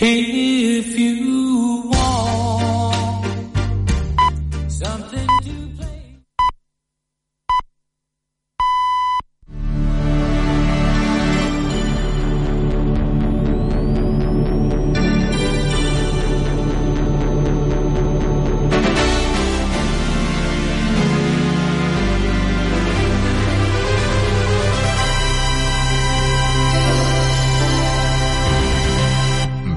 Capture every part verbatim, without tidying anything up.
If you want something to play.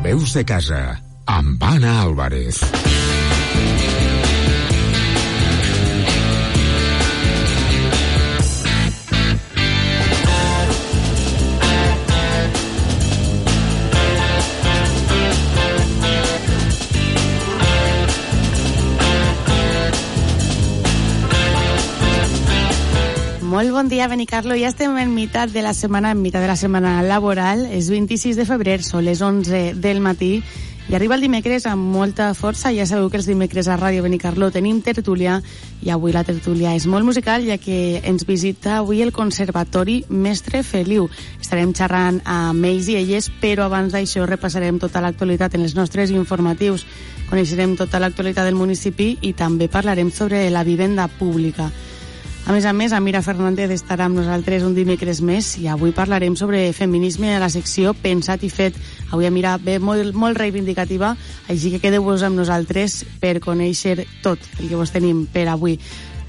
Veus de casa, amb Anna Álvarez. Molt bon dia, Benicarlo. Ja estem en meitat de la setmana, en meitat de la setmana laboral. És vint-i-sis de febrer, són les onze del matí i arriba el dimecres amb molta força. Ja sabeu que els dimecres a Ràdio Benicarlo tenim tertúlia i avui la tertúlia és molt musical, ja que ens visita avui el Conservatori Mestre Feliu. Estarem xerrant amb ells i elles, però abans d'això repassarem tota l'actualitat en els nostres informatius. Coneixerem tota l'actualitat del municipi i també parlarem sobre la vivenda pública. A més a més, Amira Fernández estarà amb nosaltres un dimecres més i avui parlarem sobre feminisme a la secció Pensat i Fet. Avui Amira ve molt, molt reivindicativa, així que quedeu-vos amb nosaltres per conèixer tot el que vos tenim per avui.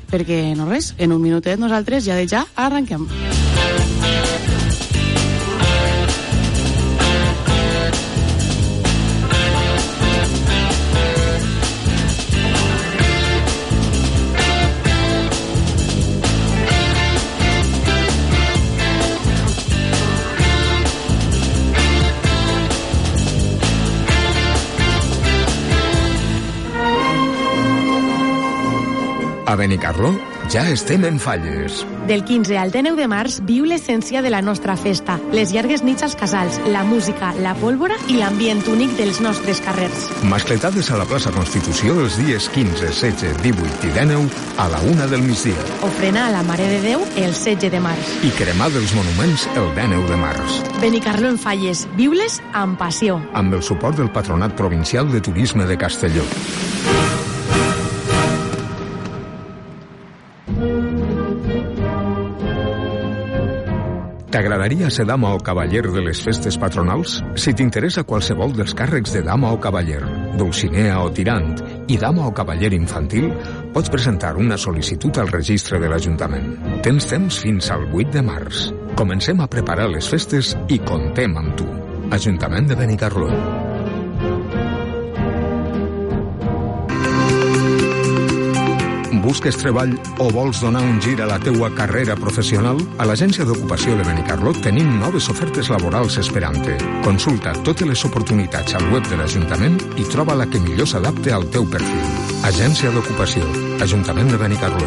Perquè, no res, en un minutet nosaltres ja de ja arrenquem. A Benicarló ja estem en Falles. Del quinze al dinou de març viu l'essència de la nostra festa, les llargues nits als casals, la música, la pólvora i l'ambient únic dels nostres carrers. Mascletades a la plaça Constitució els dies quinze, setze, divuit i dinou a la una del migdia. Ofrena a la Mare de Déu el setze de març. I cremar dels monuments el dinou de març. Benicarló en Falles, viu-les amb passió. Amb el suport del Patronat Provincial de Turisme de Castelló. T'agradaria ser dama o cavaller de les festes patronals? Si t'interessa qualsevol dels càrrecs de dama o cavaller, dulcinea o tirant i dama o cavaller infantil, pots presentar una sol·licitud al registre de l'Ajuntament. Tens temps fins al vuit de març. Comencem a preparar les festes i comptem amb tu. Ajuntament de Benicarló. Busques treball o vols donar un gir a la teua carrera professional? A l'Agència d'Ocupació de Benicarló tenim noves ofertes laborals esperant-te. Consulta totes les oportunitats al web de l'Ajuntament i troba la que millor s'adapte al teu perfil. Agència d'Ocupació, Ajuntament de Benicarló.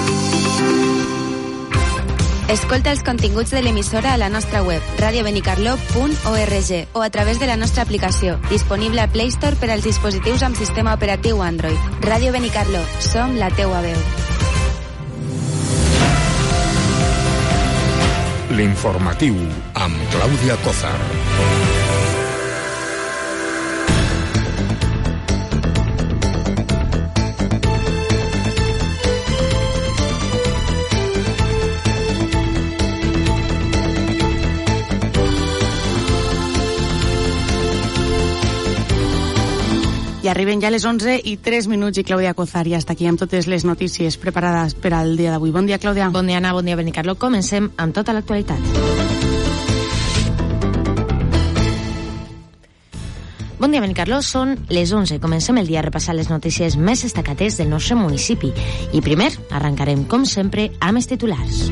Escolta els continguts de l'emissora a la nostra web, radio benicarló punt org, o a través de la nostra aplicació, disponible a Play Store per als dispositius amb sistema operatiu Android. Ràdio Benicarló, som la teua veu. L'informatiu amb Clàudia Cózar. I arriben ja les onze i tres minuts i Clàudia Cózar ja està aquí amb totes les notícies preparades per al dia d'avui. Bon dia, Clàudia. Bon dia, Anna, bon dia, Benicarló. Comencem amb tota l'actualitat. Bon dia, Benicarló. Són les onze. Comencem el dia a repassar les notícies més destacades del nostre municipi. I primer, arrencarem, com sempre, amb els titulars.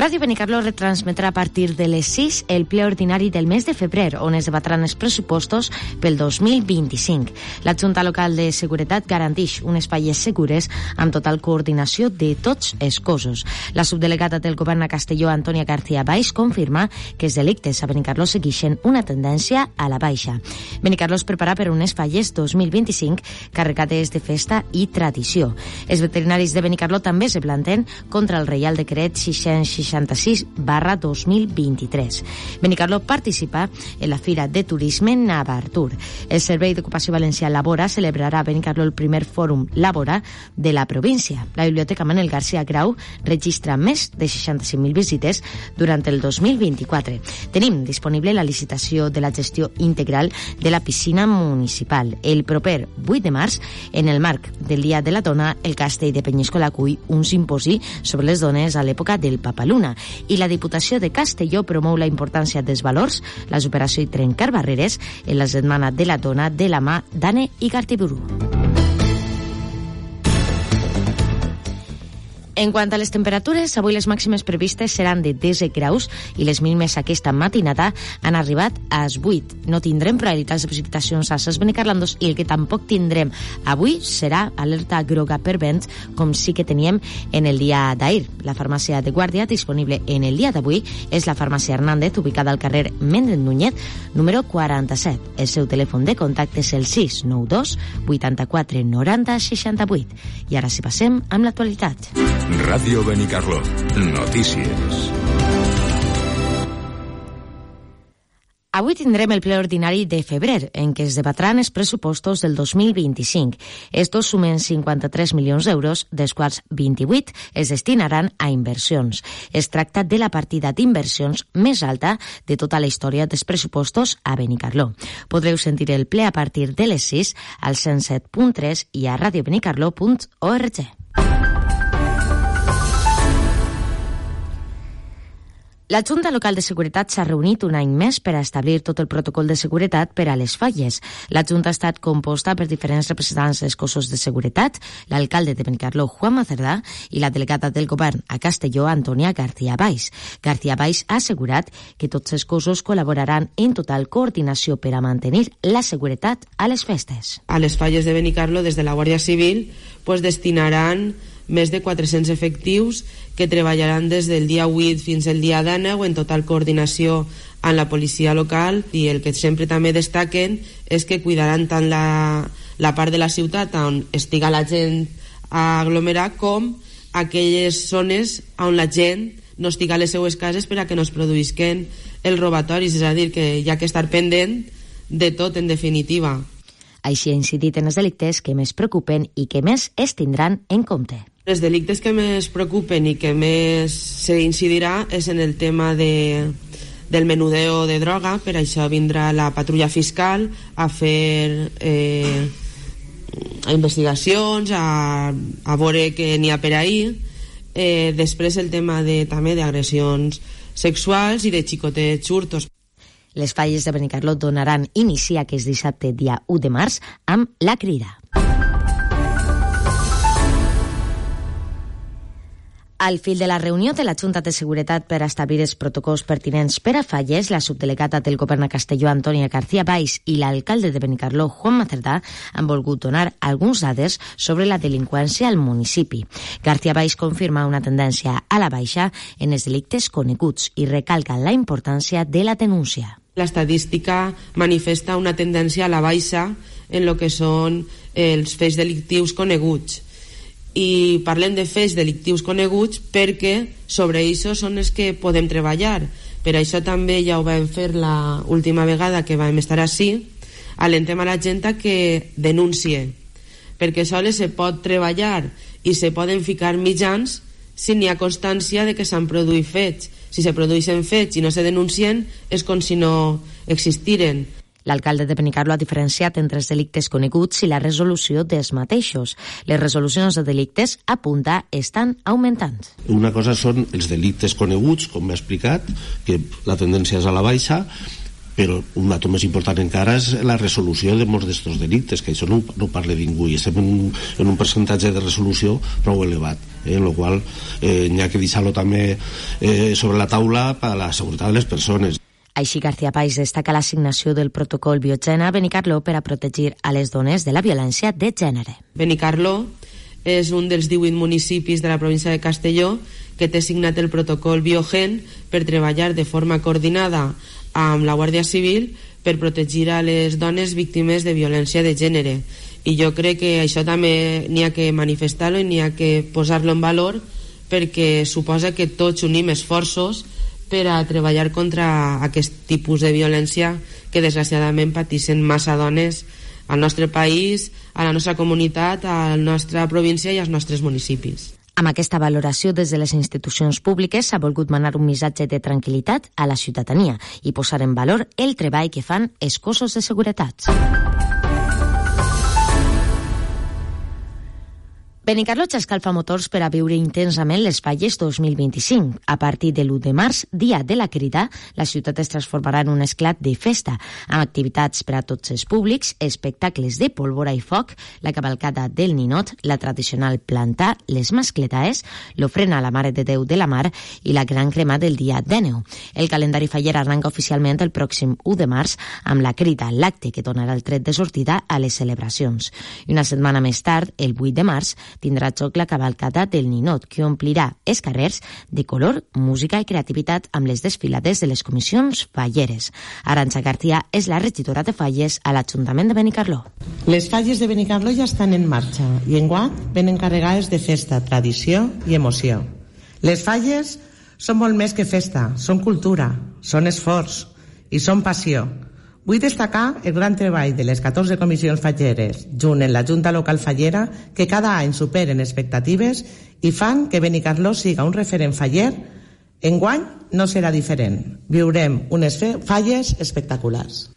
Ràdio Benicarló retransmetrà a partir de les sis el ple ordinari del mes de febrer, on es debatran els pressupostos pel dos mil vint-i-cinc. La Junta Local de Seguretat garanteix unes falles segures amb total coordinació de tots els cossos. La subdelegada del govern a Castelló, Antònia García Baix, confirma que els delictes a Benicarló segueixen una tendència a la baixa. Benicarló es prepara per unes falles dos mil vint-i-cinc carregades de festa i tradició. Els veterinaris de Benicarló també se planten contra el Reial Decret sis-cents seixanta-sis barra dos mil vint-i-tres. Benicarló participa en la Fira de Turisme Navartur. El Servei d'Ocupació Valencià Labora celebrarà a Benicarló el primer fòrum Labora de la província. La Biblioteca Manel García Grau registra més de seixanta-cinc mil visites durant el dos mil vint-i-quatre. Tenim disponible la licitació de la gestió integral de la piscina municipal. El proper vuit de març, en el marc del Dia de la Dona, el Castell de Penyíscola acull un simposi sobre les dones a l'època del Papaluna, i la Diputació de Castelló promou la importància dels valors, la superació i trencar barreres en la Setmana de la Dona de la mà d'Anne Igartiburu. En quant a les temperatures, avui les màximes previstes seran de disset graus i les mínimes aquesta matinada han arribat als vuit. No tindrem probabilitats de precipitacions a Ses Benicarlandos i el que tampoc tindrem avui serà alerta groga per vent, com sí que teníem en el dia d'ahir. La farmàcia de guàrdia disponible en el dia d'avui és la farmàcia Hernández, ubicada al carrer Méndez Núñez, número quaranta-set. El seu telèfon de contacte és el sis nou dos vuitanta-quatre noranta seixanta-vuit. I ara sí passem amb l'actualitat. Ràdio Benicarló. Notícies. Avui tindrem el ple ordinari de febrer, en què es debatran els pressupostos del dos mil vint-i-cinc. Estos sumen cinquanta-tres milions d'euros, dels quals vint-i-vuit es destinaran a inversions. Es tracta de la partida d'inversions més alta de tota la història dels pressupostos a Benicarló. Podreu sentir el ple a partir de les sis al cent set punt tres i a radio benicarló punt org. La Junta Local de Seguretat s'ha reunit un any més per a establir tot el protocol de seguretat per a les falles. La Junta ha estat composta per diferents representants dels cossos de seguretat, l'alcalde de Benicarló, Juan Macerdà, i la delegada del govern a Castelló, Antònia García Baix. García Baix ha assegurat que tots els cossos col·laboraran en total coordinació per a mantenir la seguretat a les festes. A les falles de Benicarló, des de la Guàrdia Civil, pues, destinaran més de quatre-cents efectius que treballaran des del dia vuit fins al dia deu en total coordinació amb la policia local, i el que sempre també destaquen és que cuidaran tant la, la part de la ciutat on estiga la gent a aglomerar com aquelles zones on la gent no estiga a les seues cases per a que no es produïsquen els robatoris, és a dir, que hi ha que estar pendent de tot en definitiva. Així ha incidit en els delictes que més preocupen i que més es tindran en compte. Els delictes que més preocupen i que més s'incidirà és en el tema de, del menudeo de droga. Per això vindrà la patrulla fiscal a fer eh, investigacions, a, a veure què n'hi ha per ahir. Eh, després el tema de, també d'agressions sexuals i de xicotets hurtos. Les falles de Benicarló donaran inici aquest dissabte, dia u de març, amb la crida. Al fil de la reunió de la Junta de Seguretat per establir els protocols pertinents per a falles, la subdelegada del govern a Castelló, Antònia García Baix, i l'alcalde de Benicarló, Juan Macerdà, han volgut donar alguns dades sobre la delinqüència al municipi. García Baix confirma una tendència a la baixa en els delictes coneguts i recalca la importància de la denúncia. L'estadística manifesta una tendència a la baixa en el que són els fets delictius coneguts. I parlem de fets delictius coneguts perquè sobre això són els que podem treballar. Per això també ja ho vam fer la última vegada que vam estar així, alentem a la gent que denuncie, perquè sols se pot treballar i se poden ficar mitjans si n'hi ha constància de que s'han produït fets. Si se produeixen fets i no se denuncien, és com si no existiren. L'alcalde de Benicarló ha diferenciat entre els delictes coneguts i la resolució dels mateixos. Les resolucions de delictes, apunta, estan augmentant. Una cosa són els delictes coneguts, com m'ha explicat, que la tendència és a la baixa, però un dato més important encara és la resolució de molts d'estos delictes, que això no, no parla ningú, i estem en un, en un percentatge de resolució prou elevat, eh, en el qual eh, n'hi ha que deixar-lo també eh, sobre la taula per a la seguretat de les persones. Així, García País destaca l'assignació del protocol Biogena a Benicarló per a protegir a les dones de la violència de gènere. Benicarló és un dels divuit municipis de la província de Castelló que té signat el protocol Biogen per treballar de forma coordinada amb la Guàrdia Civil per protegir a les dones víctimes de violència de gènere. I jo crec que això també n'hi ha que manifestar-lo i n'hi ha que posar-lo en valor, perquè suposa que tots unim esforços per a treballar contra aquest tipus de violència que desgraciadament pateixen massa dones al nostre país, a la nostra comunitat, a la nostra província i als nostres municipis. Amb aquesta valoració des de les institucions públiques s'ha volgut manar un missatge de tranquil·litat a la ciutadania i posar en valor el treball que fan els cossos de seguretat. Benicarló escalfa motors per a viure intensament les falles dos mil vint-i-cinc. A partir de l'u de març, dia de la Crida, la ciutat es transformarà en un esclat de festa, amb activitats per a tots els públics, espectacles de pólvora i foc, la cavalcada del ninot, la tradicional plantà, les mascletaes, l'ofrena a la Mare de Déu de la Mar i la gran crema del dia de neu. El calendari faller arranca oficialment el pròxim u de març amb la Crida, l'acte que donarà el tret de sortida a les celebracions. I una setmana més tard, el vuit de març, tindrà joc la cavalcada del ninot, que omplirà els carrers de color, música i creativitat amb les desfilades de les comissions falleres. Arantxa García és la regidora de falles a l'Ajuntament de Benicarló. Les falles de Benicarló ja estan en marxa i enguany ven encarregades de festa, tradició i emoció. Les falles són molt més que festa, són cultura, són esforç i són passió. Vull destacar el gran treball de les catorze comissions falleres, junt en la Junta Local Fallera, que cada any superen expectatives i fan que Benicarló siga un referent faller. Enguany no serà diferent. Viurem unes falles espectaculars.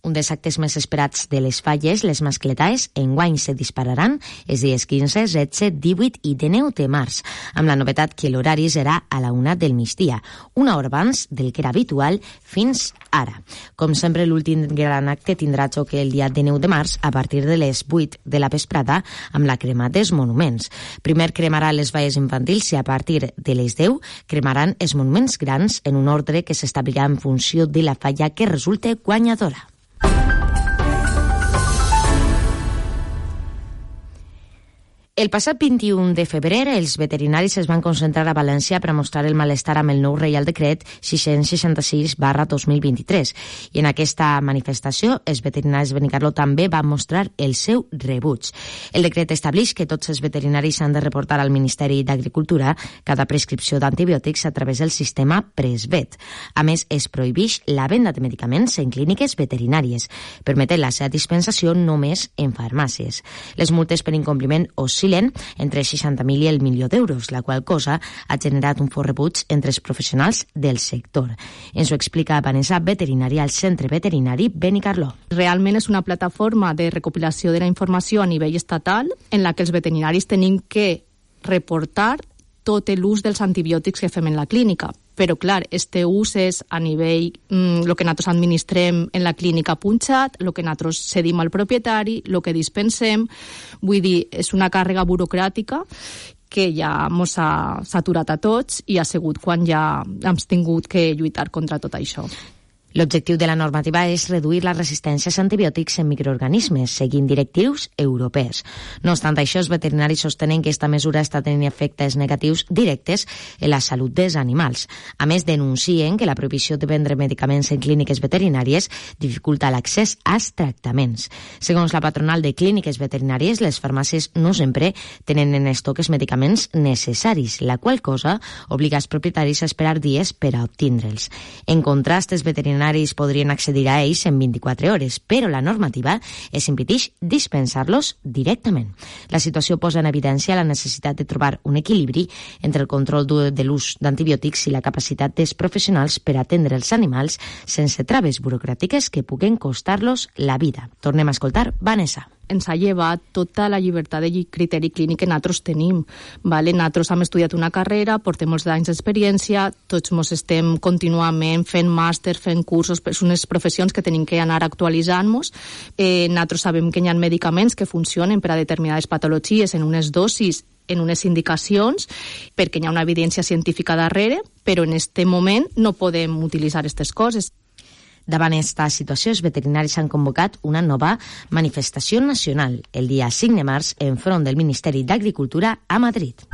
Un dels actes més esperats de les falles, les mascletaes, enguany se dispararan els dies quinze, setze, divuit i dinou de març, amb la novetat que l'horari serà a la una del migdia, una hora abans del que era habitual fins ara. Com sempre, l'últim gran acte tindrà joc el dia dinou de març a partir de les vuit de la vesprada amb la crema dels monuments. Primer cremarà les falles infantils i a partir de les deu cremaran els monuments grans en un ordre que s'establirà en funció de la falla que resulte guanyadora. El passat vint-i-un de febrer, els veterinaris es van concentrar a València per a mostrar el malestar amb el nou Reial Decret sis-cents seixanta-sis barra dos mil vint-i-tres. I en aquesta manifestació, els veterinaris de Benicarló també van mostrar el seu rebuig. El decret estableix que tots els veterinaris han de reportar al Ministeri d'Agricultura cada prescripció d'antibiòtics a través del sistema Presvet. A més, es prohibeix la venda de medicaments en clíniques veterinàries, permetent la seva dispensació només en farmàcies. Les multes per incompliment oscil·len entre seixanta mil i el milió d'euros, la qual cosa ha generat un fort rebuig entre els professionals del sector. Ens ho explica Vanessa, veterinària al Centre Veterinari Benicarló. Realment és una plataforma de recopilació de la informació a nivell estatal en la que els veterinaris tenim que reportar tot l'ús dels antibiòtics que fem en la clínica. Però, clar, este ús és a nivell, el mm, que nosaltres administrem en la clínica punxat, el que nosaltres cedim al propietari, el que dispensem. Vull dir, és una càrrega burocràtica que ja ens ha saturat a tots i ha sigut quan ja hem tingut que lluitar contra tot això. L'objectiu de la normativa és reduir les resistències a antibiòtics en microorganismes, seguint directius europees. No obstant això, els veterinaris sostenen que aquesta mesura està tenint efectes negatius directes en la salut dels animals. A més, denuncien que la prohibició de vendre medicaments en clíniques veterinàries dificulta l'accés als tractaments. Segons la patronal de clíniques veterinàries, les farmàcies no sempre tenen en estoc els medicaments necessaris, la qual cosa obliga els propietaris a esperar dies per a obtindre'ls. En contrast, els veterinaris podrien accedir a ells en vint-i-quatre hores, però la normativa es impedeix dispensar-los directament. La situació posa en evidència la necessitat de trobar un equilibri entre el control de l'ús d'antibiòtics i la capacitat dels professionals per atendre els animals sense traves burocràtiques que puguen costar-los la vida. Tornem a escoltar Vanessa. ens ha llevat tota la llibertat de criteri clínic que nosaltres tenim. Vale? Nosaltres hem estudiat una carrera, portem molts anys d'experiència, tots ens estem contínuament fent màster, fent cursos, són unes professions que tenim que anar actualitzant-nos. Eh, nosaltres sabem que hi ha medicaments que funcionen per a determinades patologies en unes dosis, en unes indicacions, perquè hi ha una evidència científica darrere, però en aquest moment no podem utilitzar aquestes coses. Davant aquesta situació, els veterinaris han convocat una nova manifestació nacional el dia cinc de març en front del Ministeri d'Agricultura a Madrid.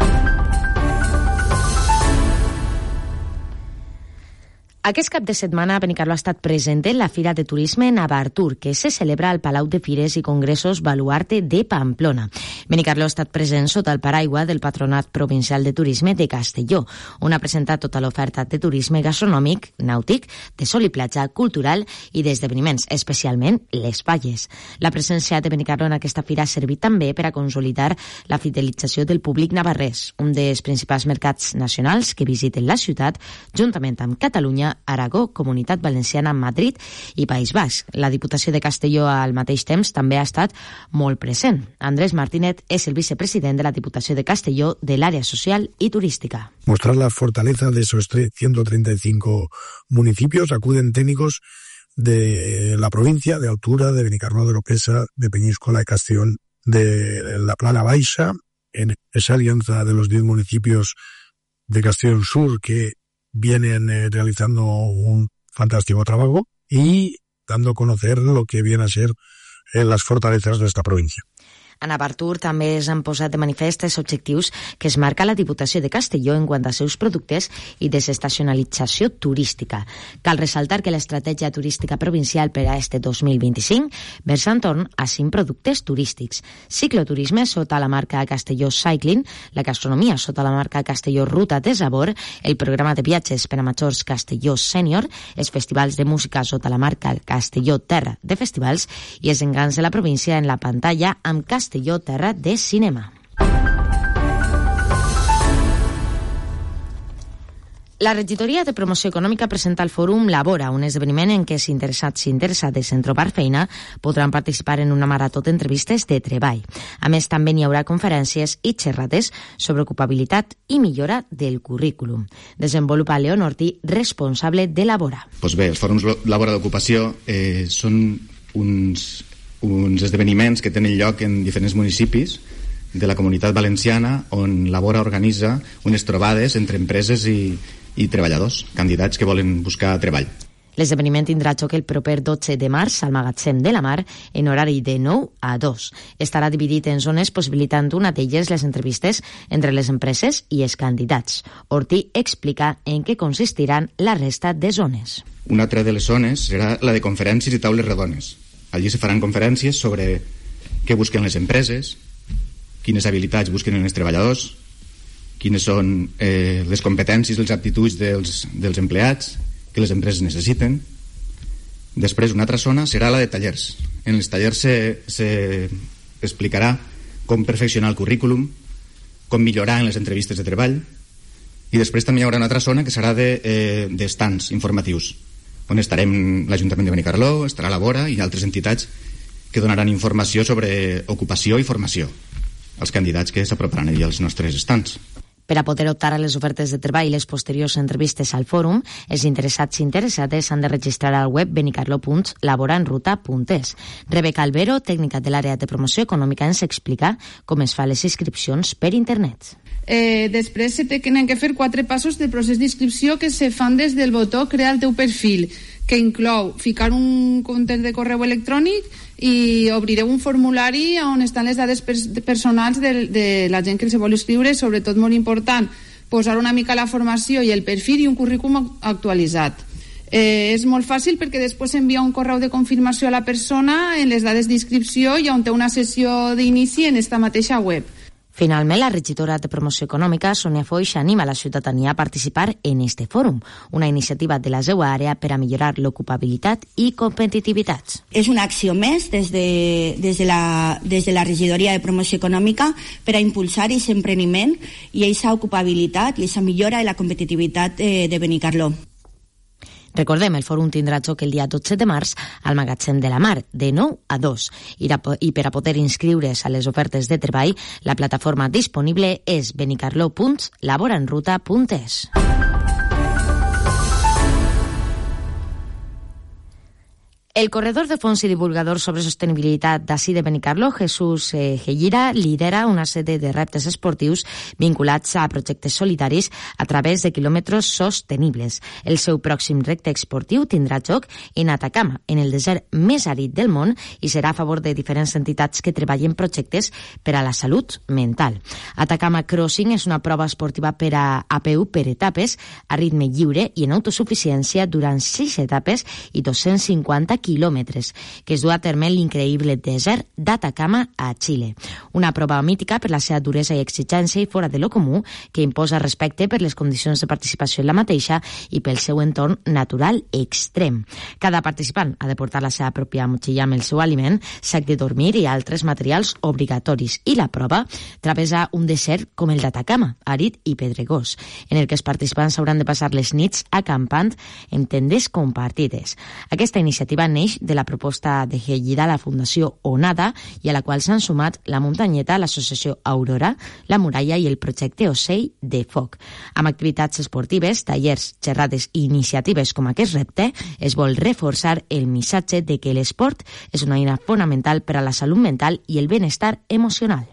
Aquest cap de setmana Benicarló ha estat present en la Fira de Turisme Navartur, que se celebra al Palau de Fires i Congressos Baluarte de Pamplona. Benicarló ha estat present sota el paraigua del Patronat Provincial de Turisme de Castelló, on ha presentat tota l'oferta de turisme gastronòmic, nàutic, de sol i platja, cultural i d'esdeveniments, especialment les falles. La presència de Benicarló en aquesta fira ha servit també per a consolidar la fidelització del públic navarrès, un dels principals mercats nacionals que visiten la ciutat, juntament amb Catalunya, Aragó, Comunitat Valenciana, Madrid i País Basc. La Diputació de Castelló al mateix temps també ha estat molt present. Andrés Martínez és el vicepresident de la Diputació de Castelló de l'àrea social y turística. Mostrar la fortaleza de esos ciento treinta y cinco municipios, acuden técnicos de la provincia, de Altura, de Benicarló, de Oropesa, de Peñíscola, de Castellón, de la Plana Baixa, en esa alianza de los diez municipios de Castellón Sur que vienen eh, realizando un fantástico trabajo y dando a conocer lo que viene a ser eh, las fortalezas de esta provincia. A Navartur també s'han posat de manifest els objectius que es marca la Diputació de Castelló en quant a seus productes i desestacionalització turística. Cal ressaltar que l'estratègia turística provincial per a este dos mil vint-i-cinc versa entorn a cinc productes turístics: cicloturisme sota la marca Castelló Cycling, la gastronomia sota la marca Castelló Ruta de Sabor, el programa de viatges per a majors Castelló Sènior, els festivals de música sota la marca Castelló Terra de Festivals i els engans de la província en la pantalla amb Castelló Castelló Terra de Cinema. La regidoria de promoció econòmica presenta el fòrum Labora, un esdeveniment en què els interessats i interessades en trobar feina podran participar en una marató d'entrevistes de treball. A més, també n'hi haurà conferències i xerrades sobre ocupabilitat i millora del currículum. Desenvolupa León Ortí, responsable de Labora. Pues bé, els fòrums Labora d'ocupació eh, són uns... uns esdeveniments que tenen lloc en diferents municipis de la Comunitat Valenciana, on Labora organitza unes trobades entre empreses i, i treballadors, candidats que volen buscar treball. L'esdeveniment tindrà lloc el proper dotze de març al Magatzem de la Mar en horari de nou a dos. Estarà dividit en zones possibilitant una d'elles les entrevistes entre les empreses i els candidats. Ortí explica en què consistiran la resta de zones. Una altra de les zones serà la de conferències i taules rodones. Allí se faran conferències sobre què busquen les empreses, quines habilitats busquen els treballadors, quines són eh, les competències i les aptituds dels, dels empleats que les empreses necessiten. Després, una altra zona serà la de tallers. En els tallers se, se explicarà com perfeccionar el currículum, com millorar en les entrevistes de treball, i després també hi haurà una altra zona que serà de, eh, de stands informatius, on estarem l'Ajuntament de Benicarló, estarà Labora i altres entitats que donaran informació sobre ocupació i formació als candidats que s'aproparan allà als nostres estants. Per a poder optar a les ofertes de treball i les posteriors entrevistes al fòrum, els interessats i interessades s'han de registrar al web benicarló punt labora en ruta punt es. Rebeca Albero, tècnica de l'àrea de promoció econòmica, ens explica com es fan les inscripcions per internet. Eh, després se tenen que fer quatre passos del procés d'inscripció que se fan des del botó Crea el teu perfil, que inclou ficar un compte de correu electrònic i obrireu un formulari on estan les dades pers personals de, de la gent que se vol inscriure, sobretot molt important posar una mica la formació i el perfil i un currículum actualitzat. Eh, és molt fàcil perquè després envia un correu de confirmació a la persona en les dades d'inscripció i on té una sessió d'inici en esta mateixa web. Finalment, la regidora de promoció econòmica, Sònia Foix, anima la ciutadania a participar en este fòrum, una iniciativa de la seva àrea per a millorar l'ocupabilitat i competitivitat. És una acció més des de, des de, la, des de la regidoria de promoció econòmica per a impulsar aquest empreniment i aquesta ocupabilitat i aquesta millora de la competitivitat eh, de Benicarló. Recordem, el fòrum tindrà joc el dia dotze de març al Magatzem de la Mar, de nou a dos. I per a poder inscriure's a les ofertes de treball, la plataforma disponible és benicarló punt laborenruta punt es. El corredor de fons i divulgador sobre sostenibilitat d'ací de Benicarló, Jesús eh, Gellira, lidera una sèrie de reptes esportius vinculats a projectes solidaris a través de quilòmetres sostenibles. El seu pròxim repte esportiu tindrà joc en Atacama, en el desert més àrid del món, i serà a favor de diferents entitats que treballen projectes per a la salut mental. Atacama Crossing és una prova esportiva per a A P U per etapes, a ritme lliure i en autosuficiència durant sis etapes i dos-cents cinquanta quilòmetres, que es du a terme en l'increïble desert d'Atacama a Xile. Una prova mítica per la seva duresa i exigència i fora de lo comú, que imposa respecte per les condicions de participació en la mateixa i pel seu entorn natural extrem. Cada participant ha de portar la seva pròpia motxilla amb el seu aliment, sac de dormir i altres materials obligatoris, i la prova travessa un desert com el d'Atacama, àrid i pedregós, en el que els participants hauran de passar les nits acampant en tendes compartides. Aquesta iniciativa neix de la proposta de Gellida a la Fundació Onada i a la qual s'han sumat la Muntanyeta, l'associació Aurora, la Muralla i el projecte Ocell de Foc. Amb activitats esportives, tallers, xerrades i iniciatives com aquest repte, es vol reforçar el missatge de que l'esport és una eina fonamental per a la salut mental i el benestar emocional.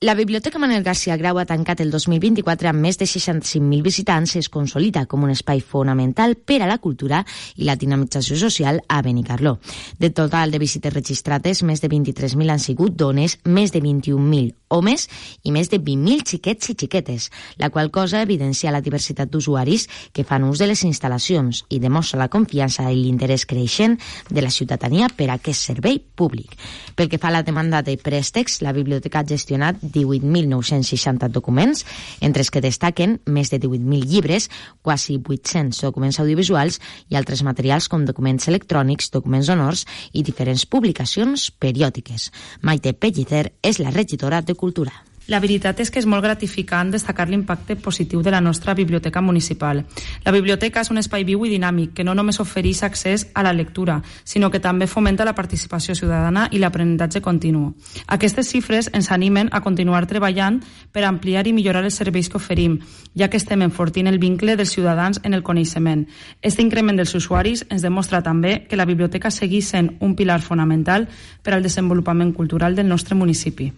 La Biblioteca Manuel García Grau ha tancat el dos mil vint-i-quatre amb més de seixanta-cinc mil visitants i es consolida com un espai fonamental per a la cultura i la dinamització social a Benicarló. De total de visites registrades, més de vint-i-tres mil han sigut dones, més de vint-i-un mil homes i més de vint mil xiquets i xiquetes, la qual cosa evidencia la diversitat d'usuaris que fan ús de les instal·lacions i demostra la confiança i l'interès creixent de la ciutadania per a aquest servei públic. Pel que fa a la demanda de préstecs, la biblioteca ha gestionat divuit mil nou-cents seixanta documents, entre els que destaquen més de divuit mil llibres, quasi vuit-cents documents audiovisuals i altres materials com documents electrònics, documents honors i diferents publicacions periòdiques. Maite Pellicer és la regidora de Cultura. La veritat és que és molt gratificant destacar l'impacte positiu de la nostra biblioteca municipal. La biblioteca és un espai viu i dinàmic que no només ofereix accés a la lectura, sinó que també fomenta la participació ciutadana i l'aprenentatge continu. Aquestes xifres ens animen a continuar treballant per ampliar i millorar els serveis que oferim, ja que estem enfortint el vincle dels ciutadans en el coneixement. Este increment dels usuaris ens demostra també que la biblioteca segueix sent un pilar fonamental per al desenvolupament cultural del nostre municipi.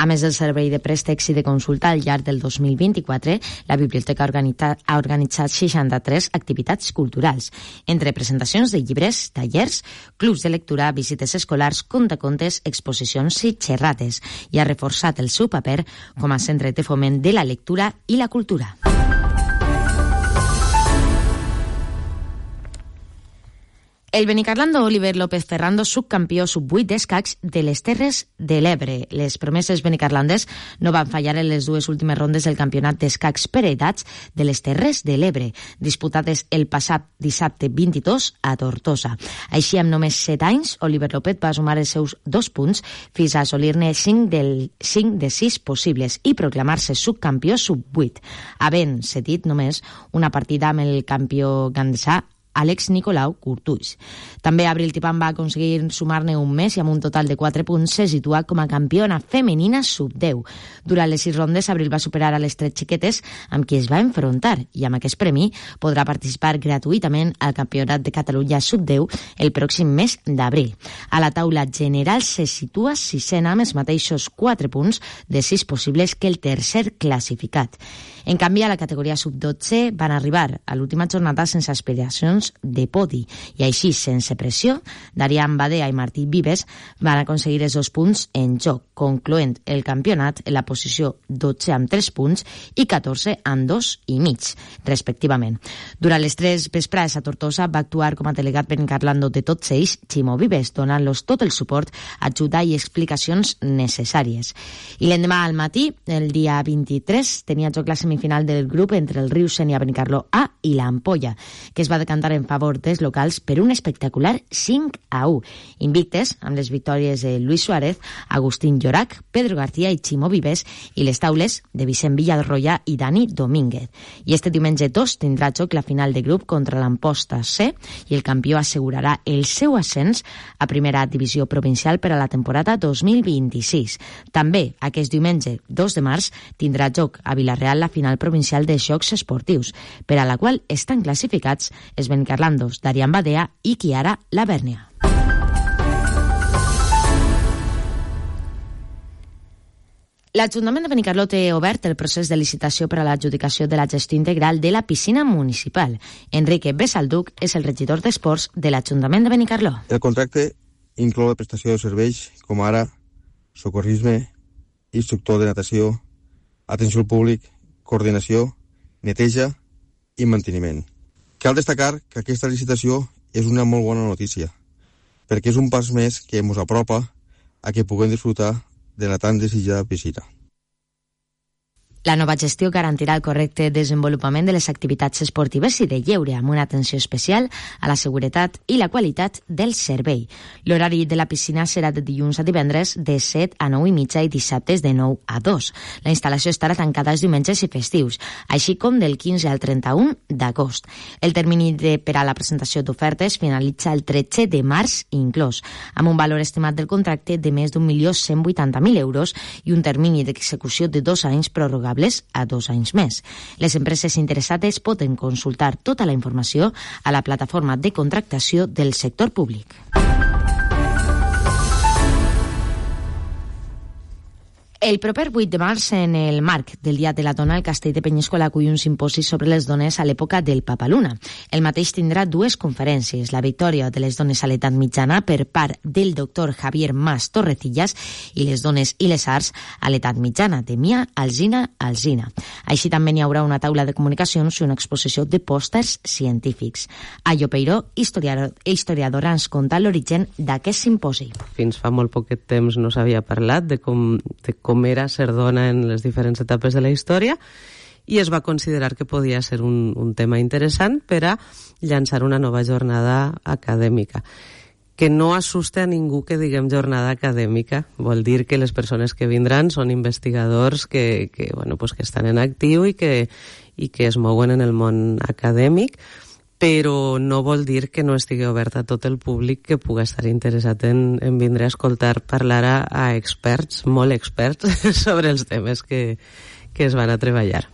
A més del servei de préstecs i de consulta, al llarg del dos mil vint-i-quatre, la biblioteca ha organitzat seixanta-tres activitats culturals, entre presentacions de llibres, tallers, clubs de lectura, visites escolars, contacontes, exposicions i xerrades, i ha reforçat el seu paper com a centre de foment de la lectura i la cultura. El benicarlando Oliver López Ferrando, subcampió sub vuit d'escacs de les Terres de l'Ebre. Les promeses benicarlandes no van fallar en les dues últimes rondes del campionat d'escacs per edats de les Terres de l'Ebre, disputades el passat dissabte vint-i-dos a Tortosa. Així, amb només set anys, Oliver López va sumar els seus dos punts fins a assolir-ne cinc de sis possibles i proclamar-se subcampió sub vuit, havent cedit només una partida amb el campió gandesà Àlex Nicolau Curtuix. També Abril Tipan va aconseguir sumar-ne un més i amb un total de quatre punts se situa com a campiona femenina sub deu. Durant les sis rondes, Abril va superar a les tres xiquetes amb qui es va enfrontar i amb aquest premi podrà participar gratuïtament al Campionat de Catalunya sub deu el pròxim mes d'abril. A la taula general se situa sisena amb els mateixos quatre punts de sis possibles que el tercer classificat. En canvi, a la categoria sub dotze van arribar a l'última jornada sense aspiracions de podi i així, sense pressió, Darian Badea i Martí Vives van aconseguir els dos punts en joc, concloent el campionat en la posició dotze amb tres punts i catorze amb dos i mig, respectivament. Durant les tres vesprades a Tortosa va actuar com a delegat benicarlando de tots ells Ximo Vives, donant-los tot el suport, ajuda i explicacions necessàries. I l'endemà al matí, el dia vint-i-tres, tenia joc la semifinal del grup entre el Riu Sénia Benicarló A i l'Ampolla, que es va decantar en favor dels locals per un espectacular cinc a u. Invictes, amb les victòries de Luis Suárez, Agustín Llorac, Pedro García i Ximo Vives, i les taules de Vicent Villarroya i Dani Domínguez. I este diumenge dos tindrà joc la final de grup contra l'Amposta C i el campió assegurarà el seu ascens a primera divisió provincial per a la temporada dos mil vint-i-sis. També, aquest diumenge dos de març, tindrà joc a Vila-real la final provincial de Jocs Esportius, per a la qual estan classificats els Benicarlandos d'Arián Badea i Chiara Lavernia. L'Ajuntament de Benicarló té obert el procés de licitació per a l'adjudicació de la gestió integral de la piscina municipal. Enrique Besalduc és el regidor d'Esports de l'Ajuntament de Benicarló. El contracte inclou la prestació de serveis com ara socorrisme, instructor de natació, atenció al públic, coordinació, neteja i manteniment. Cal destacar que aquesta licitació és una molt bona notícia, perquè és un pas més que ens apropa a que puguem disfrutar de la tan desitjada piscina. La nova gestió garantirà el correcte desenvolupament de les activitats esportives i de lleure, amb una atenció especial a la seguretat i la qualitat del servei. L'horari de la piscina serà de dilluns a divendres de set a nou i mitja i dissabtes de nou a dos. La instal·lació estarà tancada els diumenges i festius, així com del quinze al trenta-un d'agost. El termini de, per a la presentació d'ofertes finalitza el tretze de març inclòs, amb un valor estimat del contracte de més d'un milió cent vuitanta mil euros i un termini d'execució de dos anys prorrogables a dos anys més. Les empreses interessades poden consultar tota la informació a la plataforma de contractació del sector públic. El proper vuit de març, en el marc del Dia de la Dona, el Castell de Penyíscola acull un simposi sobre les dones a l'època del Papaluna. El mateix tindrà dues conferències, la victòria de les dones a l'edat mitjana per part del doctor Javier Mas Torrecillas i les dones i les arts a l'edat mitjana, de Mia Alzina Alzina. Així també n'hi haurà una taula de comunicacions i una exposició de pòsters científics. Ayo Peiró, historiador, historiadora, ens conta l'origen d'aquest simposi. Fins fa molt poquet temps no s'havia parlat de com, de com com era ser dona en les diferents etapes de la història i es va considerar que podia ser un, un tema interessant per a llançar una nova jornada acadèmica. Que no assuste a ningú que diguem jornada acadèmica, vol dir que les persones que vindran són investigadors que, que, bueno, pues que estan en actiu i que, i que es mouen en el món acadèmic, però no vol dir que no estigui obert a tot el públic que pugui estar interessat en, en vindre a escoltar parlar a, a experts, molt experts, sobre els temes que, que es van a treballar.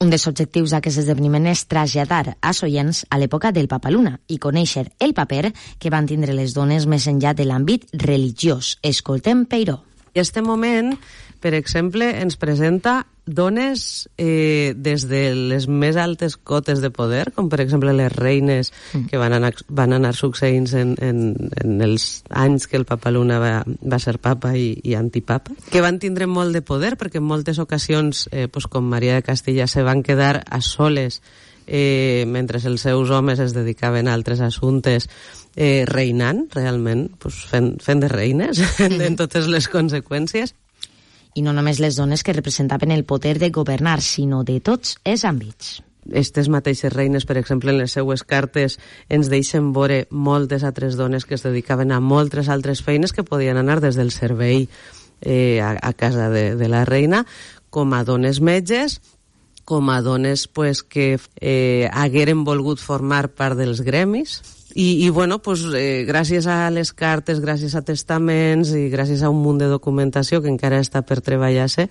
Un dels objectius d'aquest esdeveniment és traslladar als oients a l'època del Papaluna i conèixer el paper que van tindre les dones més enllà de l'àmbit religiós. Escoltem Peiró. I este moment, per exemple, ens presenta dones eh, des de les més altes cotes de poder, com per exemple les reines que van anar, van anar succeint en, en, en els anys que el Papaluna va, va ser papa i, i antipapa, que van tindre molt de poder perquè en moltes ocasions, eh, pues, com Maria de Castilla, se van quedar a soles eh, mentre els seus homes es dedicaven a altres assumptes, eh, reinant realment, pues, fent, fent de reines en, en totes les conseqüències. I no només les dones que representaven el poder de governar, sinó de tots els àmbits. Estes mateixes reines, per exemple, en les seues cartes ens deixen veure moltes altres dones que es dedicaven a moltes altres feines que podien anar des del servei eh, a, a casa de, de la reina, com a dones metges, com a dones pues, que eh, hagueren volgut formar part dels gremis. I, i bueno, pues, eh, gràcies a les cartes, gràcies a testaments i gràcies a un munt de documentació que encara està per treballar-se,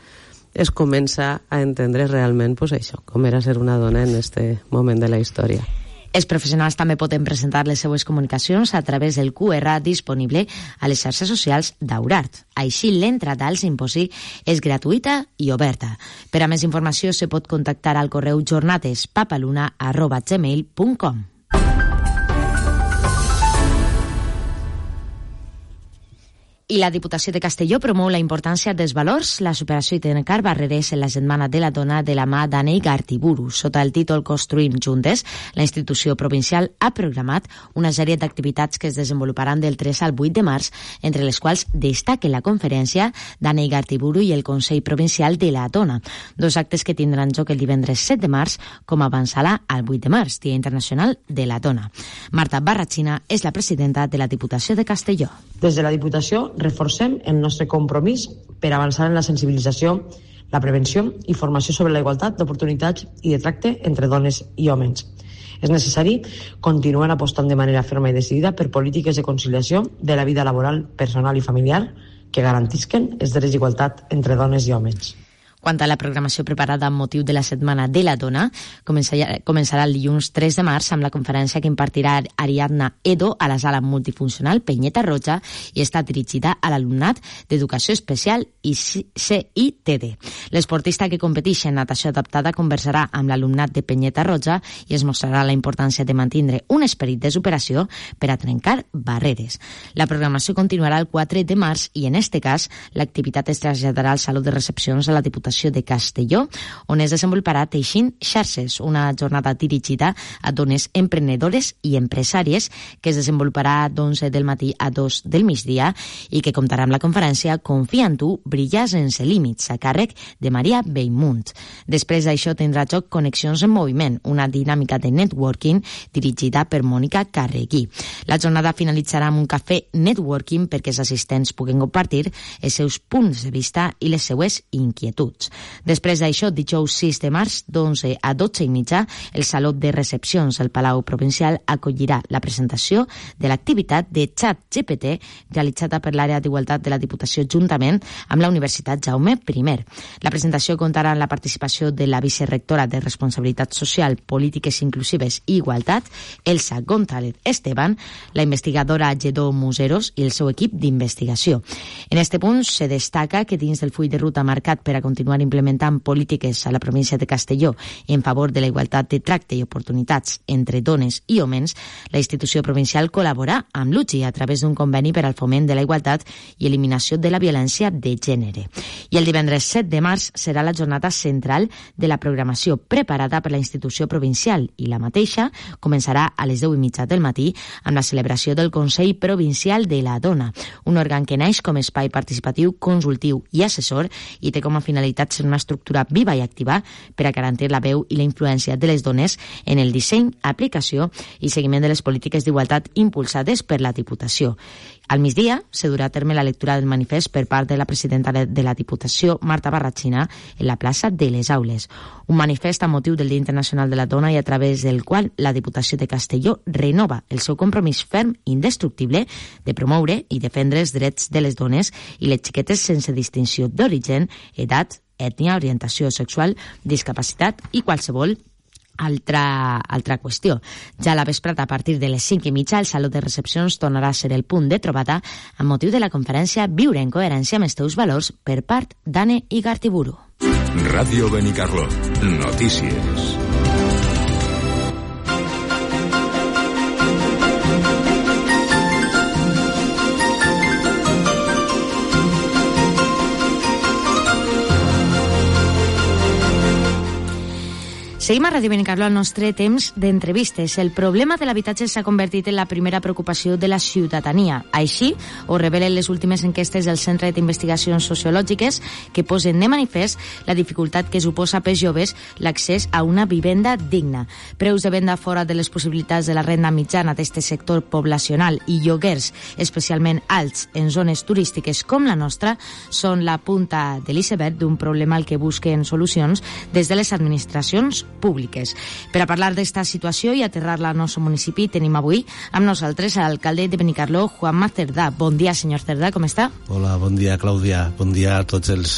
es comença a entendre realment pues, això, com era ser una dona en este moment de la història. Els professionals també poden presentar les seues comunicacions a través del Q R disponible a les xarxes socials d'Aurart. Així, l'entrada al simposi és gratuïta i oberta. Per a més informació, se pot contactar al correu jornadespapaluna arroba gmail punt com. I la Diputació de Castelló promou la importància dels valors, la superació i trencar barreres en la Setmana de la Dona de la mà d'Anei Gartiburu. Sota el títol Construïm Juntes, la institució provincial ha programat una sèrie d'activitats que es desenvoluparan del tres al vuit de març, entre les quals destaca la conferència d'Anei Gartiburu i el Consell Provincial de la Dona, dos actes que tindran lloc el divendres set de març com a avançala al vuit de març, Dia Internacional de la Dona. Marta Barratxina és la presidenta de la Diputació de Castelló. Des de la Diputació reforcem el nostre compromís per avançar en la sensibilització, la prevenció i formació sobre la igualtat d'oportunitats i de tracte entre dones i homes. És necessari continuar apostant de manera ferma i decidida per polítiques de conciliació de la vida laboral, personal i familiar que garantisquen els drets d'igualtat entre dones i homes. Quant a la programació preparada amb motiu de la Setmana de la Dona, començarà, començarà el dilluns tres de març amb la conferència que impartirà Ariadna Edo a la sala multifuncional Penyeta Roja i està dirigida a l'alumnat d'Educació Especial i C I T D. L'esportista que competeix en natació adaptada conversarà amb l'alumnat de Penyeta Roja i es mostrarà la importància de mantindre un esperit de superació per a trencar barreres. La programació continuarà el quatre de març i en este cas l'activitat es traslladarà al Saló de Recepcions a la Diputació de Castelló, on es desenvoluparà Teixint Xarxes, una jornada dirigida a dones emprenedores i empresàries que es desenvoluparà d'onze del matí a dos del migdia i que comptarà amb la conferència Confia en tu, brillar sense límits, a càrrec de Maria Bellmunt. Després d'això tindrà joc Connexions en Moviment, una dinàmica de networking dirigida per Mònica Carregui. La jornada finalitzarà amb un cafè networking perquè els assistents puguen compartir els seus punts de vista i les seues inquietuds. Després d'això, dijous sis de març, d'onze a dotze i mitja, el Saló de Recepcions del Palau Provincial acollirà la presentació de l'activitat de Chat G P T realitzada per l'àrea d'Igualtat de la Diputació juntament amb la Universitat Jaume I. La presentació comptarà amb la participació de la vicerectora de Responsabilitat Social, Polítiques Inclusives i Igualtat, Elsa González Esteban, la investigadora Lledó Museros i el seu equip d'investigació. En este punt se destaca que dins del full de ruta marcat per a continuar implementant polítiques a la província de Castelló en favor de la igualtat de tracte i oportunitats entre dones i homes, la institució provincial col·labora amb l'U G I a través d'un conveni per al foment de la igualtat i eliminació de la violència de gènere. I el divendres set de març serà la jornada central de la programació preparada per la institució provincial i la mateixa començarà a les deu i mitja del matí amb la celebració del Consell Provincial de la Dona, un òrgan que neix com a espai participatiu, consultiu i assessor i té com a finalitat ser una estructura viva i activa per a garantir la veu i la influència de les dones en el disseny, aplicació i seguiment de les polítiques d'igualtat impulsades per la Diputació. Al migdia se durà a terme la lectura del manifest per part de la presidenta de la Diputació, Marta Barratxina, en la plaça de les Aules. Un manifest a motiu del Dia Internacional de la Dona i a través del qual la Diputació de Castelló renova el seu compromís ferm i indestructible de promoure i defendre els drets de les dones i les xiquetes sense distinció d'origen, edat, ètnia, orientació sexual, discapacitat i qualsevol altra, altra qüestió. Ja a la vesprada, a partir de les cinc i mitja, el Saló de Recepcions tornarà a ser el punt de trobada amb motiu de la conferència Viure en coherència amb els teus valors per part d'Anne Igartiburu. Ràdio Benicarló. Notícies. Seguim a Ràdio Benicarló al nostre temps d'entrevistes. El problema de l'habitatge s'ha convertit en la primera preocupació de la ciutadania. Així ho revelen les últimes enquestes del Centre d'Investigacions Sociològiques que posen de manifest la dificultat que suposa pels joves l'accés a una vivenda digna. Preus de venda fora de les possibilitats de la renda mitjana d'este sector poblacional i lloguers especialment alts en zones turístiques com la nostra són la punta de l'iceberg d'un problema al que busquen solucions des de les administracions públiques. Per a parlar d'esta situació i aterrar-la al nostre municipi tenim avui amb nosaltres l'alcalde de Benicarló, Juanma Cerdà. Bon dia, senyor Cerdà, com està? Hola, bon dia, Clàudia. Bon dia a tots els,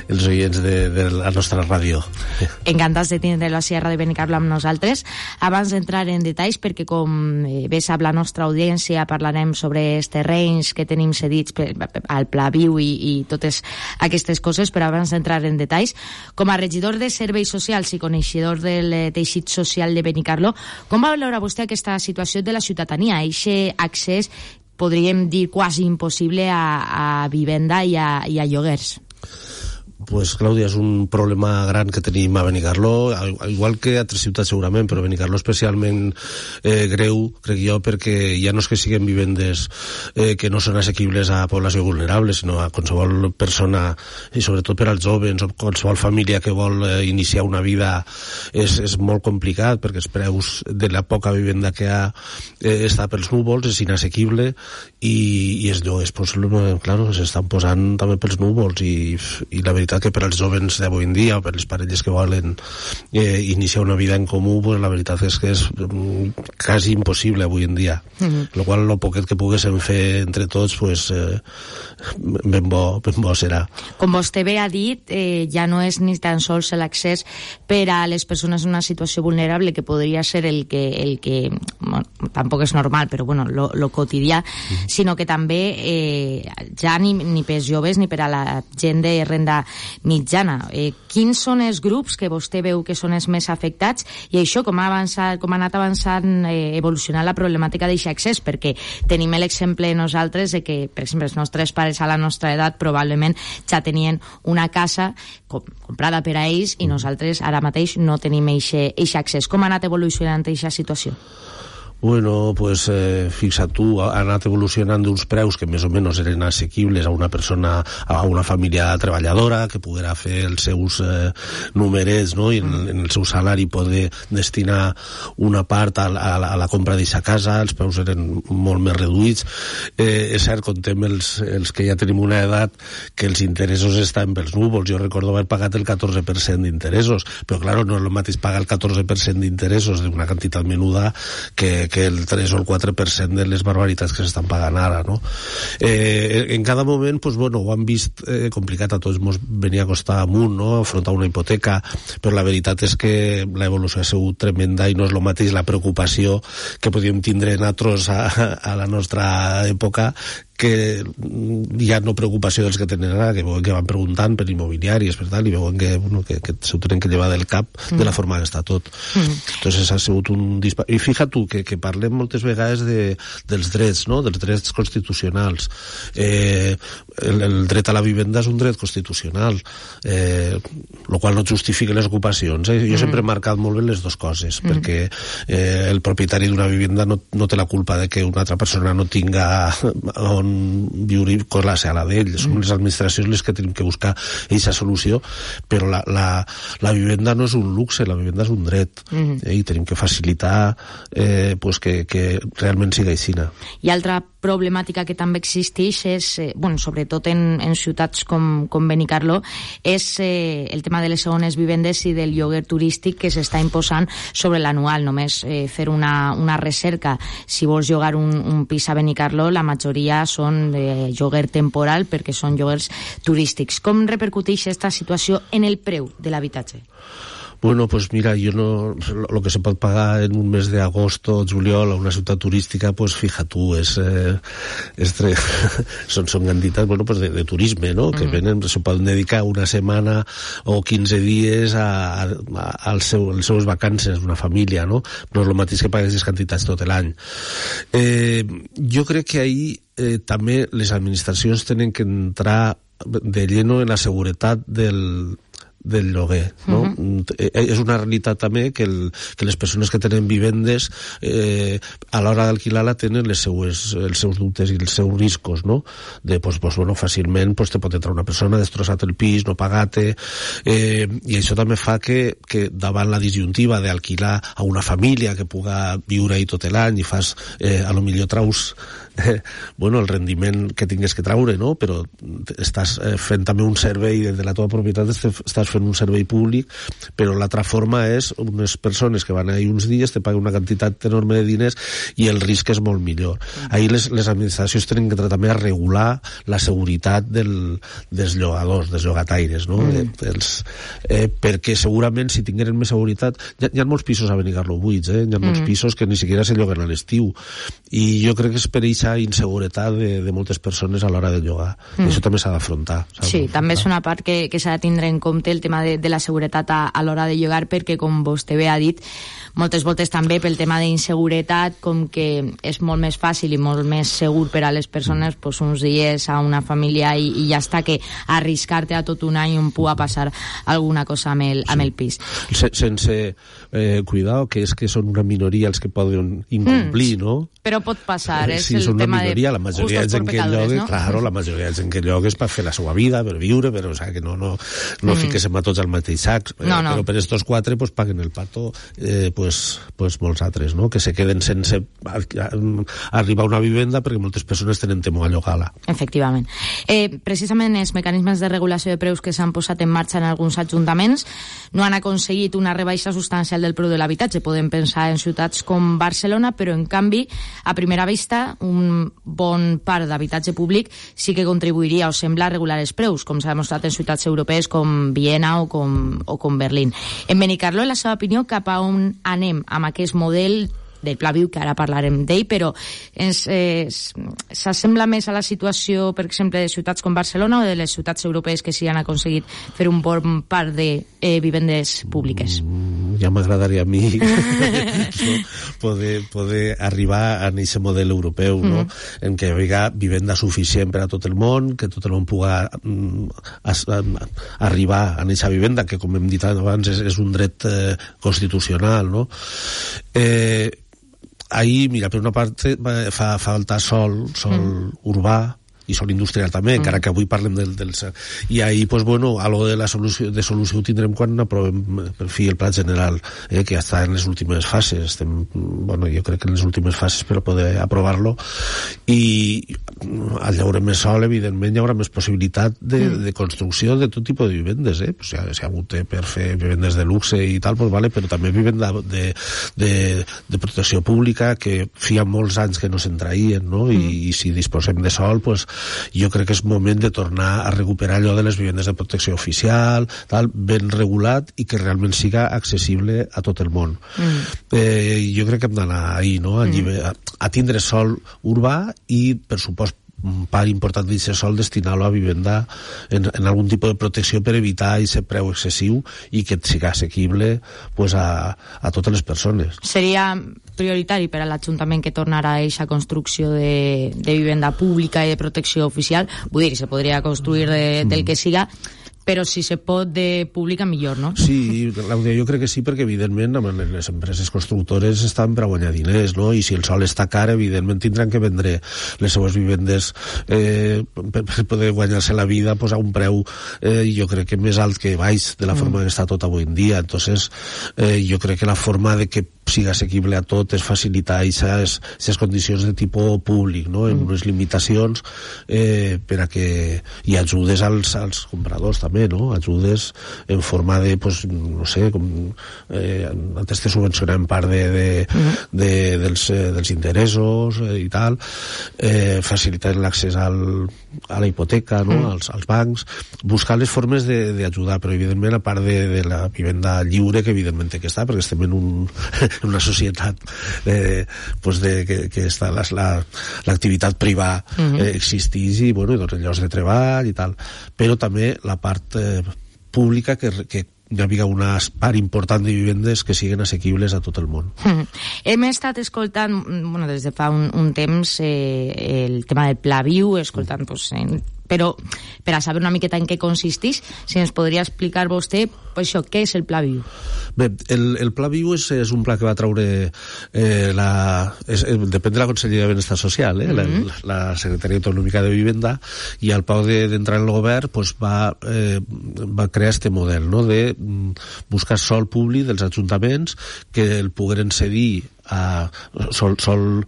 els oients de, de la nostra ràdio. Encantats de tindre-lo així a Ràdio Benicarló amb nosaltres. Abans d'entrar en detalls, perquè com bé sap la nostra audiència, parlarem sobre els terrenys que tenim cedits per, al Pla Viu i, i totes aquestes coses, però abans d'entrar en detalls, com a regidor de Serveis Socials i coneixedor del teixit social de Benicarló, com va valorar vostè aquesta situació de la ciutadania, aquest accés podríem dir, quasi impossible a, a vivenda i a, i a lloguers. Pues, Clàudia, és un problema gran que tenim a Benicarló, igual que a altres ciutats segurament, però Benicarló especialment eh, greu, crec jo, perquè ja no és que siguin vivendes eh, que no són assequibles a població vulnerable, sinó a qualsevol persona, i sobretot per als joves o qualsevol família que vol eh, iniciar una vida, és, és molt complicat, perquè els preus de la poca vivenda que ha eh, està pels núvols, és inassequible, i, i els lloguers, pues, claro, s'estan posant també pels núvols, i, i la veritat que per als joves d'avui en dia o per les parelles que volen eh, iniciar una vida en comú, pues la veritat és que és mm, quasi impossible avui en dia, mm-hmm. lo qual lo poquet que poguéssim fer entre tots, pues eh, ben bo, ben bo serà. Com vostè bé ha dit, eh, ja no és ni tan sols l'accés per a les persones en una situació vulnerable, que podria ser el que, el que bueno, tampoc és normal, però bueno, lo, lo quotidià, mm-hmm. sinó que també eh, ja ni, ni per joves ni per a la gent de renda mitjana. Eh, quins són els grups que vostè veu que són els més afectats, i això com ha, avançat, com ha anat avançant, eh, evolucionant la problemàtica d'aquest accés? Perquè tenim l'exemple nosaltres de que, per exemple, els nostres pares a la nostra edat probablement ja tenien una casa com, comprada per a ells, i nosaltres ara mateix no tenim aquest accés. Com ha anat evolucionant aquesta situació? Bueno, pues eh, fixa't tu, ha anat evolucionant d'uns preus que més o menys eren assequibles a una persona, a una família treballadora que poguera fer els seus eh, numerets, no? I en, en el seu salari poder destinar una part a, a, a la compra d'aquesta casa. Els preus eren molt més reduïts. Eh, és cert, contem els, els que ja tenim una edat, que els interessos estan pels núvols. Jo recordo haver pagat el catorze per cent d'interessos, però clar, no és el mateix pagar el catorze per cent d'interessos d'una quantitat menuda que que el tres o el quatre per cent de les barbaritats que s'estan pagant ara, no? Eh, en cada moment, pues, bueno, ho han vist eh, complicat, a tots ens venia a costar amunt, no?, afrontar una hipoteca, però la veritat és que l'evolució ha sigut tremenda, i no és el mateix la preocupació que podíem tindre nosaltres a, a la nostra època, que hi ha no preocupació dels que tenen ara, que veuen que van preguntant per immobiliàries, per tal, i veuen que, bueno, que, que s'ho tenen que llevar del cap mm. de la forma que està tot. Mm. Entonces ha sigut un disparat. I fixa't tu, que, que parlem moltes vegades de, dels drets, no?, dels drets constitucionals. Eh, el, el dret a la vivenda és un dret constitucional, eh, el qual no justifica les ocupacions. Eh? Jo mm. sempre he marcat molt bé les dues coses, mm. perquè eh, el propietari d'una vivenda no, no té la culpa de que una altra persona no tinga on viure con la sala d'ell. Som les administracions les que tenim que buscar aquesta solució, però la, la, la vivenda no és un luxe, la vivenda és un dret, mm-hmm. eh, i tenim que facilitar eh, pues que, que realment siga aixina. I altra problemàtica que també existeix és, eh, bueno, sobretot en, en ciutats com, com Benicarló, és eh, el tema de les segones vivendes i del lloguer turístic que s'està imposant sobre l'anual. Només eh, fer una, una recerca, si vols llogar un, un pis a Benicarló, la majoria són de lloguer temporal perquè són lloguers turístics. Com repercuteix aquesta situació en el preu de l'habitatge? Bueno, pues mira, yo no, lo que se pot pagar en un mes de agosto o juliol a una ciutat turística, pues fija tú, es, eh, es tre... son, son quantitats, bueno, pues de, de turisme, ¿no? Mm. Que venen, se poden dedicar una setmana o quinze dies a, a, a, als seu, als seus vacances, una família, no? No és el mateix que pagues les quantitats tot l'any. Eh, jo crec que ahí eh, també les administracions tenen que entrar de lleno en la seguretat del del lloguer, no? Uh-huh. És una realitat també que, el, que les persones que tenen vivendes eh, a l'hora d'alquilar-la tenen les seues, els seus dubtes i els seus riscos, no? De, pues, pues, bueno, fàcilment pues, te pot entrar una persona, destrossat el pis, no pagat-te, eh, i això també fa que, que davant la disjuntiva d'alquilar a una família que puga viure ahí tot l'any i fas, eh, a lo millor traus eh, bueno, el rendiment que tingues que traure, no? Però estàs eh, fent també un servei de la teva propietat, estàs fent un servei públic, però l'altra forma és unes persones que van ahí uns dies, te paguen una quantitat enorme de diners i el risc és molt millor. Ahí les, les administracions tenen que entrar també a regular la seguretat del, dels llogadors, dels llogataires, no? Mm. Els, eh, perquè segurament si tingueren més seguretat, hi ha, hi ha molts pisos a Benicarló buits, eh? Hi ha molts mm. pisos que ni siquiera se lloguen a l'estiu, i jo crec que és per aquest aquesta inseguretat de, de moltes persones a l'hora de llogar. Mm. I això també s'ha d'afrontar. Sí, també és una part que, que s'ha de tindre en compte, el tema de, de la seguretat a, a l'hora de llogar, perquè, com vostè bé ha dit, moltes voltes també pel tema d'inseguretat, com que és molt més fàcil i molt més segur per a les persones pues, uns dies a una família i, i ja està, que arriscar-te a tot un any on pugui passar alguna cosa amb el, amb el pis. Se, sense eh, cuidar, que és que són una minoria els que poden incomplir, mm. no? Però pot passar, és sí, el tema minoria, de la majoria de gent que llogue, no? claro, la majoria de gent que llogue és per fer la seva vida, per viure, però o sea, que no, no, no mm. fiquesem a tots al mateix sac, eh, no, no. però per estos quatre pues, paguen el pato eh, pues, pues molts altres, no? Que se queden sense arribar a una vivenda perquè moltes persones tenen temor a llogar-la. Efectivament. Eh, precisament els mecanismes de regulació de preus que s'han posat en marxa en alguns ajuntaments no han aconseguit una rebaixa substancial del preu de l'habitatge. Podem pensar en ciutats com Barcelona, però en canvi, a primera vista, un bon part d'habitatge públic sí que contribuiria o sembla a regular els preus, com s'ha demostrat en ciutats europees com Viena o com, o com Berlín. En Benicarló, en la seva opinió, cap a on anem amb aquest model del Pla Viu, que ara parlarem d'ell, però ens, eh, s'assembla més a la situació, per exemple, de ciutats com Barcelona o de les ciutats europees que sí han aconseguit fer un bon part de eh, vivendes públiques? Mm, ja m'agradaria a mi no? poder, poder arribar a aquest model europeu, no? Mm. en què hi ha vivenda suficient per a tot el món, que tot el món pugui mm, arribar a aquesta vivenda, que com hem dit abans és, és un dret eh, constitucional, no? Eh, ahí, mira, per una part fa falta sol, sol mm. urbà i sol industrial també, mm. encara que avui parlem del, del... I ahí, pues bueno, algo de la solució, de solució ho tindrem quan aprovem per fi el pla general, eh, que ja està en les últimes fases. Estem, bueno, jo crec que en les últimes fases per poder aprovar-lo, i al llaure més sol, evidentment, hi haurà més possibilitat de, mm. de construcció de tot tipus de vivendes, eh? Pues, si ha hagut per fer vivendes de luxe i tal, pues vale, però també vivenda de, de, de protecció pública, que feia molts anys que no se'n traïen, no? I, mm. i si disposem de sol, pues jo crec que és moment de tornar a recuperar allò de les vivendes de protecció oficial, tal, ben regulat i que realment siga accessible a tot el món. Mm. Eh, jo crec que hem d'anar ahí, no? A, mm. a, a tindre sol urbà i, per supost, un part important d'aquest sol destinar-lo a vivenda en, en algun tipus de protecció per evitar aquest preu excessiu i que siga assequible pues, a, a totes les persones. Seria prioritari per a l'Ajuntament que tornarà a aquesta construcció de, de vivenda pública i de protecció oficial? Vull dir, se podria construir de, del que siga, però si se pot de pública millor, no? Sí, Clàudia, jo crec que sí, perquè evidentment les empreses constructores estan per a guanyar diners, no? I si el sol està car, evidentment tindran que vendre les seues vivendes eh, per, per poder guanyar-se la vida pues, a un preu eh, jo crec que més alt que baix de la forma mm. que està tot avui en dia. Entonces eh, jo crec que la forma de que siga assequible a tot és facilitar aquestes condicions de tipus públic, no? En unes limitacions eh, per a que hi ajudes als, als compradors també, no? Ajudes en forma de, pues, no sé, com eh, antes te subvencionem part de, de, de, dels, eh, dels interessos eh, i tal, eh, facilitar l'accés al, a la hipoteca, no? Mm. als, als bancs, buscar les formes d'ajudar, però evidentment a part de, de la vivenda lliure, que evidentment té que estar, perquè estem en un en una societat eh, pues de, que, que està l'activitat la, privada mm-hmm. eh, existís i, bueno, doncs, llocs de treball i tal, però també la part eh, pública que, que hi havia una part important de vivendes que siguin assequibles a tot el món. Mm. Hem estat escoltant, bueno, des de fa un, un temps eh, el tema del Pla Viu, escoltant pues, en però per a saber una miqueta en què consisteix, si ens podria explicar vostè pues això, què és el Pla Viu? Bé, el, el Pla Viu és, és un pla que va traure eh, la, és, depèn de la Conselleria de Benestar Social, eh, mm-hmm. la, la Secretaria Autonòmica de Vivenda, i al pau d'entrar de, en el govern pues, va, eh, va crear este model, no?, de buscar sol públic dels ajuntaments que el pogueren cedir a sol, sol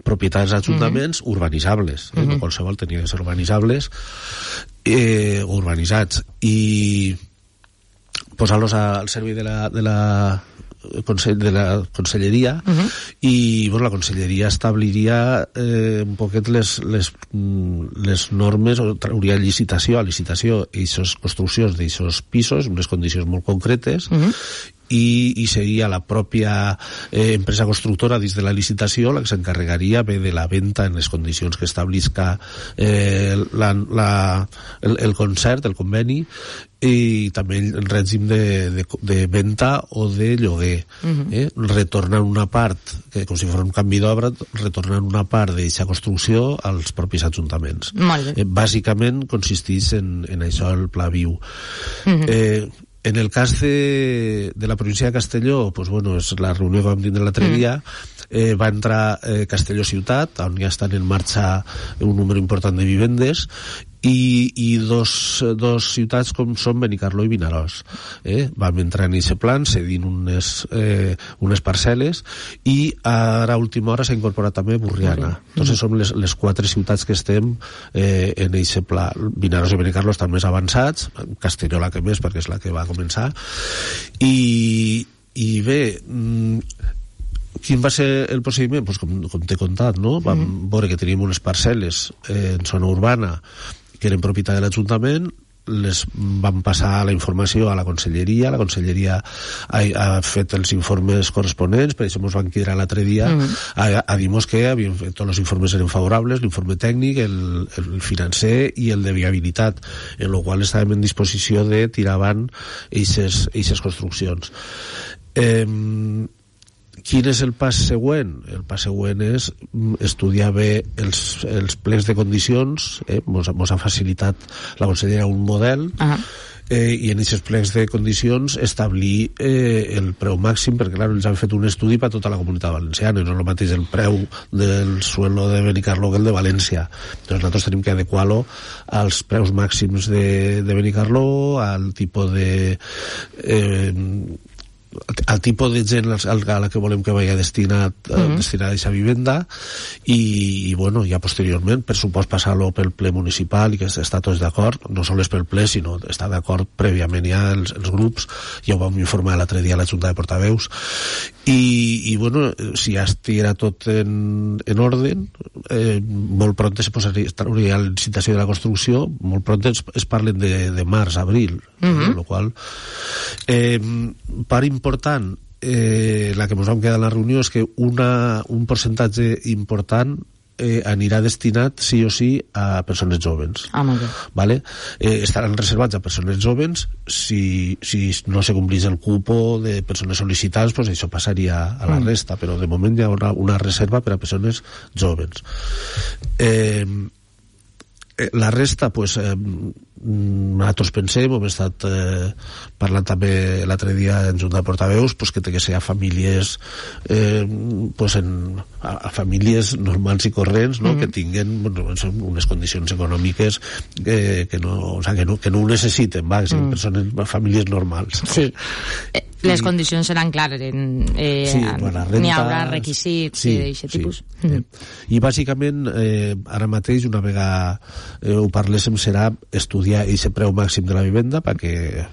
propietats d'ajuntaments mm-hmm. urbanitzables, eh? Mm-hmm. No qualsevol tenia que ser urbanitzables, eh, urbanitzats, i posar-los al servei de la, de la de la conselleria uh-huh. i bueno, la conselleria establiria eh, un poquet les, les, les normes, o trauria licitació a licitació aquestes construccions d'aquests pisos, unes condicions molt concretes uh-huh. i, i seria la pròpia eh, empresa constructora dins de la licitació la que s'encarregaria bé de la venda en les condicions que establisca eh, la, la, el, el concert, el conveni, i també el règim de, de, de venda o de lloguer. Uh-huh. eh? Retornant una part, que com si fos un canvi d'obra, retornant una part d'aquesta construcció als propis ajuntaments. Molt bé. Eh, bàsicament consisteix en, en això el Pla Viu. Uh-huh. eh, En el cas de, de la província de Castelló, pues bueno, és la reunió que vam tindre l'altre dia, eh, va entrar eh, Castelló Ciutat, on ja estan en marxa un número important de vivendes, i, i dos, dos ciutats com són Benicarló i Vinaròs. Eh? Vam entrar en aquest plan, cedint unes, eh, unes parcel·les, i ara a última hora s'ha incorporat també Burriana. Entonces som les, les quatre ciutats que estem eh, en aquest pla. Vinaròs i Benicarló estan més avançats, Castelló la que més, perquè és la que va començar, i, i bé, quin va ser el procediment? Pues com, com t'he contat, no? Vam mm. veure que teníem unes parcel·les eh, en zona urbana que eren propietat de l'Ajuntament, les van passar la informació a la Conselleria, la Conselleria ha, ha fet els informes corresponents, per això ens van quedar l'altre dia mm. a, a dir-nos que havien fet, tots els informes eren favorables, l'informe tècnic, el, el financer i el de viabilitat, en el qual estàvem en disposició de tirar avant aquestes construccions. Eh, Quin és el pas següent? El pas següent és estudiar bé els, els plecs de condicions, eh? Mos, mos ha facilitat la consellera un model, uh-huh. eh, i en aquests plecs de condicions establir eh, el preu màxim, perquè clar, ells han fet un estudi per a tota la comunitat valenciana, no és el mateix el preu del suelo de Benicarló que el de València. Doncs nosaltres tenim que adequar-lo als preus màxims de, de Benicarló, al tipus de... Eh, al tipus de gent a la que volem que vagi destinat mm-hmm. destinat a aquesta vivenda, i, i bueno, ja posteriorment per supost passar-lo pel ple municipal i que està tots d'acord, no sols pel ple sinó està d'acord prèviament ja els, els grups, ja ho vam informar l'altre dia a la Junta de Portaveus, i, i bueno, si ja estiguera tot en, en ordre, eh, molt pront se posaria la licitació de la construcció, molt pront es, es parlen de, de març, abril, mm-hmm. amb la qual eh, part important, eh, la que ens vam quedar en la reunió és que una, un percentatge important eh, anirà destinat sí o sí a persones joves. Ah, molt bé. Vale? Eh, estaran reservats a persones joves, si, si no se complís el cupo de persones sol·licitades, pues això passaria a la mm. resta, però de moment hi ha una, una reserva per a persones joves. Eh, la resta, pues, eh, nosaltres pensem, hem estat eh, parlant també l'altre dia en Junta de Portaveus, pues, que té que ser a famílies eh, pues en, a, a famílies normals i corrents, no? Mm-hmm. Que tinguen bueno, unes condicions econòmiques que, que, no, o sea, que, no, que no ho necessiten, va, que siguin mm. persones, famílies normals. Sí. Eh, les I, condicions seran clares, en, eh, sí, bueno, renta, n'hi haurà requisits sí, d'aquest sí, tipus. Sí. Mm-hmm. I bàsicament eh, ara mateix una vegada eh, ho parléssim serà estudiar aquest preu màxim de la vivenda perquè,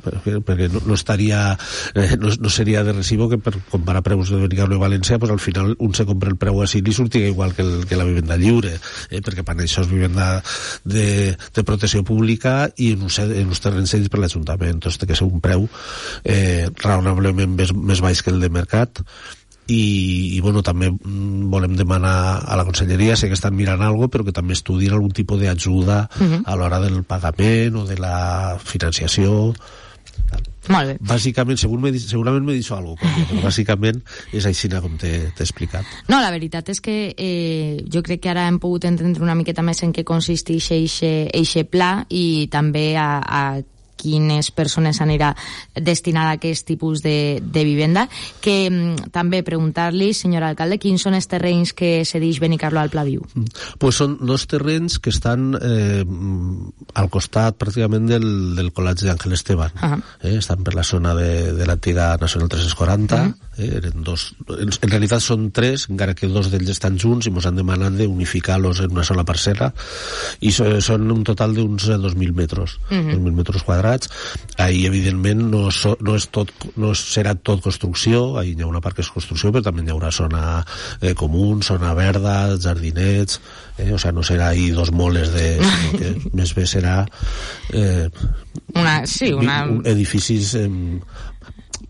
perquè, perquè no, no estaria eh, no, no seria de recibo que per comparar preus de Benicarló i València pues, al final un se compra el preu així i sortiga igual que, el, que la vivenda lliure, eh, perquè per això és vivenda de, de protecció pública i en uns, en uns terrenys cedits per l'Ajuntament, doncs té que ser un preu eh, raonablement més, més baix que el de mercat. I, i bueno, també volem demanar a la Conselleria, sé que estan mirant alguna cosa, però que també estudien algun tipus d'ajuda uh-huh. a l'hora del pagament o de la financiació. Molt bé. Bàsicament, segur, segurament m'he dit alguna cosa, però bàsicament és així com t'he explicat. No, la veritat és que eh, jo crec que ara hem pogut entendre una miqueta més en què consisteix eixe pla i també a, a quines persones anirà destinada a aquest tipus de, de vivenda, que mm, també preguntar-li, senyor alcalde, quins són els terrenys que cedeix Benicarló al Pla Viu? Pues són dos terrenys que estan eh, al costat pràcticament del, del Col·legi d'Àngel Esteban. Uh-huh. eh, estan per la zona de, de l'antiga Nacional tres-cents quaranta. Uh-huh. eh, eren dos, en, en realitat són tres, encara que dos d'ells estan junts i ens han demanat d'unificar-los en una sola parcel·la, i so, són un total d'uns dos mil metres, uh-huh. dos mil metres quadrats. Ahí evidentment no, so, no, és tot, no serà tot construcció, ahí hi ha una part que és construcció, però també hi haurà zona eh, comú, zona verda, jardinets, eh, o sea, no serà ahí dos moles de... sinó que més bé serà eh, una, sí, una... edificis eh,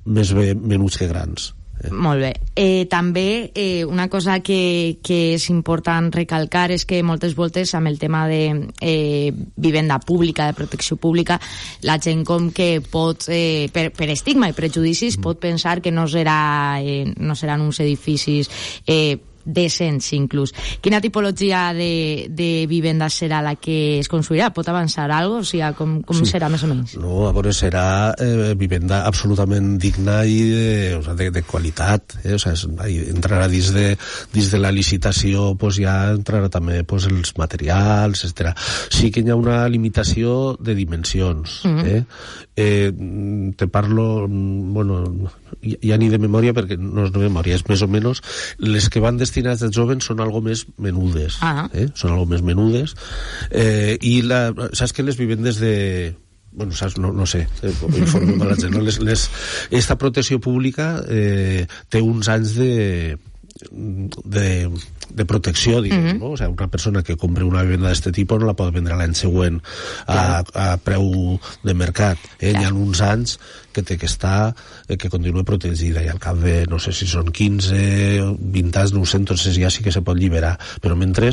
més bé menuts que grans. Eh. Molt bé. Eh, també eh, una cosa que, que és important recalcar és que moltes voltes amb el tema de eh, vivenda pública, de protecció pública, la gent com que pot, eh, per, per estigma i prejudicis, mm. pot pensar que no, serà, eh, no seran uns edificis eh, decents inclús. Quina tipologia de, de vivenda serà la que es construirà? Pot avançar alguna cosa? O sigui, com, com sí. serà més o menys? No, a veure, serà eh, vivenda absolutament digna i de, o sea, de, de qualitat. Eh? O sea, es, entrarà dins de, dins de la licitació, pues ja entrarà també pues, els materials, etcètera. Sí que hi ha una limitació de dimensions. Mm-hmm. eh? Eh, te parlo, bueno, ja ni de memòria, perquè no és de memòria, és més o menys les que van destinades als joves són algo més menudes. Ah. Eh? Són algo més menudes. Eh, I la, saps que les vivendes de... Bueno, saps, no, no sé, eh, informem a la gent, no? les, les, esta protecció pública eh, té uns anys de... de de protecció, diguem, mm-hmm. no? O sigui, una persona que compra una vivenda d'aquest tipus no la pot vendre l'any següent a, a preu de mercat. Eh? Hi ha uns anys que té que estar, eh, que continua protegida, i al cap de, no sé si són quinze, vint anys, no ho sé, entonces ja sí que se pot lliberar, però mentre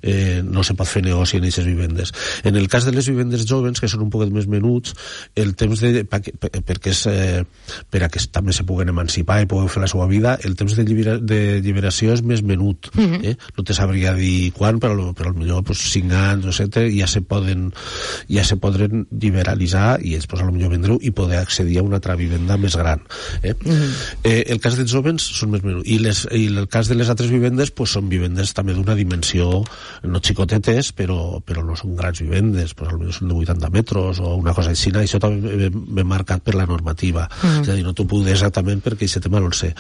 eh, no se pot fer negoci en aquestes vivendes. En el cas de les vivendes joves, que són un poquet més menuts, el temps de, perquè és, eh, per a que també se puguen emancipar i puguen fer la seva vida, el temps de, llibera, de lliberació és més menut. Mm-hmm. Eh? No te sabria dir quan, però, però potser pues, cinc anys o set ja se poden ja se podren liberalitzar i ells pues, potser vendre-ho i poder accedir a una altra vivenda més gran. Eh? Mm-hmm. eh, el cas dels jovens són més menuts, i, les, i el cas de les altres vivendes pues, són vivendes també d'una dimensió no xicotetes, però, però no són grans vivendes, pues, potser són de vuitanta metres o una cosa així, i això també ve, ve marcat per la normativa. Mm-hmm. És a dir, no t'ho puc dir exactament perquè aquest tema no el sé.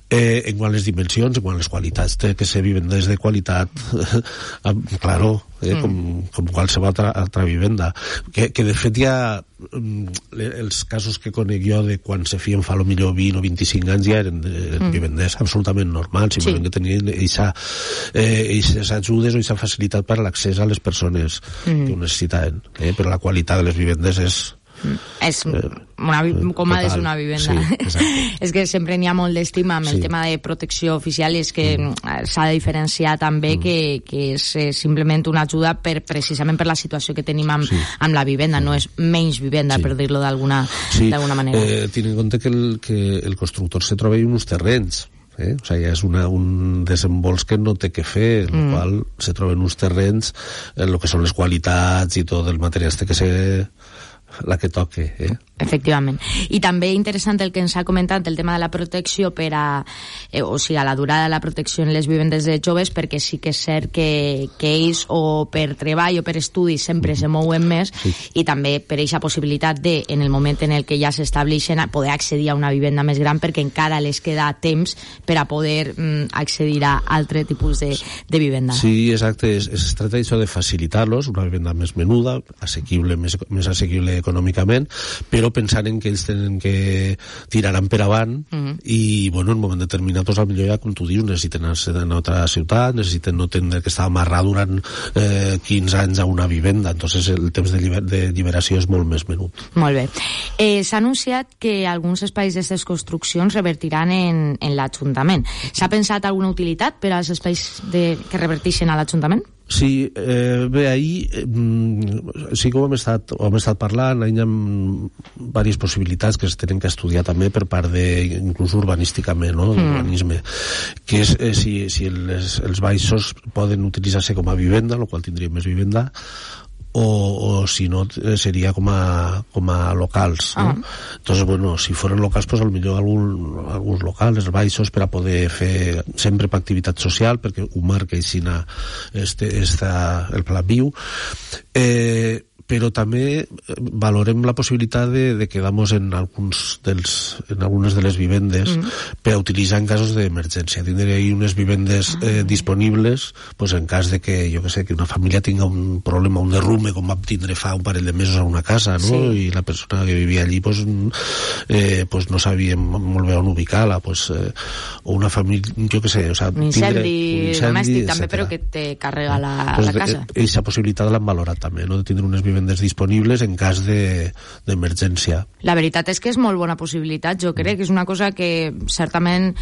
Eh, en quant a les dimensions, en quant a les qualitats, té que ser vivendes de qualitat, claro, eh, mm. com, com qualsevol altra, altra vivenda. Que, que de fet hi ha els casos que conec jo de quan se fien fa lo millor vint o vint-i-cinc anys ja eren de, mm. vivendes absolutament normals, simplement sí. que tenien eixa, eh, eixes ajudes o eixa facilitat per a l'accés a les persones mm. que ho necessitaven, eh, però la qualitat de les vivendes és és una, com ha de ser una vivenda. Sí, és que sempre n'hi ha molt d'estima amb sí. el tema de protecció oficial, i és que mm. s'ha de diferenciar també mm. que, que és eh, simplement una ajuda per, precisament per la situació que tenim amb, sí. amb la vivenda, no és menys vivenda, sí. per dir-lo d'alguna sí. manera. Eh, Ten en compte que el, que el constructor se troba en uns terrenys, Eh? O sigui, és una, un desembols que no té que fer, en mm. el qual se troben uns terrenys en el que són les qualitats i tot el material té que ser la que toque, eh? Efectivament. I també interessant el que ens ha comentat, el tema de la protecció per a, eh, o sigui, a la durada de la protecció en les vivendes de joves, perquè sí que és cert que, que ells o per treball o per estudi sempre se mouen més, sí. i també per aquesta possibilitat de, en el moment en el que ja s'estableixen, poder accedir a una vivenda més gran, perquè encara les queda temps per a poder mm, accedir a altre tipus de, de vivenda. Sí, exacte. Es, es tracta d'això de facilitar-los, una vivenda més menuda, assequible, més, més assequible econòmicament, però pensant en que ells tenen que tiraran per avant mm-hmm. i, bueno, en un moment determinat, doncs, potser ja, com tu dius, necessiten anar a una altra ciutat, necessiten no tenir que estar amarrat durant eh, quinze anys a una vivenda, entonces el temps de, lliber de lliberació és molt més menut. Molt bé. Eh, S'ha anunciat que alguns espais d'aquestes construccions revertiran en, en l'Ajuntament. S'ha pensat alguna utilitat per als espais de, que reverteixen a l'Ajuntament? Sí, eh, bé, ahir eh, sí que ho hem estat, ho hem estat parlant, hi ha diverses possibilitats que es tenen que estudiar també per part de, inclús urbanísticament, no?, d'urbanisme, mm. que és eh, si, si les, els baixos poden utilitzar-se com a vivenda, el qual tindria més vivenda, o, o si no seria com a, com a locals, no? Ah. Entonces, bueno, si foren locals, pues al millor algun, alguns locals, els baixos, per a poder fer sempre per activitat social, perquè ho marca així este, esta, el pla viu. Eh, però també valorem la possibilitat de, de quedar-nos en, alguns dels, en algunes de les vivendes mm. per a utilitzar en casos d'emergència. Tindré ahí unes vivendes eh, disponibles pues, en cas de que, jo que sé, que una família tinga un problema, un derrume, com vam tindre fa un parell de mesos a una casa, no? Sí. I la persona que vivia allí pues, eh, pues no sabia molt bé on ubicar-la, pues, eh, o una família, jo que sé, o sea, un incendi, tindre, un incendi domèstic també, però que te carrega la, pues, la casa. Aquesta possibilitat l'han valorat també, no? De tindre unes vivendes vivendes disponibles en cas de, d'emergència. La veritat és que és molt bona possibilitat, jo crec que és una cosa que certament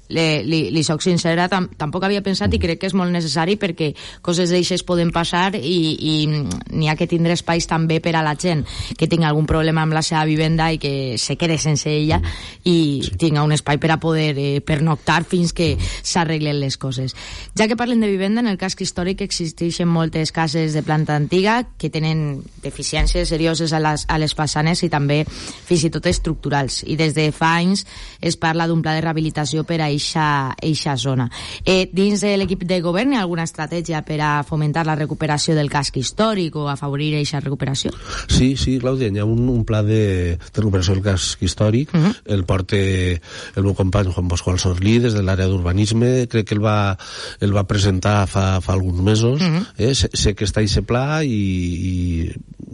li, li, li soc sincera, tam, tampoc havia pensat i crec que és molt necessari perquè coses d'aixes poden passar i, i n'hi ha que tindre espais també per a la gent que tingui algun problema amb la seva vivenda i que se quede sense ella i sí. tinga un espai per a poder eh, pernoctar fins que s'arreglen les coses. Ja que parlem de vivenda, en el casc històric existeixen moltes cases de planta antiga que tenen deficiències serioses a les, a les façanes i també fins i tot estructurals, i des de fa anys es parla d'un pla de rehabilitació per a eixa, eixa zona. Eh, dins de l'equip de govern hi ha alguna estratègia per a fomentar la recuperació del casc històric o afavorir eixa recuperació? Sí, sí, Clàudia, hi ha un, un pla de, de recuperació del casc històric, uh -huh. el porta el meu company Juan Pascual Sorlí des de l'àrea d'urbanisme, crec que el va, el va presentar fa, fa alguns mesos, uh -huh. eh? sé, sé que està eixe pla i, i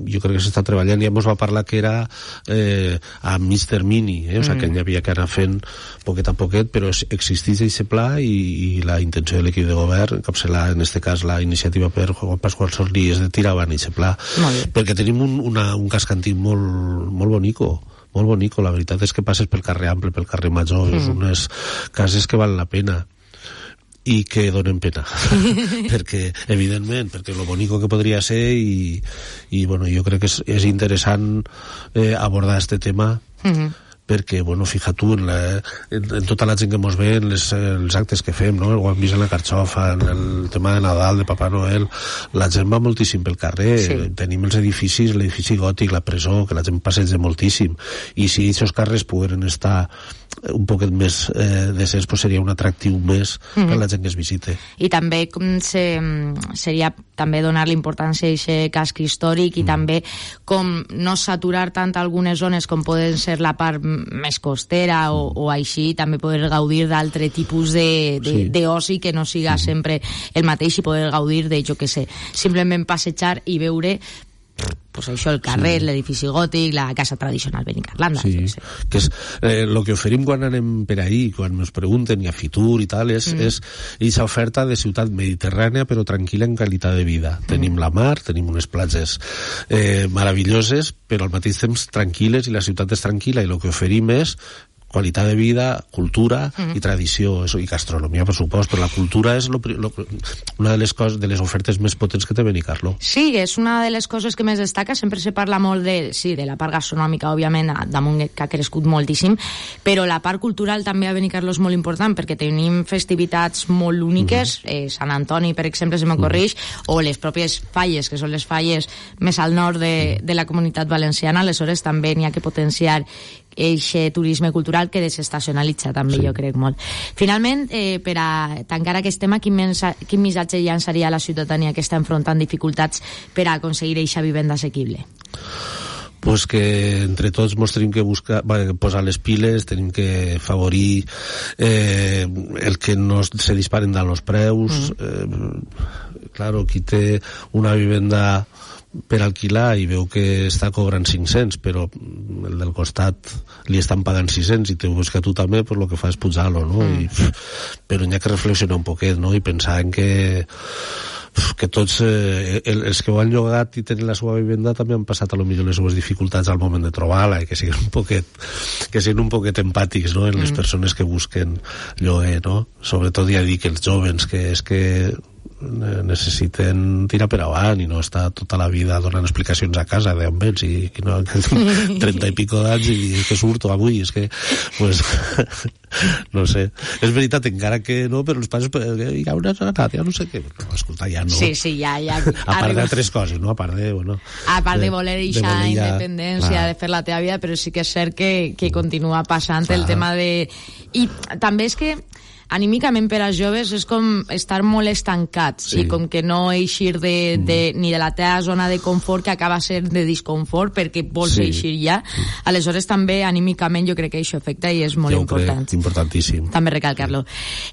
jo crec que s'està treballant, ja ens va parlar que era eh, a mig termini, eh? O sigui, mm. que n'hi havia que anar fent poquet a poquet, però existeix aquest pla i, i la intenció de l'equip de govern, encapçalar en este cas la iniciativa per Juan Pascual Sorlí, és de tirar avant aquest pla, perquè tenim un, una, un casc antic molt, molt bonico, molt bonico, la veritat és que passes pel carrer Ample, pel carrer Major, mm. és unes cases que valen la pena i que donen pena perquè, evidentment, perquè lo bonico que podria ser i, i bueno, jo crec que és, és interessant eh, abordar este tema mm-hmm. perquè, bueno, fija tu en, la, en, en tota la gent que mos ve en les, els actes que fem, no? Ho hem vist en la Carxofa, en el tema de Nadal, de Papà Noel, la gent va moltíssim pel carrer, sí. Tenim els edificis, l'edifici gòtic, la presó, que la gent passeja moltíssim, i si aquests carrers pogueren estar un poquet més eh, decents, pues seria un atractiu més mm-hmm. per la gent que es visite. I també com se, seria també donar l'importància a aquest casc històric i mm. també com no saturar tant algunes zones com poden ser la part més costera o, o així, també poder gaudir d'altre tipus de, de, sí. d'oci que no siga mm. sempre el mateix i poder gaudir de, jo que sé, simplement passejar i veure pues això, el carrer, sí. l'edifici gòtic, la casa tradicional Benicarlanda. Sí, sé. que és eh, lo que oferim quan anem per ahí, quan ens pregunten i a Fitur i tal, és, mm. és aquesta oferta de ciutat mediterrània però tranquil·la en qualitat de vida. Mm. Tenim la mar, tenim unes platges eh, meravelloses, però al mateix temps tranquil·les i la ciutat és tranquil·la, i el que oferim és qualitat de vida, cultura mm. i tradició, eso, i gastronomia, per supost, però la cultura és lo, lo, una de les, coses, de les ofertes més potents que té Benicarló. Sí, és una de les coses que més destaca, sempre se parla molt de, sí, de la part gastronòmica, òbviament, damunt que ha crescut moltíssim, però la part cultural també a Benicarló és molt important, perquè tenim festivitats molt úniques, mm. eh, Sant Antoni, per exemple, se m'ocorreix, mm. o les pròpies falles, que són les falles més al nord de, de la comunitat valenciana, aleshores també n'hi ha que potenciar eixe turisme cultural que desestacionalitza també, sí. jo crec molt. Finalment, eh, per a tancar aquest tema, quin, mensa, quin missatge llançaria a la ciutadania que està enfrontant dificultats per a aconseguir eixa vivenda assequible? Pues que entre tots mos tenim que buscar, bueno, posar les piles, tenim que favorir eh, el que no se disparen dalt els preus. Mm. Eh, claro, qui té una vivenda per alquilar i veu que està cobrant cinc-cents, però el del costat li estan pagant sis-cents i te veus que tu també, pues, el que fa és pujar-lo, no? Mm. I, però n'hi ha que reflexionar un poquet, no? I pensar en que que tots eh, els que ho han llogat i tenen la seva vivenda també han passat a lo millor les seves dificultats al moment de trobar-la, i que siguin un poquet que siguin un poquet empàtics, no? En les mm. persones que busquen lloguer, no? Sobretot ja dic els jovens, que és que necessiten tirar per avant i no estar tota la vida donant explicacions a casa d'on vens i, i no, trenta i pico d'anys i que surto avui, és que pues, no sé, és veritat encara que no, però els pares hi ha una anat, ja no sé què, no, escolta, ja no, sí, sí, ja, ja a part d'altres coses, no? A part de, bueno, a part de, de voler eixa independència, clar. De fer la teva vida, però sí que és cert que, que continua passant, clar. El tema de... I també és que anímicament per als joves és com estar molt estancats, sí. I com que no eixir de, de, ni de la teva zona de confort, que acaba ser de disconfort perquè vols sí. eixir ja. Aleshores també anímicament jo crec que això afecta i és molt jo important. Crec, importantíssim. També recalcar-lo.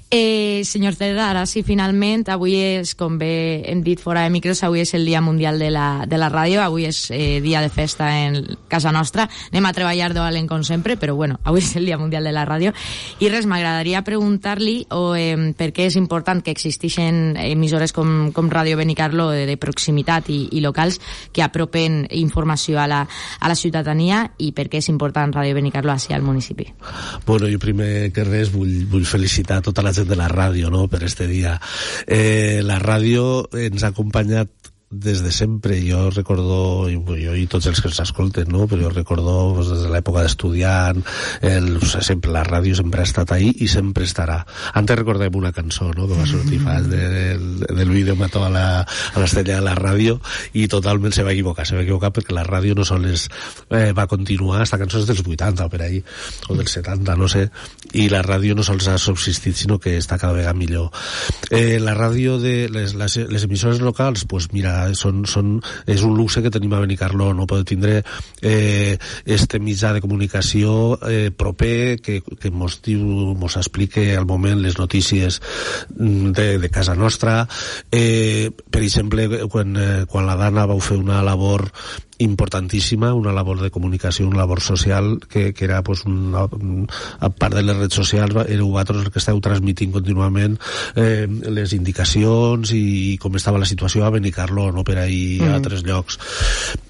Eh, senyor Cerda, ara sí, finalment, avui és, com bé hem dit fora de micros, avui és el Dia Mundial de la, de la Ràdio, avui és eh, dia de festa en casa nostra, anem a treballar de valent com sempre, però bueno, avui és el Dia Mundial de la Ràdio, i res, m'agradaria preguntar-li expliqui-li o, eh, per què és important que existeixen emissores com, com Ràdio Benicarló de, de proximitat i, i locals que apropen informació a la, a la ciutadania i per què és important Ràdio Benicarló així al municipi. Bueno, jo primer que res vull, vull felicitar tota la gent de la ràdio, no?, per este dia. Eh, la ràdio ens ha acompanyat des de sempre. Jo recordo, jo i tots els que ens escolten, no?, però jo recordo pues, des de l'època d'estudiant, el, sempre la ràdio sempre ha estat ahí i sempre estarà. Antes recordem una cançó, no?, que va sortir fa de, del, del vídeo Mató a la, a l'estrella de la ràdio, i totalment se va equivocar, se va equivocar perquè la ràdio no sols eh, va continuar, esta cançó és dels vuitanta o per ahí, o dels setanta, no sé, i la ràdio no sols ha subsistit, sinó que està cada vegada millor. Eh, la ràdio de les, les, les emissores locals, pues mira, Són, són, és un luxe que tenim a Benicarló, no poder tindre eh, este mitjà de comunicació eh, proper que, que mos diu, mos explique al moment les notícies de, de casa nostra. Eh, per exemple, quan, eh, quan la Dana vau fer una labor importantíssima, una labor de comunicació, una labor social, que, que era pues, una, a part de les redes socials, éreu vosaltres els que esteu transmitint contínuament eh, les indicacions i com estava la situació a Benicarló, no per ahir mm. a altres llocs.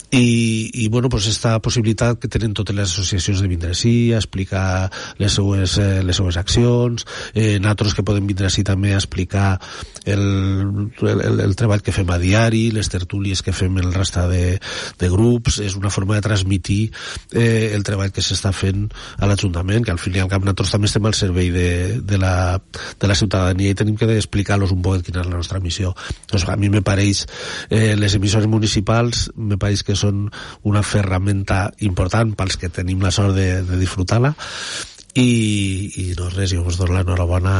I, i bueno, pues esta possibilitat que tenen totes les associacions de vindre així, a explicar les seues, eh, les seues accions, eh, nosaltres que podem vindre així també a explicar el, el, el treball que fem a diari, les tertúlies que fem el resta de, de grups, és una forma de transmitir eh, el treball que s'està fent a l'Ajuntament, que al fin i al cap nosaltres també estem al servei de, de, la, de la ciutadania i tenim que explicar-los un poc quina és la nostra missió. Doncs a mi me pareix, eh, les emissores municipals me pareix que són una ferramenta important pels que tenim la sort de, de disfrutar-la i, i no res, jo us dono l'enhorabona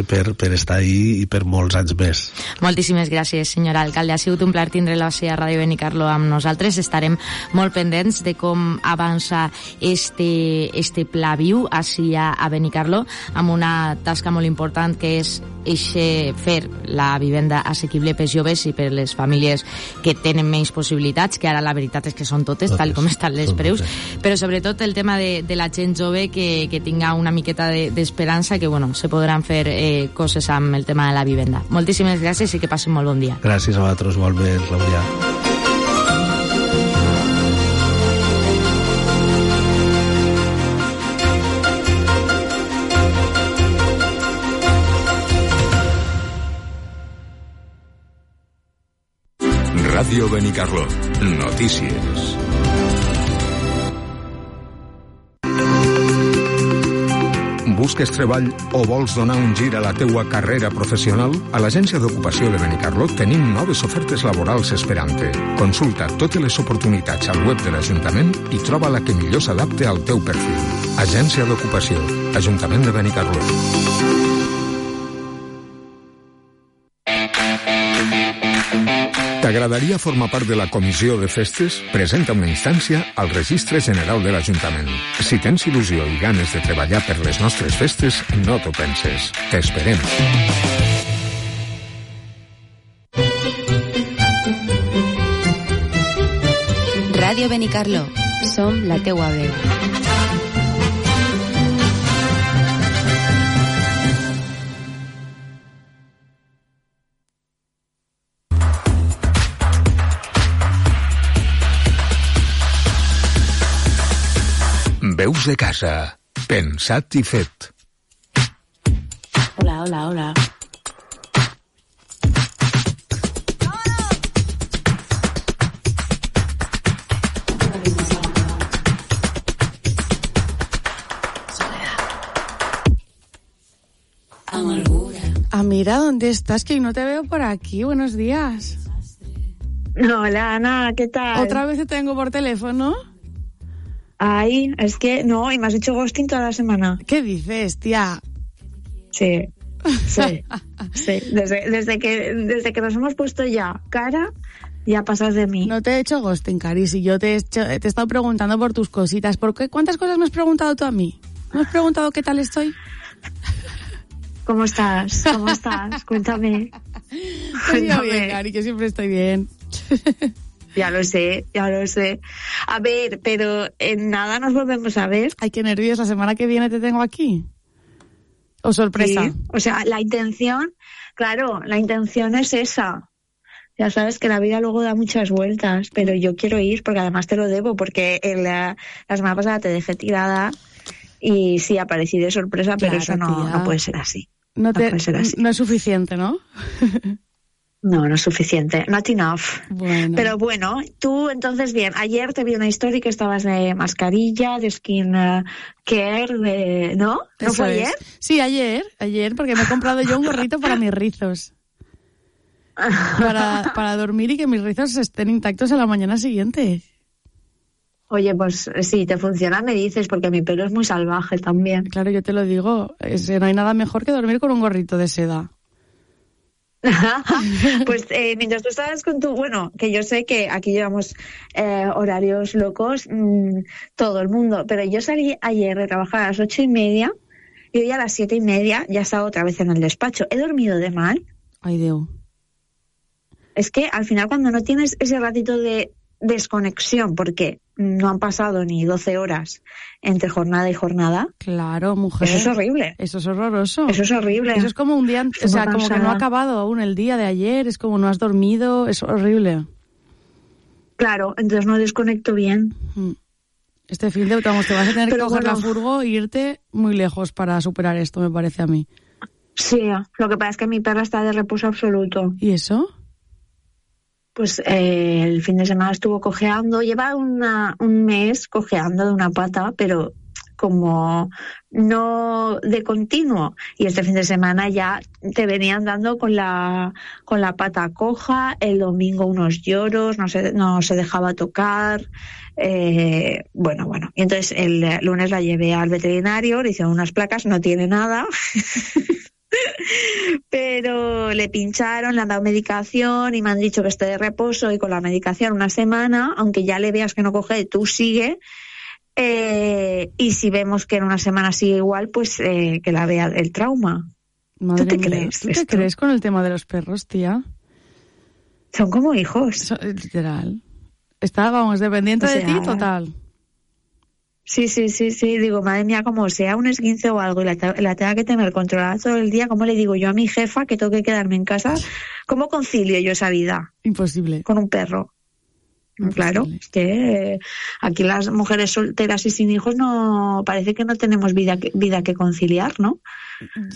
per, per estar ahí i per molts anys més. Moltíssimes gràcies, senyora alcalde. Ha sigut un plaer tindre-la a Ràdio Benicarló amb nosaltres. Estarem molt pendents de com avança este, este pla viu així a, a Benicarló, amb una tasca molt important que és eixe, fer la vivenda assequible pels joves i per les famílies que tenen menys possibilitats, que ara la veritat és que són totes, totes tal com estan les preus, però sobretot el tema de, de la gent jove que, que tinga una miqueta d'esperança, de, que bueno, se podran fer eh, coses amb el tema de la vivenda. Moltíssimes gràcies i que passin molt bon dia. Gràcies a vosaltres, igualment, Clàudia. Ràdio Benicarló. Notícies. Busques treball o vols donar un gir a la teua carrera professional? A l'Agència d'Ocupació de Benicarló tenim noves ofertes laborals esperant-te. Consulta totes les oportunitats al web de l'Ajuntament i troba la que millor s'adapte al teu perfil. Agència d'Ocupació. Ajuntament de Benicarló. T'agradaria formar part de la comissió de festes? Presenta una instància al Registre General de l'Ajuntament. Si tens il·lusió i ganes de treballar per les nostres festes, no t'ho penses. T'esperem. Ràdio Benicarló. Som la teua veu. Veus de casa. Pensat i fet. Hola, hola, hola. Amira, ¿dónde estás? Que no te veo por aquí. Buenos días. Hola, Ana, ¿qué tal? ¿Otra vez te tengo por teléfono? Ay, es que no, y me has hecho ghosting toda la semana. ¿Qué dices, tía? Sí, sí, sí. Desde, desde, que, desde que nos hemos puesto ya cara, ya pasas de mí. No te he hecho ghosting, Cari, si yo te he, hecho, te he estado preguntando por tus cositas. ¿Por qué? ¿Cuántas cosas me has preguntado tú a mí? ¿Me has preguntado qué tal estoy? ¿Cómo estás? ¿Cómo estás? Cuéntame. Pues yo bien, Cari, que siempre estoy bien. Ya lo sé, ya lo sé. A ver, pero en nada nos volvemos a ver. Ay, qué nervios, la semana que viene te tengo aquí. O sorpresa. Sí, o sea, la intención, claro, la intención es esa. Ya sabes que la vida luego da muchas vueltas, pero yo quiero ir porque además te lo debo, porque en la, la semana pasada te dejé tirada y sí aparecí de sorpresa, pero Claro, eso no, tía. no puede ser así. No, te, no puede ser así. no es suficiente, ¿no? No, no es suficiente. Not enough. Bueno. Pero bueno, tú entonces, bien, ayer te vi una historia que estabas de mascarilla, de skin uh, care, de... ¿no? ¿No Eso fue es. ayer? Sí, ayer, ayer, porque me he comprado yo un gorrito para mis rizos. Para, para dormir y que mis rizos estén intactos a la mañana siguiente. Oye, pues si te funciona me dices, porque mi pelo es muy salvaje también. Claro, yo te lo digo, es, no hay nada mejor que dormir con un gorrito de seda. Pues eh, mientras tú estabas con tu... Bueno, que yo sé que aquí llevamos eh, horarios locos, mmm, todo el mundo, pero yo salí ayer de trabajar a las ocho y media y hoy a las siete y media ya estaba otra vez en el despacho. ¿He dormido de mal? Ay, Dios. Es que al final cuando no tienes ese ratito de desconexión, porque no han pasado ni doce horas entre jornada y jornada. Claro, mujer. Eso es horrible. Eso es horroroso. Eso es horrible. Eso es como un día, o sea, como que no ha acabado aún el día de ayer, es como no has dormido, es horrible. Claro, entonces no desconecto bien. Este fin de vamos, te vas a tener Pero que coger bueno. la furgo e irte muy lejos para superar esto, me parece a mí. Sí, lo que pasa es que mi perra está de reposo absoluto. ¿Y eso? Pues eh, el fin de semana estuvo cojeando, lleva una, un mes cojeando de una pata, pero como no de continuo. Y este fin de semana ya te venían dando con la con la pata coja, el domingo unos lloros, no se, no se dejaba tocar. Eh, bueno, bueno. Y entonces el lunes la llevé al veterinario, le hicieron unas placas, no tiene nada. Pero le pincharon, le han dado medicación y me han dicho que esté de reposo y con la medicación una semana, aunque ya le veas que no coge, tú sigue. Eh, y si vemos que en una semana sigue igual, pues eh, que la vea el trauma. Madre ¿Tú te mía, crees? ¿Tú te esto? crees con el tema de los perros, tía? Son como hijos. So- literal. Está, vamos, dependiente O de sea, ti, total. Sí, sí, sí, sí. Digo, madre mía, como sea un esguince o algo y la, te- la tenga que tener controlada todo el día, ¿cómo le digo yo a mi jefa que tengo que quedarme en casa? ¿Cómo concilio yo esa vida? Imposible. Con un perro. Claro, es que eh, aquí las mujeres solteras y sin hijos no parece que no tenemos vida que, vida que conciliar, ¿no?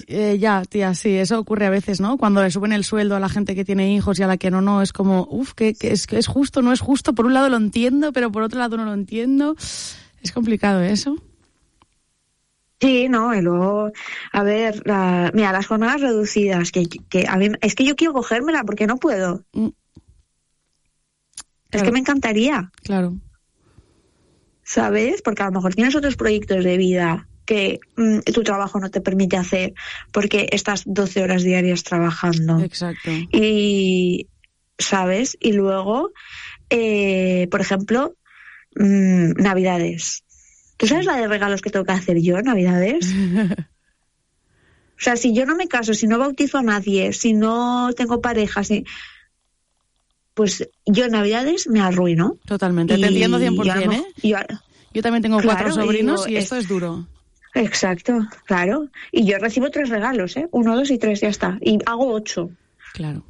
Eh, ya, tía, sí, eso ocurre a veces, ¿no? Cuando le suben el sueldo a la gente que tiene hijos y a la que no, no, es como, uff, que, que es, que es justo, no es justo. Por un lado lo entiendo, pero por otro lado no lo entiendo. Es complicado eso. Sí, no, y luego, a ver, la, mira, las jornadas reducidas, que, que a mí, es que yo quiero cogérmela porque no puedo. Mm. Es Claro. que me encantaría, Claro. ¿sabes? Porque a lo mejor tienes otros proyectos de vida que mm, tu trabajo no te permite hacer porque estás doce horas diarias trabajando. Exacto. Y, ¿sabes? Y luego, eh, por ejemplo, mmm, Navidades. ¿Tú sabes la de regalos que tengo que hacer yo en Navidades? O sea, si yo no me caso, si no bautizo a nadie, si no tengo pareja, si... pues yo en Navidades me arruino. Totalmente, te Y entiendo cien por yo a lo ciento, ¿eh? mejor- yo- Yo también tengo Claro, cuatro sobrinos digo, y esto es- es duro. Exacto, claro. Y yo recibo tres regalos, ¿eh? Uno, dos y tres, ya está. Y hago ocho. Claro.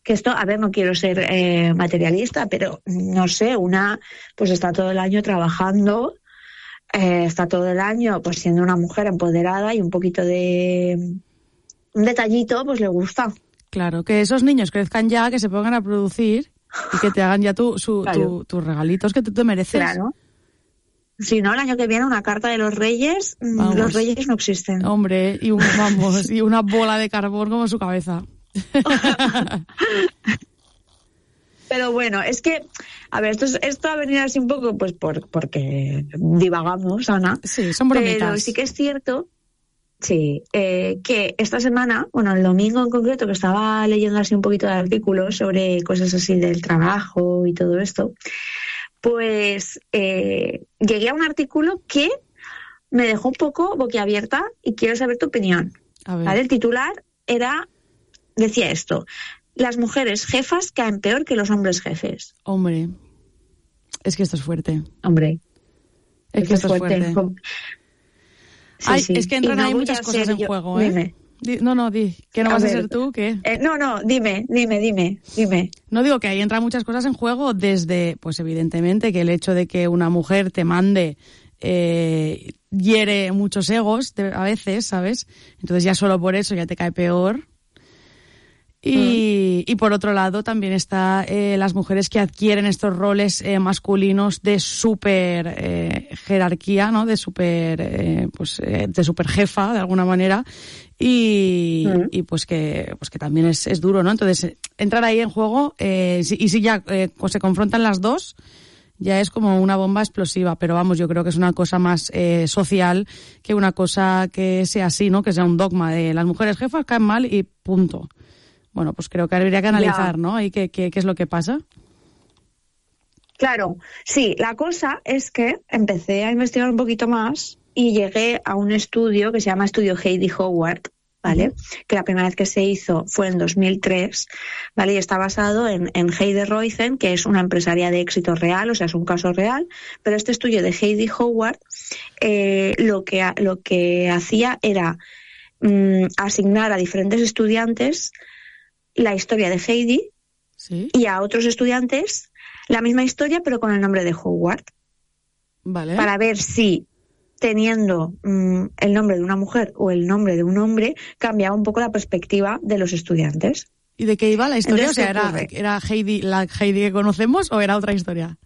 Que esto, a ver, no quiero ser eh, materialista, pero no sé, una pues está todo el año trabajando, eh, está todo el año pues siendo una mujer empoderada y un poquito de un detallito pues le gusta. Claro, que esos niños crezcan ya, que se pongan a producir y que te hagan ya tu, su, Claro. tu- tus regalitos que tú te mereces. Claro. Si no, el año que viene una carta de los reyes, mm, Vamos. los reyes no existen. Hombre, y un, vamos, y una bola de carbón como su cabeza. Pero bueno, es que, a ver, esto, es- esto ha venido así un poco pues por porque divagamos, Ana. Sí, son bromitas. Pero sí que es cierto, sí, eh, que esta semana, bueno, el domingo en concreto, que estaba leyendo así un poquito de artículos sobre cosas así del trabajo y todo esto, pues eh, llegué a un artículo que me dejó un poco boquiabierta y quiero saber tu opinión. A ver. ¿Vale? El titular era, decía esto: las mujeres jefas caen peor que los hombres jefes. Hombre, es que esto es fuerte. Hombre, Es que esto es fuerte. Com- sí, Ay, sí. es que entran Y no ahí voy muchas a cosas ser en yo- juego, ¿eh? Dime. Di- No, no, di, que no A vas a ver. ser tú, ¿qué? Eh, no, no, dime, dime, dime, dime. No digo que ahí entran muchas cosas en juego, desde, pues evidentemente, que el hecho de que una mujer te mande eh, hiere muchos egos de- a veces, ¿sabes? Entonces ya solo por eso ya te cae peor. Y, y por otro lado también está eh, las mujeres que adquieren estos roles eh, masculinos de super eh, jerarquía, ¿no? De super, eh, pues, eh, de super jefa, de alguna manera. Y, Mm. y pues que pues que también es, es duro, ¿no? Entonces, eh, entrar ahí en juego, eh, si- y si ya eh, pues se confrontan las dos, ya es como una bomba explosiva. Pero vamos, yo creo que es una cosa más eh, social que una cosa que sea así, ¿no? Que sea un dogma de las mujeres jefas caen mal y punto. Bueno, pues creo que habría que analizar, Ya. ¿no? Y qué, qué, qué es lo que pasa. Claro, sí, la cosa es que empecé a investigar un poquito más y llegué a un estudio que se llama Estudio Heidi Howard, ¿vale? Que la primera vez que se hizo fue en dos mil tres, ¿vale? Y está basado en, en Heidi Roizen, que es una empresaria de éxito real, o sea, es un caso real, pero este estudio de Heidi Howard eh, lo, que, ha- lo que hacía era mm, asignar a diferentes estudiantes la historia de Heidi Sí. y a otros estudiantes la misma historia, pero con el nombre de Howard, Vale. para ver si teniendo mm, el nombre de una mujer o el nombre de un hombre cambiaba un poco la perspectiva de los estudiantes. ¿Y de qué iba la historia? Entonces, O sea, ¿qué ¿era, ocurre? ¿era Heidi, la Heidi que conocemos o era otra historia?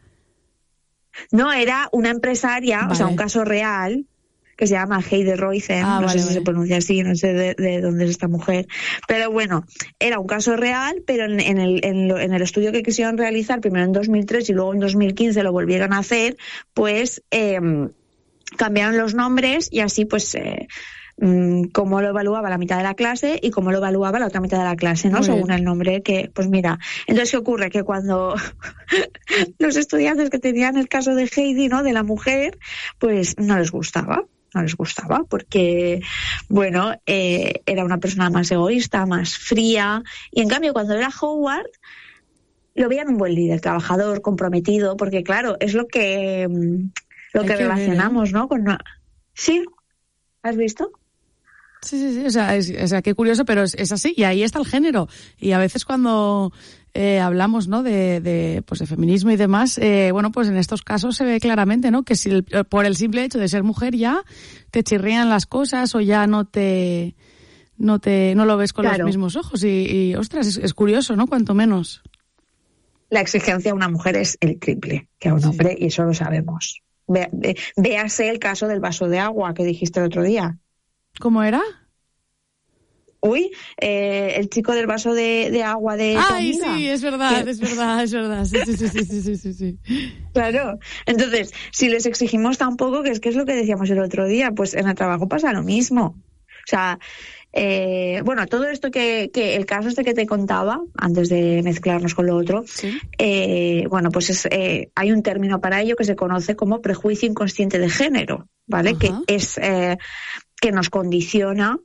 No, era una empresaria, o sea, Vale. un caso real, que se llama Heidi Roizen, Ah, no vale, sé si vale. se pronuncia así, no sé de, de dónde es esta mujer, pero bueno, era un caso real, pero en, en el, en, lo- en el estudio que quisieron realizar, primero en dos mil tres y luego en dos mil quince lo volvieron a hacer, pues eh, cambiaron los nombres y así pues... Eh, mm, cómo lo evaluaba la mitad de la clase y cómo lo evaluaba la otra mitad de la clase, ¿no? Muy Según bien. el nombre que, pues mira, entonces ¿qué ocurre? Que cuando los estudiantes que tenían el caso de Heidi, ¿no? De la mujer, pues no les gustaba, no les gustaba porque, bueno, eh, era una persona más egoísta, más fría, y en cambio cuando era Howard lo veían un buen líder, trabajador, comprometido, porque claro, es lo que mm, lo Hay que que ver, relacionamos, ¿no? Con una... Sí, ¿has visto? Sí, sí, sí, o sea, es, o sea qué curioso, pero es, es así, y ahí está el género. Y a veces cuando eh, hablamos, ¿no? de, de, pues de feminismo y demás, eh, bueno, pues en estos casos se ve claramente, ¿no? Que si el- por el simple hecho de ser mujer ya te chirrían las cosas o ya no te no te no lo ves con Claro. los mismos ojos y, y ostras, es, es curioso, ¿no? Cuanto menos. La exigencia a una mujer es el triple que a un hombre, y eso lo sabemos. Ve- ve- véase el caso del vaso de agua que dijiste el otro día. ¿Cómo era? Uy, eh, el chico del vaso de, de agua de tu Ay, amiga. sí, es verdad, Que- es verdad, es verdad. Sí, sí, sí, sí, sí, sí, sí, sí. Claro. Entonces, si les exigimos tan poco, que es que es lo que decíamos el otro día, pues en el trabajo pasa lo mismo. O sea, eh, bueno, todo esto que, que el caso este que te contaba, antes de mezclarnos con lo otro, eh, bueno, pues es, eh, hay un término para ello que se conoce como prejuicio inconsciente de género, ¿vale? Ajá. Que es eh, que nos condiciona,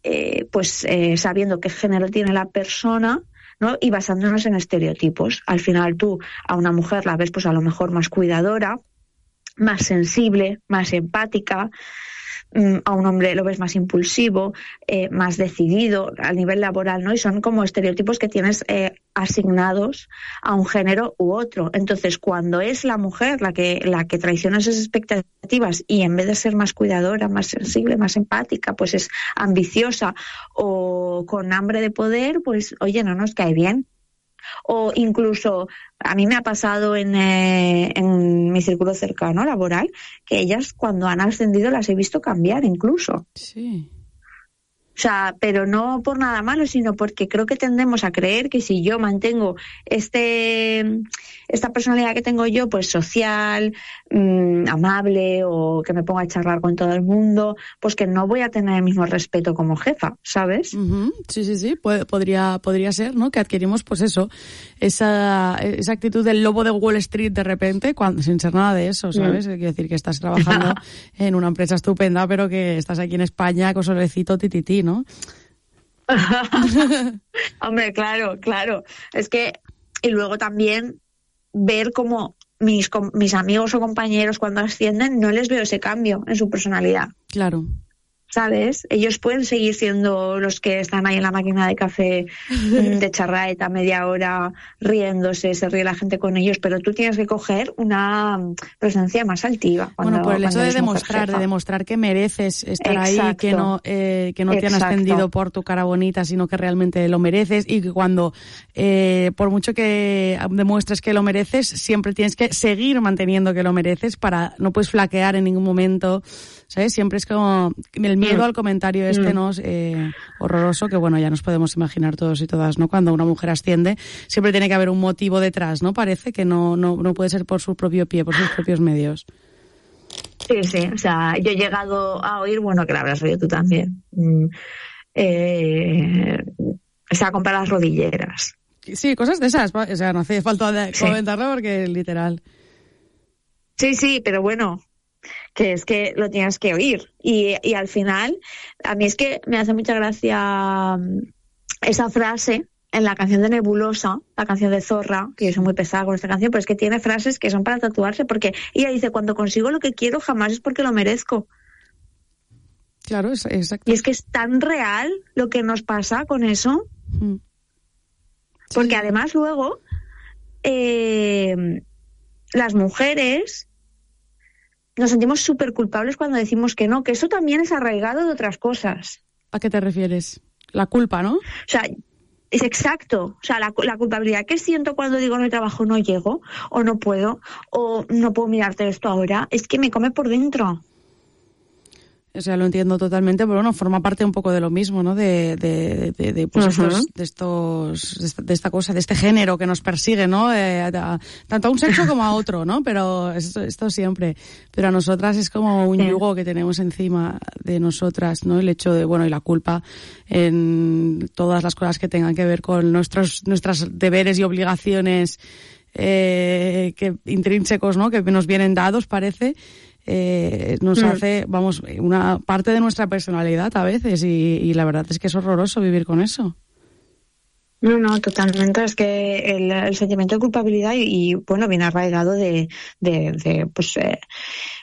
eh, pues eh, sabiendo qué género tiene la persona, ¿no? Y basándonos en estereotipos. Al final tú a una mujer la ves pues a lo mejor más cuidadora, más sensible, más empática. Mm, a un hombre lo ves más impulsivo, eh, más decidido a nivel laboral, ¿no? Y son como estereotipos que tienes eh, asignados a un género u otro. Entonces, cuando es la mujer la que la que traiciona esas expectativas y en vez de ser más cuidadora, más sensible, más empática, pues es ambiciosa o con hambre de poder, pues oye, no nos cae bien. O incluso, a mí me ha pasado en, eh, en mi círculo cercano laboral, que ellas cuando han ascendido las he visto cambiar incluso. Sí. O sea, pero no por nada malo, sino porque creo que tendemos a creer que si yo mantengo este esta personalidad que tengo yo, pues social, mmm, amable, o que me ponga a charlar con todo el mundo, pues que no voy a tener el mismo respeto como jefa, ¿sabes? Ujú, sí, sí, sí, Pu- podría, podría ser, ¿no? Que adquirimos, pues eso, esa, esa actitud del lobo de Wall Street de repente, cuando, sin ser nada de eso, ¿sabes? Mm. Quiero decir que estás trabajando en una empresa estupenda, pero que estás aquí en España con solecito titití, ¿no? Hombre, claro, claro. Es que, y luego también ver cómo mis, mis amigos o compañeros cuando ascienden no les veo ese cambio en su personalidad. Claro. ¿Sabes? Ellos pueden seguir siendo los que están ahí en la máquina de café de charraeta media hora riéndose, se ríe la gente con ellos, pero tú tienes que coger una presencia más altiva. Cuando, bueno, por el hecho de demostrar, jefa. de demostrar que mereces estar Exacto. ahí, que no, eh, que no te han Exacto. ascendido por tu cara bonita, sino que realmente lo mereces, y que cuando, eh, por mucho que demuestres que lo mereces, siempre tienes que seguir manteniendo que lo mereces, para no puedes flaquear en ningún momento, ¿sabes? Siempre es como el miedo mm. al comentario este, mm. ¿no? Eh, horroroso, que bueno, ya nos podemos imaginar todos y todas, ¿no? Cuando una mujer asciende, siempre tiene que haber un motivo detrás, ¿no? Parece que no, no, no puede ser por su propio pie, por sus propios medios. Sí, sí, o sea, yo he llegado a oír, bueno, que la habrás oído tú también, mm, eh, o sea, comprar las rodilleras. Sí, cosas de esas, o sea, no hace falta de sí. comentarlo porque literal. Sí, sí, pero bueno, que es que lo tienes que oír. Y, y al final, a mí es que me hace mucha gracia esa frase en la canción de Nebulosa, la canción de Zorra, que yo soy muy pesada con esta canción, pero es que tiene frases que son para tatuarse, porque ella dice, cuando consigo lo que quiero, jamás es porque lo merezco. Claro, es exacto. Y es que es tan real lo que nos pasa con eso, mm. porque sí. además luego eh, las mujeres nos sentimos súper culpables cuando decimos que no, que eso también es arraigado de otras cosas. ¿A qué te refieres? La culpa, ¿no? O sea, es exacto. O sea, la, la culpabilidad que siento cuando digo no hay trabajo, no llego, o no puedo, o no puedo mirarte esto ahora, es que me come por dentro. O sea, lo entiendo totalmente, pero bueno, forma parte un poco de lo mismo, ¿no? De, de, de, de, pues uh-huh. estos, de estos, de esta, de esta cosa, de este género que nos persigue, ¿no? Eh, a, tanto a un sexo como a otro, ¿no? Pero esto, esto siempre. Pero a nosotras es como un yugo que tenemos encima de nosotras, ¿no? El hecho de, bueno, y la culpa en todas las cosas que tengan que ver con nuestros, nuestros deberes y obligaciones, eh, que intrínsecos, ¿no? Que nos vienen dados, parece. Eh, nos mm. hace, vamos, una parte de nuestra personalidad a veces, y, y la verdad es que es horroroso vivir con eso. No, no, totalmente. Es que el, el sentimiento de culpabilidad y, y bueno, viene arraigado de, de, de pues eh,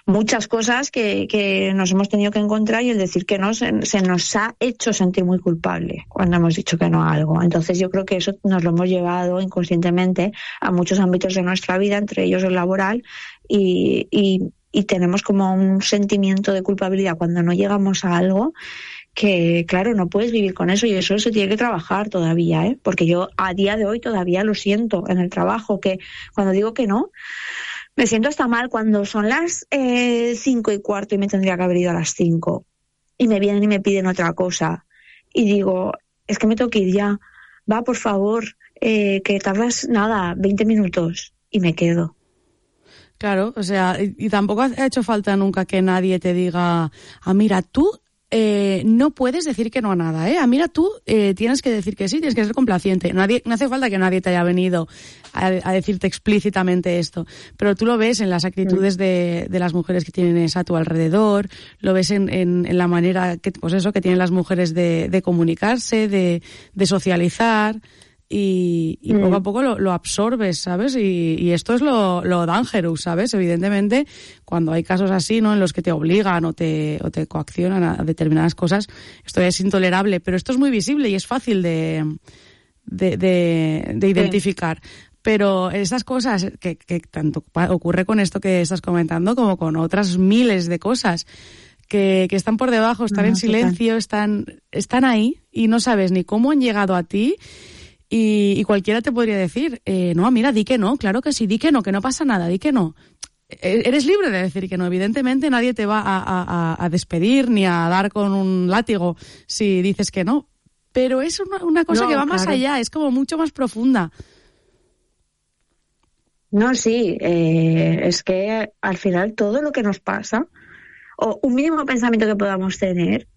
muchas cosas que, que nos hemos tenido que encontrar, y el decir que no se, se nos ha hecho sentir muy culpable cuando hemos dicho que no a algo. Entonces yo creo que eso nos lo hemos llevado inconscientemente a muchos ámbitos de nuestra vida, entre ellos el laboral, y, y y tenemos como un sentimiento de culpabilidad cuando no llegamos a algo, que claro, no puedes vivir con eso, y eso se tiene que trabajar todavía, ¿eh? Porque yo a día de hoy todavía lo siento en el trabajo, que cuando digo que no, me siento hasta mal cuando son las eh, cinco y cuarto y me tendría que haber ido a las cinco, y me vienen y me piden otra cosa, y digo, es que me tengo que ir ya, va, por favor, eh, que tardas nada, veinte minutos, y me quedo. Claro, o sea, y, y tampoco ha hecho falta nunca que nadie te diga, ah, mira, tú eh, no puedes decir que no a nada, ¿eh? Ah, mira, tú eh, tienes que decir que sí, tienes que ser complaciente. Nadie, no hace falta que nadie te haya venido a, a decirte explícitamente esto, pero tú lo ves en las actitudes de, de las mujeres que tienes a tu alrededor, lo ves en, en, en la manera que, pues eso, que tienen las mujeres de, de comunicarse, de, de socializar. Y, y mm. poco a poco lo, lo absorbes, ¿sabes? Y, y esto es lo, lo dangerous, ¿sabes? Evidentemente, cuando hay casos así, ¿no? En los que te obligan o te, o te coaccionan a determinadas cosas, esto es intolerable, pero esto es muy visible y es fácil de, de, de, de identificar. Sí. Pero estas cosas que, que tanto ocurre con esto que estás comentando como con otras miles de cosas que, que están por debajo, están no, en silencio, total. están, están ahí y no sabes ni cómo han llegado a ti. Y, y cualquiera te podría decir, eh, no, mira, di que no, claro que sí, di que no, que no pasa nada, di que no. Eres libre de decir que no, evidentemente nadie te va a, a, a despedir ni a dar con un látigo si dices que no, pero es una, una cosa no, que va claro. más allá, es como mucho más profunda. No, sí, eh, es que al final todo lo que nos pasa, o un mínimo pensamiento que podamos tener,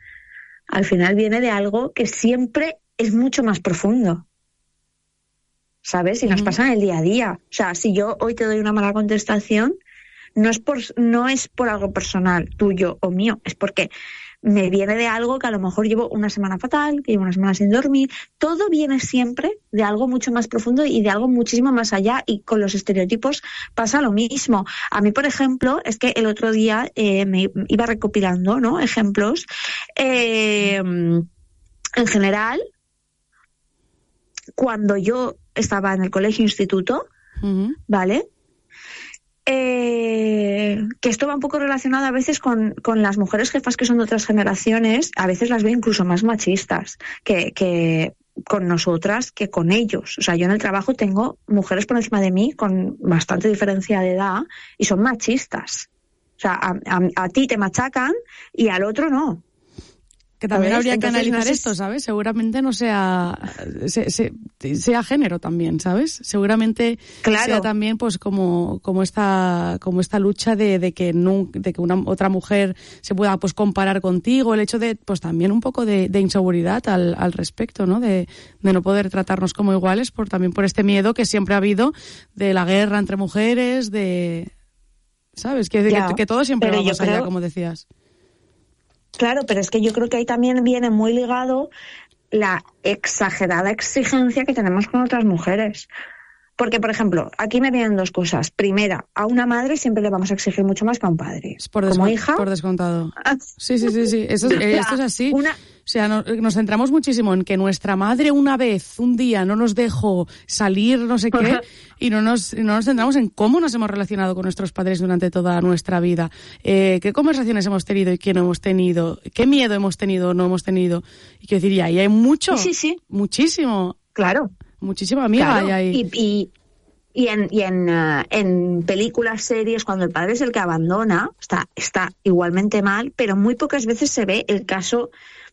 al final viene de algo que siempre es mucho más profundo. ¿Sabes? Y nos pasa en el día a día. O sea, si yo hoy te doy una mala contestación, no es por no es por algo personal, tuyo o mío, es porque me viene de algo que a lo mejor llevo una semana fatal, que llevo una semana sin dormir. Todo viene siempre de algo mucho más profundo y de algo muchísimo más allá, y con los estereotipos pasa lo mismo. A mí, por ejemplo, es que el otro día eh, me iba recopilando, ¿no?, ejemplos. Eh, en general, cuando yo estaba en el colegio instituto, uh-huh. ¿vale?, Eh, que esto va un poco relacionado a veces con, con las mujeres jefas que son de otras generaciones. A veces las veo incluso más machistas que, que con nosotras que con ellos. O sea, yo en el trabajo tengo mujeres por encima de mí con bastante diferencia de edad y son machistas. O sea, a, a, a ti te machacan y al otro no. Que también habría que Entonces, analizar no sé esto, ¿sabes? Seguramente no sea, se, se, sea género también, ¿sabes? Seguramente claro. sea también pues como, como esta, como esta lucha de, de que no, de que una otra mujer se pueda pues comparar contigo, el hecho de pues también un poco de, de inseguridad al, al respecto, ¿no? De, de no poder tratarnos como iguales, por también por este miedo que siempre ha habido de la guerra entre mujeres, de, ¿sabes? Que, que, que todo siempre va más allá, creo... como decías. Claro, pero es que yo creo que ahí también viene muy ligado la exagerada exigencia que tenemos con otras mujeres. Porque, por ejemplo, aquí me vienen dos cosas. Primera, a una madre siempre le vamos a exigir mucho más que a un padre. Por Como hija... Por descontado. Sí, sí, sí, sí. Eso, esto es así. Una... O sea, no, nos centramos muchísimo en que nuestra madre una vez, un día, no nos dejó salir no sé qué, y no nos, no nos centramos en cómo nos hemos relacionado con nuestros padres durante toda nuestra vida. Eh, qué conversaciones hemos tenido y qué no hemos tenido. Qué miedo hemos tenido o no hemos tenido. Y quiero decir, y ahí hay mucho. Sí, sí. Muchísimo. Claro. Muchísima amiga claro. hay ahí. Y, y, y, en, y en, uh, en películas, series, cuando el padre es el que abandona, está, está igualmente mal, pero muy pocas veces se ve el caso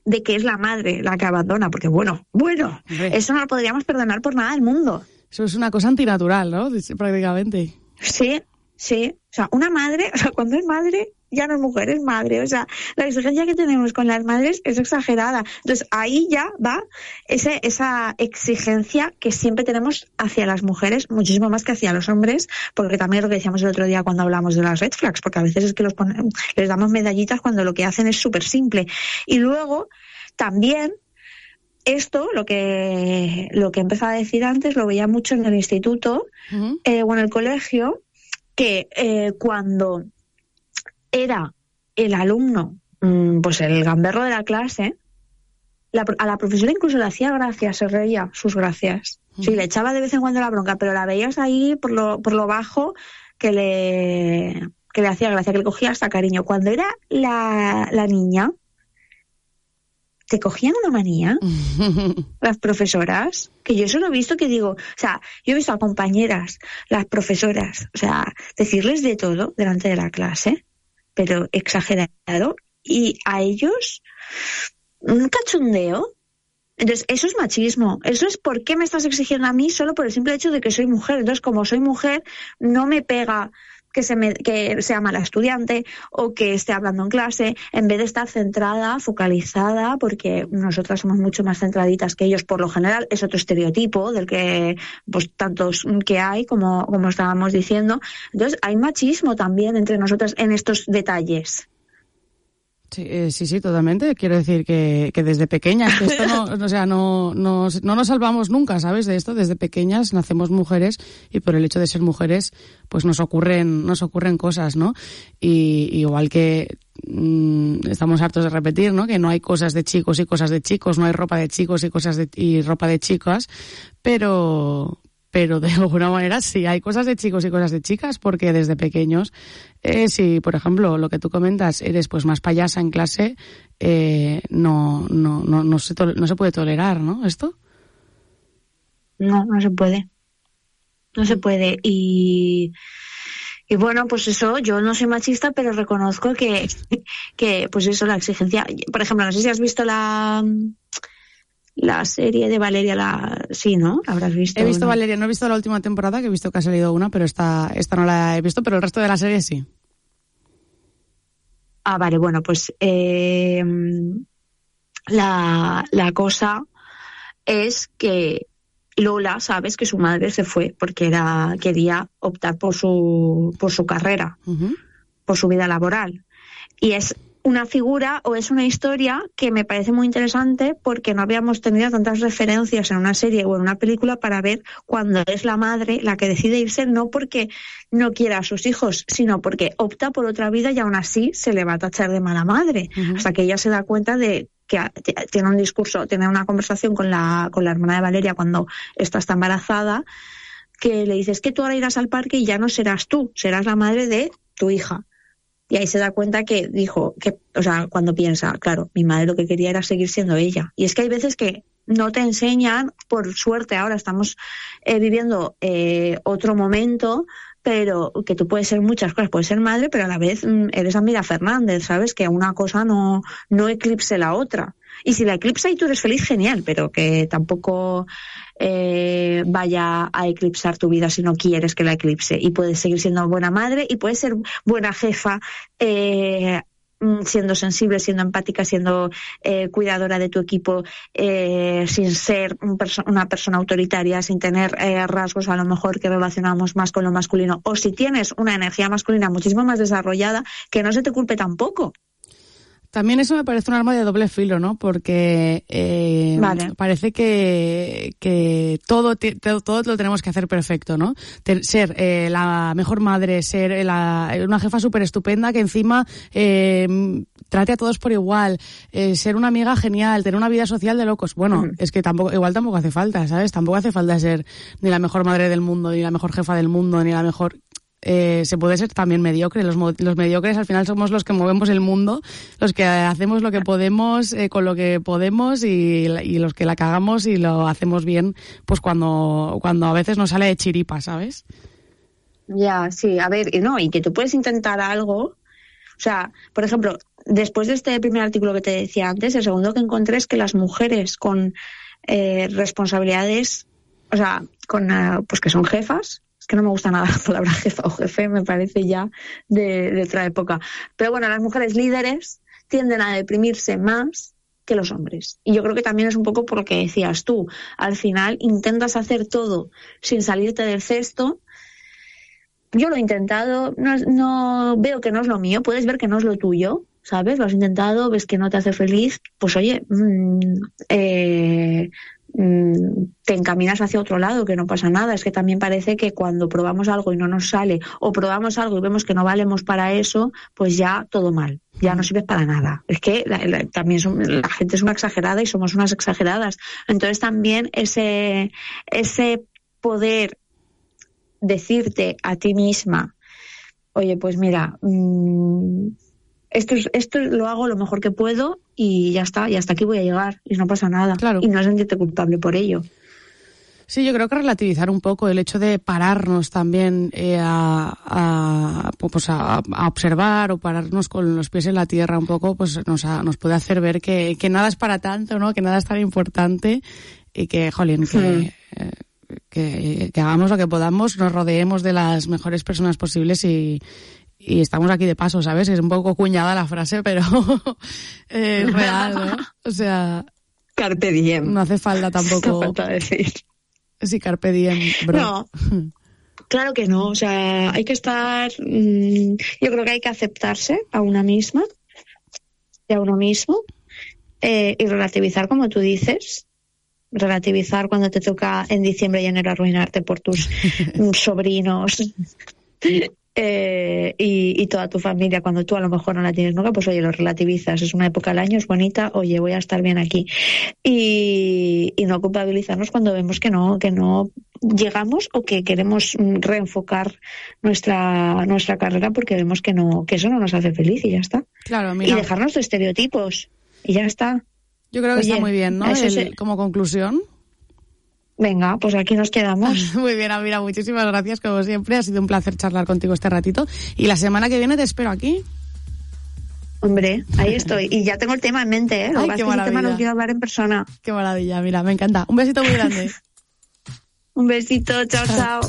de que es la madre la que abandona, porque bueno, bueno, Hombre. eso no lo podríamos perdonar por nada del mundo. Eso es una cosa antinatural, ¿no? Prácticamente. Sí, sí. O sea, una madre, o sea, cuando es madre, ya no es mujer, es madre. O sea, la exigencia que tenemos con las madres es exagerada. Entonces, ahí ya va ese, esa exigencia que siempre tenemos hacia las mujeres, muchísimo más que hacia los hombres, porque también lo que decíamos el otro día cuando hablamos de las red flags, porque a veces es que los ponemos, les damos medallitas cuando lo que hacen es súper simple. Y luego, también, esto, lo que, lo que empezaba a decir antes, lo veía mucho en el instituto uh-huh. eh, o en el colegio, que eh, cuando era el alumno, pues el gamberro de la clase, la, a la profesora incluso le hacía gracia, se reía sus gracias. Uh-huh. Sí, le echaba de vez en cuando la bronca, pero la veías ahí por lo, por lo bajo que le, que le hacía gracia, que le cogía hasta cariño. Cuando era la, la niña, te cogían una manía las profesoras, que yo eso lo he visto, que digo, o sea, yo he visto a compañeras, las profesoras, o sea, decirles de todo delante de la clase, pero exagerado, y a ellos un cachondeo. Entonces, eso es machismo. Eso es por qué me estás exigiendo a mí solo por el simple hecho de que soy mujer. Entonces, como soy mujer, no me pega que, se me, que sea mala estudiante o que esté hablando en clase, en vez de estar centrada, focalizada, porque nosotras somos mucho más centraditas que ellos por lo general. Es otro estereotipo del que, pues, tantos que hay, como, como estábamos diciendo. Entonces, hay machismo también entre nosotras en estos detalles. Sí, eh, sí, sí, totalmente. Quiero decir que, que desde pequeñas, que esto no, o sea, no, no, no nos salvamos nunca, ¿sabes? De esto, desde pequeñas nacemos mujeres y por el hecho de ser mujeres, pues nos ocurren, nos ocurren cosas, ¿no? Y, igual que mmm, estamos hartos de repetir, ¿no? Que no hay cosas de chicos y cosas de chicos, no hay ropa de chicos y cosas de, y ropa de chicas, pero, pero de alguna manera sí hay cosas de chicos y cosas de chicas, porque desde pequeños, eh, si por ejemplo lo que tú comentas, eres pues más payasa en clase, eh, no, no, no, no se to- no se puede tolerar, ¿no? ¿Esto? No, no se puede. No se puede. Y, y bueno, pues eso, yo no soy machista, pero reconozco que, que pues eso, la exigencia. Por ejemplo, no sé si has visto la... La serie de Valeria, la sí, ¿no? ¿Habrás visto? He visto ¿no? Valeria, no he visto la última temporada, que he visto que ha salido una, pero esta, esta no la he visto, pero el resto de la serie sí. Ah, vale, bueno, pues eh, la, la cosa es que Lola, sabes que su madre se fue porque era quería optar por su por su carrera, uh-huh. por su vida laboral. Y es una figura o es una historia que me parece muy interesante porque no habíamos tenido tantas referencias en una serie o en una película para ver cuando es la madre la que decide irse, no porque no quiera a sus hijos, sino porque opta por otra vida y aún así se le va a tachar de mala madre, uh-huh. hasta que ella se da cuenta de que tiene un discurso, tiene una conversación con la, con la hermana de Valeria cuando esta está embarazada, que le dice, es que tú ahora irás al parque y ya no serás tú, serás la madre de tu hija. Y ahí se da cuenta que dijo, que, o sea, cuando piensa, claro, mi madre lo que quería era seguir siendo ella. Y es que hay veces que no te enseñan, por suerte ahora estamos eh, viviendo eh, otro momento, pero que tú puedes ser muchas cosas, puedes ser madre, pero a la vez mm, eres Amira Fernández, ¿sabes? Que una cosa no, no eclipse la otra. Y si la eclipsa y tú eres feliz, genial, pero que tampoco eh, vaya a eclipsar tu vida si no quieres que la eclipse. Y puedes seguir siendo buena madre y puedes ser buena jefa, eh, siendo sensible, siendo empática, siendo eh, cuidadora de tu equipo, eh, sin ser un perso- una persona autoritaria, sin tener eh, rasgos a lo mejor que relacionamos más con lo masculino. O si tienes una energía masculina muchísimo más desarrollada, que no se te culpe tampoco. También eso me parece un arma de doble filo, ¿no? Porque eh, vale. parece que, que todo, todo, todo lo tenemos que hacer perfecto, ¿no? Ten, ser eh, la mejor madre, ser la, una jefa súper estupenda que encima eh, trate a todos por igual, eh, ser una amiga genial, tener una vida social de locos. Bueno, uh-huh. es que tampoco, igual tampoco hace falta, ¿sabes? Tampoco hace falta ser ni la mejor madre del mundo, ni la mejor jefa del mundo, ni la mejor... Eh, se puede ser también mediocre. Los, los mediocres al final somos los que movemos el mundo, los que hacemos lo que podemos eh, con lo que podemos y, y los que la cagamos y lo hacemos bien pues cuando, cuando a veces nos sale de chiripa, ¿sabes? Ya, sí, a ver, y no, y que tú puedes intentar algo, o sea, por ejemplo, después de este primer artículo que te decía antes, el segundo que encontré es que las mujeres con eh, responsabilidades, o sea, con uh, pues que son jefas, es que no me gusta nada la palabra jefa o jefe, me parece ya de, de otra época. Pero bueno, las mujeres líderes tienden a deprimirse más que los hombres. Y yo creo que también es un poco por lo que decías tú. Al final intentas hacer todo sin salirte del cesto. Yo lo he intentado, no, no veo que no es lo mío, puedes ver que no es lo tuyo, ¿sabes? Lo has intentado, ves que no te hace feliz, pues oye, mmm, eh... te encaminas hacia otro lado, que no pasa nada. Es que también parece que cuando probamos algo y no nos sale, o probamos algo y vemos que no valemos para eso, pues ya todo mal, ya no sirve para nada. Es que la, la, también son, la gente es una exagerada y somos unas exageradas. Entonces también ese, ese poder decirte a ti misma, oye, pues mira, mmm, esto, esto lo hago lo mejor que puedo y ya está, y hasta aquí voy a llegar y no pasa nada. Claro. Y no sentirte culpable por ello. Sí, yo creo que relativizar un poco el hecho de pararnos también eh, a, a, pues a, a observar o pararnos con los pies en la tierra un poco, pues nos, a, nos puede hacer ver que, que nada es para tanto, ¿no? Que nada es tan importante y que, jolín, que... Mm. Eh, que, que hagamos lo que podamos, nos rodeemos de las mejores personas posibles y, y estamos aquí de paso, ¿sabes? Es un poco cuñada la frase, pero es real, ¿no? O sea... Carpe diem. No hace falta tampoco... No falta decir. Sí, carpe diem, bro. No, claro que no. O sea, hay que estar... Mmm, yo creo que hay que aceptarse a una misma y a uno mismo eh, y relativizar, como tú dices, relativizar cuando te toca en diciembre y enero arruinarte por tus sobrinos eh, y, y toda tu familia, cuando tú a lo mejor no la tienes nunca, pues oye, lo relativizas, es una época del año, es bonita, oye, voy a estar bien aquí y, y no culpabilizarnos cuando vemos que no, que no llegamos o que queremos reenfocar nuestra nuestra carrera porque vemos que no, que eso no nos hace feliz y ya está. Claro, mira. Y dejarnos de estereotipos y ya está. Yo creo que Oye, está muy bien, ¿no? El, se... Como conclusión. Venga, pues aquí nos quedamos. Muy bien, Amira, muchísimas gracias, como siempre. Ha sido un placer charlar contigo este ratito. Y la semana que viene te espero aquí. Hombre, ahí estoy. Y ya tengo el tema en mente, ¿eh? Lo Ay, que qué pasa es que el tema maravilla. no quiero hablar en persona. Qué maravilla, mira, me encanta. Un besito muy grande. Un besito, chao, chao.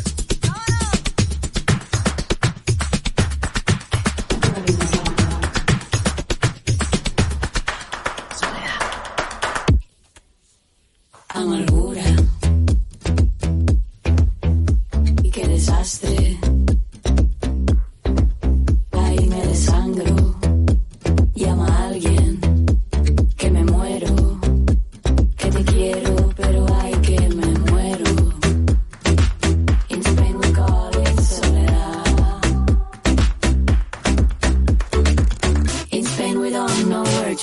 Amargura y qué desastre. Ahí me desangro y amargo.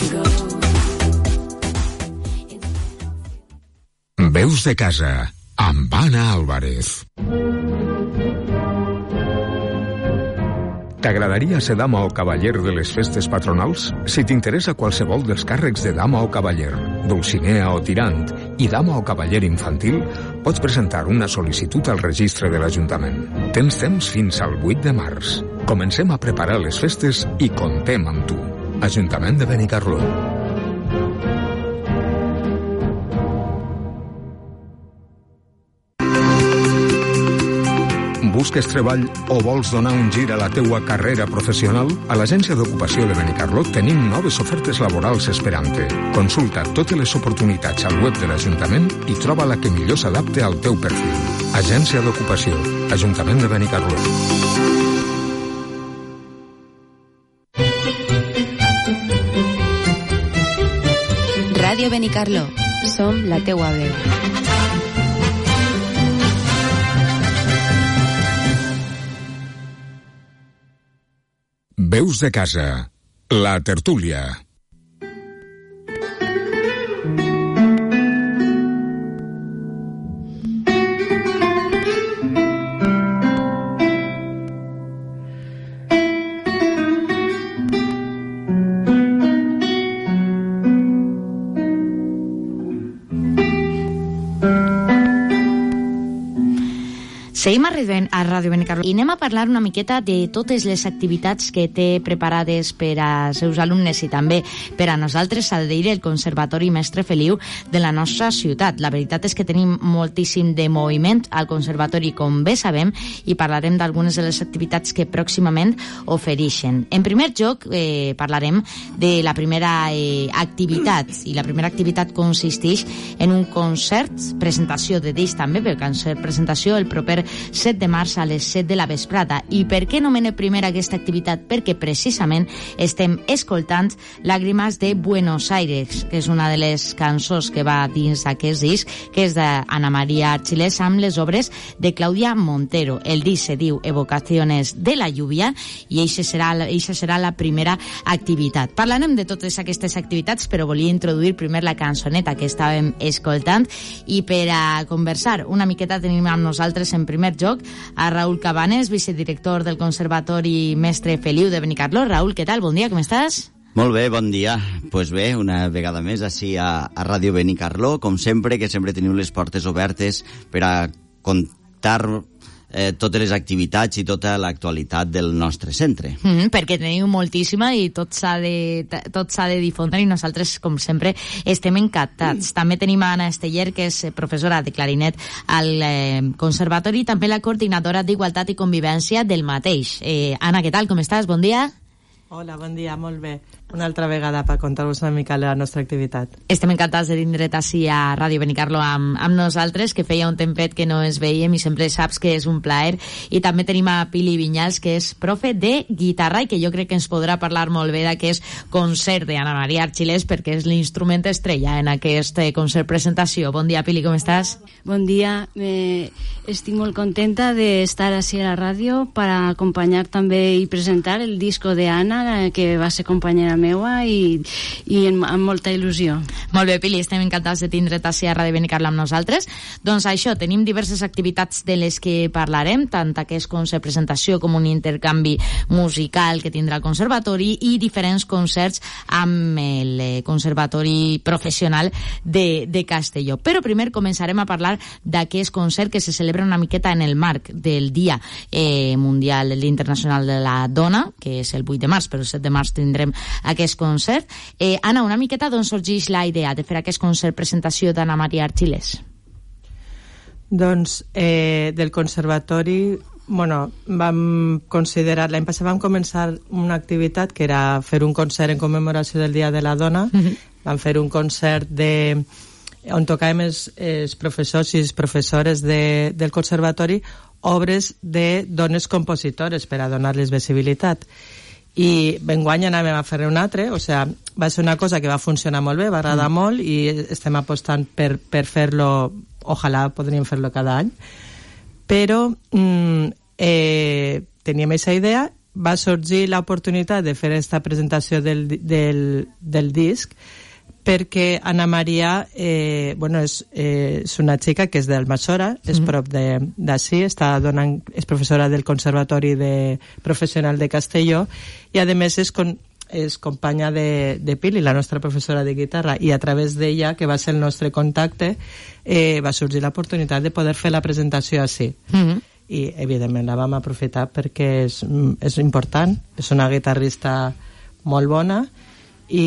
to go. Veus de casa, amb Anna Álvarez. T'agradaria ser dama o cavaller de les festes patronals? Si t'interessa qualsevol dels càrrecs de dama o cavaller, dulcinea o tirant i dama o cavaller infantil, pots presentar una sol·licitud al registre de l'Ajuntament. Tens temps fins al vuit de març. Comencem a preparar les festes i comptem amb tu. Ajuntament de Benicarló. Busques treball o vols donar un gir a la teua carrera professional? A l'Agència d'Ocupació de Benicarló tenim noves ofertes laborals esperant-te. Consulta totes les oportunitats al web de l'Ajuntament i troba la que millor s'adapte al teu perfil. Agència d'Ocupació, Ajuntament de Benicarló. Ràdio Benicarló. Som la teua veu. Veus de casa, la tertúlia. Seguim arribant a Ràdio Benicarló i anem a parlar una miqueta de totes les activitats que té preparades per als seus alumnes i també per a nosaltres, s'ha de dir, el Conservatori Mestre Feliu de la nostra ciutat. La veritat és que tenim moltíssim de moviment al Conservatori, com bé sabem, i parlarem d'algunes de les activitats que pròximament ofereixen. En primer lloc, eh, parlarem de la primera eh, activitat, i la primera activitat consisteix en un concert, presentació de disc també, però concert, presentació el proper set de març a les set de la vesprada. I per què nomene primera aquesta activitat? Perquè precisament estem escoltant Làgrimes de Buenos Aires, que és una de les cançons que va dins aquest disc, que és d'Anna María Archilés amb les obres de Clàudia Montero. El disc se diu Evocaciones de la lluvia i eixa serà, eixa serà la primera activitat. Parlarem de totes aquestes activitats, però volia introduir primer la cançoneta que estàvem escoltant, i per a conversar una miqueta tenim amb nosaltres en primer lloc a Raúl Cabanes, vicedirector del Conservatori Mestre Feliu de Benicarló. Raúl, què tal? Bon dia, com estàs? Molt bé, bon dia. Doncs pues bé, una vegada més així a, a Ràdio Benicarló, com sempre, que sempre teniu les portes obertes per a contar eh, totes les activitats i tota l'actualitat del nostre centre. Mm -hmm, perquè teniu moltíssima i tot s'ha de, tot s'ha de difondre i nosaltres, com sempre, estem encantats. Mm. També tenim a Anna Esteller, que és professora de clarinet al eh, Conservatori, i també la coordinadora d'Igualtat i Convivència del mateix. Eh, Anna, què tal? Com estàs? Bon dia. Hola, bon dia, molt bé. Una altra vegada per contar-vos una mica la nostra activitat. Estem encantats de tindre't així a Ràdio Benicarló amb, amb nosaltres, que feia un tempet que no es veiem i sempre saps que és un plaer. I també tenim a Pili Vinyals, que és profe de guitarra i que jo crec que ens podrà parlar molt bé d'aquest concert d'Anna María Archilés, perquè és l'instrument estrella en aquest concert presentació. Bon dia, Pili, com estàs? Bon dia. Eh, estic molt contenta d'estar així a la ràdio per acompanyar també i presentar el disco d'Anna, que va ser companyera meua i, i amb, amb molta il·lusió. Molt bé, Pili, estem encantats de tindre't així a Ràdio Benicarló amb nosaltres. Doncs això, tenim diverses activitats de les que parlarem, tant aquest concert presentació com un intercanvi musical que tindrà el Conservatori i diferents concerts amb el Conservatori Professional de, de Castelló. Però primer començarem a parlar d'aquest concert que se celebra una miqueta en el marc del Dia eh, Mundial, el Dia Internacional de la Dona, que és el vuit de març, però el set de març tindrem aquest concert. Eh, Anna, una miqueta d'on sorgeix la idea de fer aquest concert presentació d'Anna María Archilés? Doncs eh, del Conservatori, bueno, vam considerar, l'any passat vam començar una activitat que era fer un concert en commemoració del Dia de la Dona. Mm-hmm. Vam fer un concert de, on tocàvem els, els professors i les professores de, del Conservatori obres de dones compositores per a donar-les visibilitat. I enguany anàvem a fer un altre, o sigui, va ser una cosa que va funcionar molt bé, va agradar mm. molt, i estem apostant per, per fer-lo, ojalà podríem fer-lo cada any, però mm, eh, teníem aquesta idea va sorgir l'oportunitat de fer aquesta presentació del, del, del disc perquè Ana Maria eh, bueno, és, eh, és una xica que és d'Almassora, és mm. prop d'ací, està donant, és professora del Conservatori de Professional de Castelló i a més és, con, és companya de, de Pili, la nostra professora de guitarra, i a través d'ella, que va ser el nostre contacte, eh, va sorgir l'oportunitat de poder fer la presentació així. Mm. I evidentment la vam aprofitar perquè és, és important, és una guitarrista molt bona i,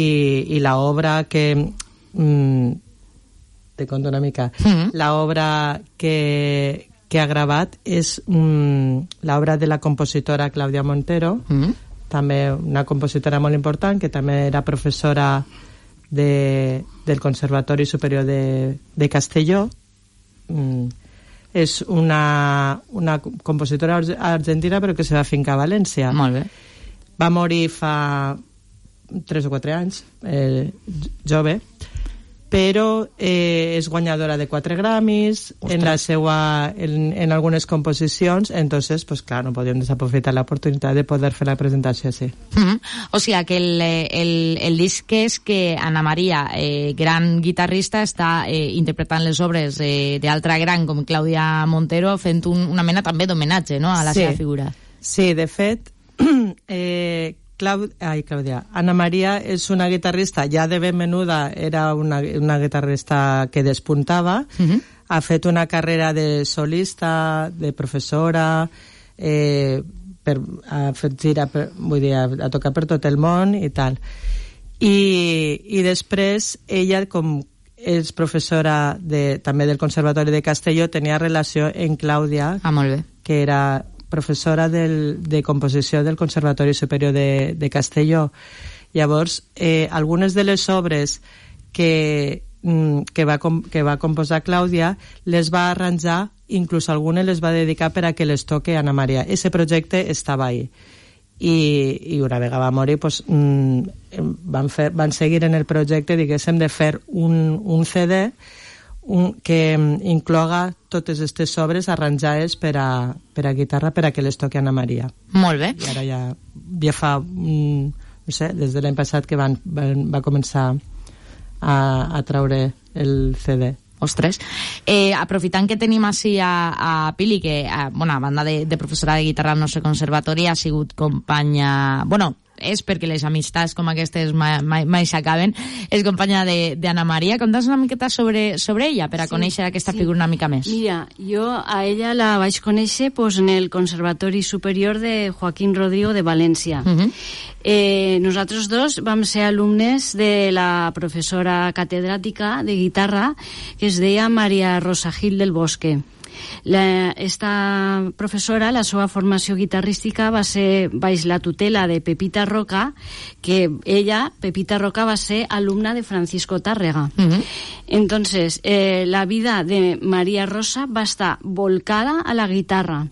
i l'obra que mm, te conto una mica mm-hmm. l'obra que, que ha gravat és mm, l'obra de la compositora Clàudia Montero, mm-hmm. també una compositora molt important que també era professora de, del Conservatori Superior de, de Castelló. mm, és una, una compositora argentina però que se va fincar a València. Molt bé. Va morir fa tres o quatre anys, eh, jove, però eh, és guanyadora de quatre Grammys en, la seua, en, en algunes composicions, entonces, pues clar, no podíem desaprofitar l'oportunitat de poder fer la presentació així. Mm-hmm. O sigui que el, el, el disc és que Ana Maria, eh, gran guitarrista, està eh, interpretant les obres eh, d'altra gran com Clàudia Montero, fent un, una mena també d'homenatge, no?, a la sí. seva figura. Sí, de fet, eh, Clau... Ai, Clàudia. Ana Maria és una guitarrista, ja de ben menuda era una, una guitarrista que despuntava, uh-huh. ha fet una carrera de solista, de professora, eh, per, ha fet gira, per, vull dir, ha, ha tocat per tot el món i tal. I, i després ella, com és professora de, també del Conservatori de Castelló, tenia relació amb Clàudia, ah, molt bé. que era professora del, de composició del Conservatori Superior de, de Castelló. Llavors, eh, algunes de les obres que, que, va, que va composar Clàudia les va arranjar, inclús algunes les va dedicar per a que les toque Ana Maria. Ese projecte estava ahí. I, i una vegada va morir, pues, van, fer, van seguir en el projecte, diguéssim, de fer un, un C D un, que incloga totes aquestes obres arranjades per a, per a guitarra per a que les toqui Ana Maria. Molt bé. I ara ja, ja fa, mm, no sé, des de l'any passat que van, van, va començar a, a traure el C D. Ostres. Eh, aprofitant que tenim així a, a Pili, que, a, bueno, a banda de, de professora de guitarra al nostre conservatori, ha sigut companya... Bueno, és perquè les amistats com aquestes mai, mai, mai s'acaben. És companya d'Anna Maria. Conta'ns una miqueta sobre, sobre ella, per a sí, conèixer aquesta sí. figura una mica més. Mira, jo a ella la vaig conèixer pues, en el Conservatori Superior de Joaquín Rodrigo de València. Uh-huh. eh, nosaltres dos vam ser alumnes de la professora catedràtica de guitarra que es deia Maria Rosa Gil del Bosque. La, esta professora, la seva formació guitarrística va ser baix la tutela de Pepita Roca, que ella, Pepita Roca, va ser alumna de Francisco Tárrega. Uh-huh. Entonces, eh, la vida de Maria Rosa va estar volcada a la guitarra,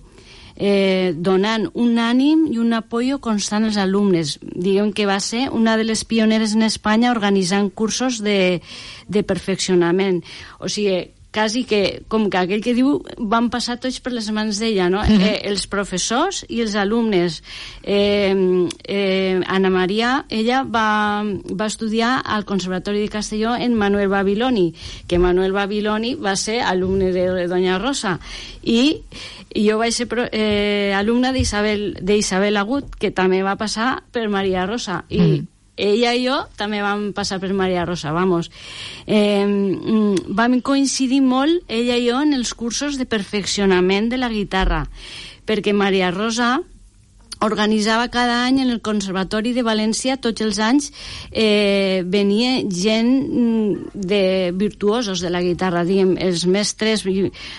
eh, donant un ànim i un apoyo constant als alumnes. Diguem que va ser una de les pioneres en Espanya organitzant cursos de, de perfeccionament. O sigui, quasi que, com que aquell que diu, van passar tots per les mans d'ella, no? Mm-hmm. eh, els professors i els alumnes. Eh, eh, Ana Maria, ella va, va estudiar al Conservatori de Castelló en Manuel Babiloni, que Manuel Babiloni va ser alumne de Doña Rosa, i jo vaig ser eh, alumna d'Isabel Agut, que també va passar per Maria Rosa, i mm. ella i jo també vam passar per Maria Rosa, vamos. Eh, vam coincidir molt, ella i jo, en els cursos de perfeccionament de la guitarra, perquè Maria Rosa organitzava cada any en el Conservatori de València, tots els anys eh, venia gent de virtuosos de la guitarra, diguem, els mestres.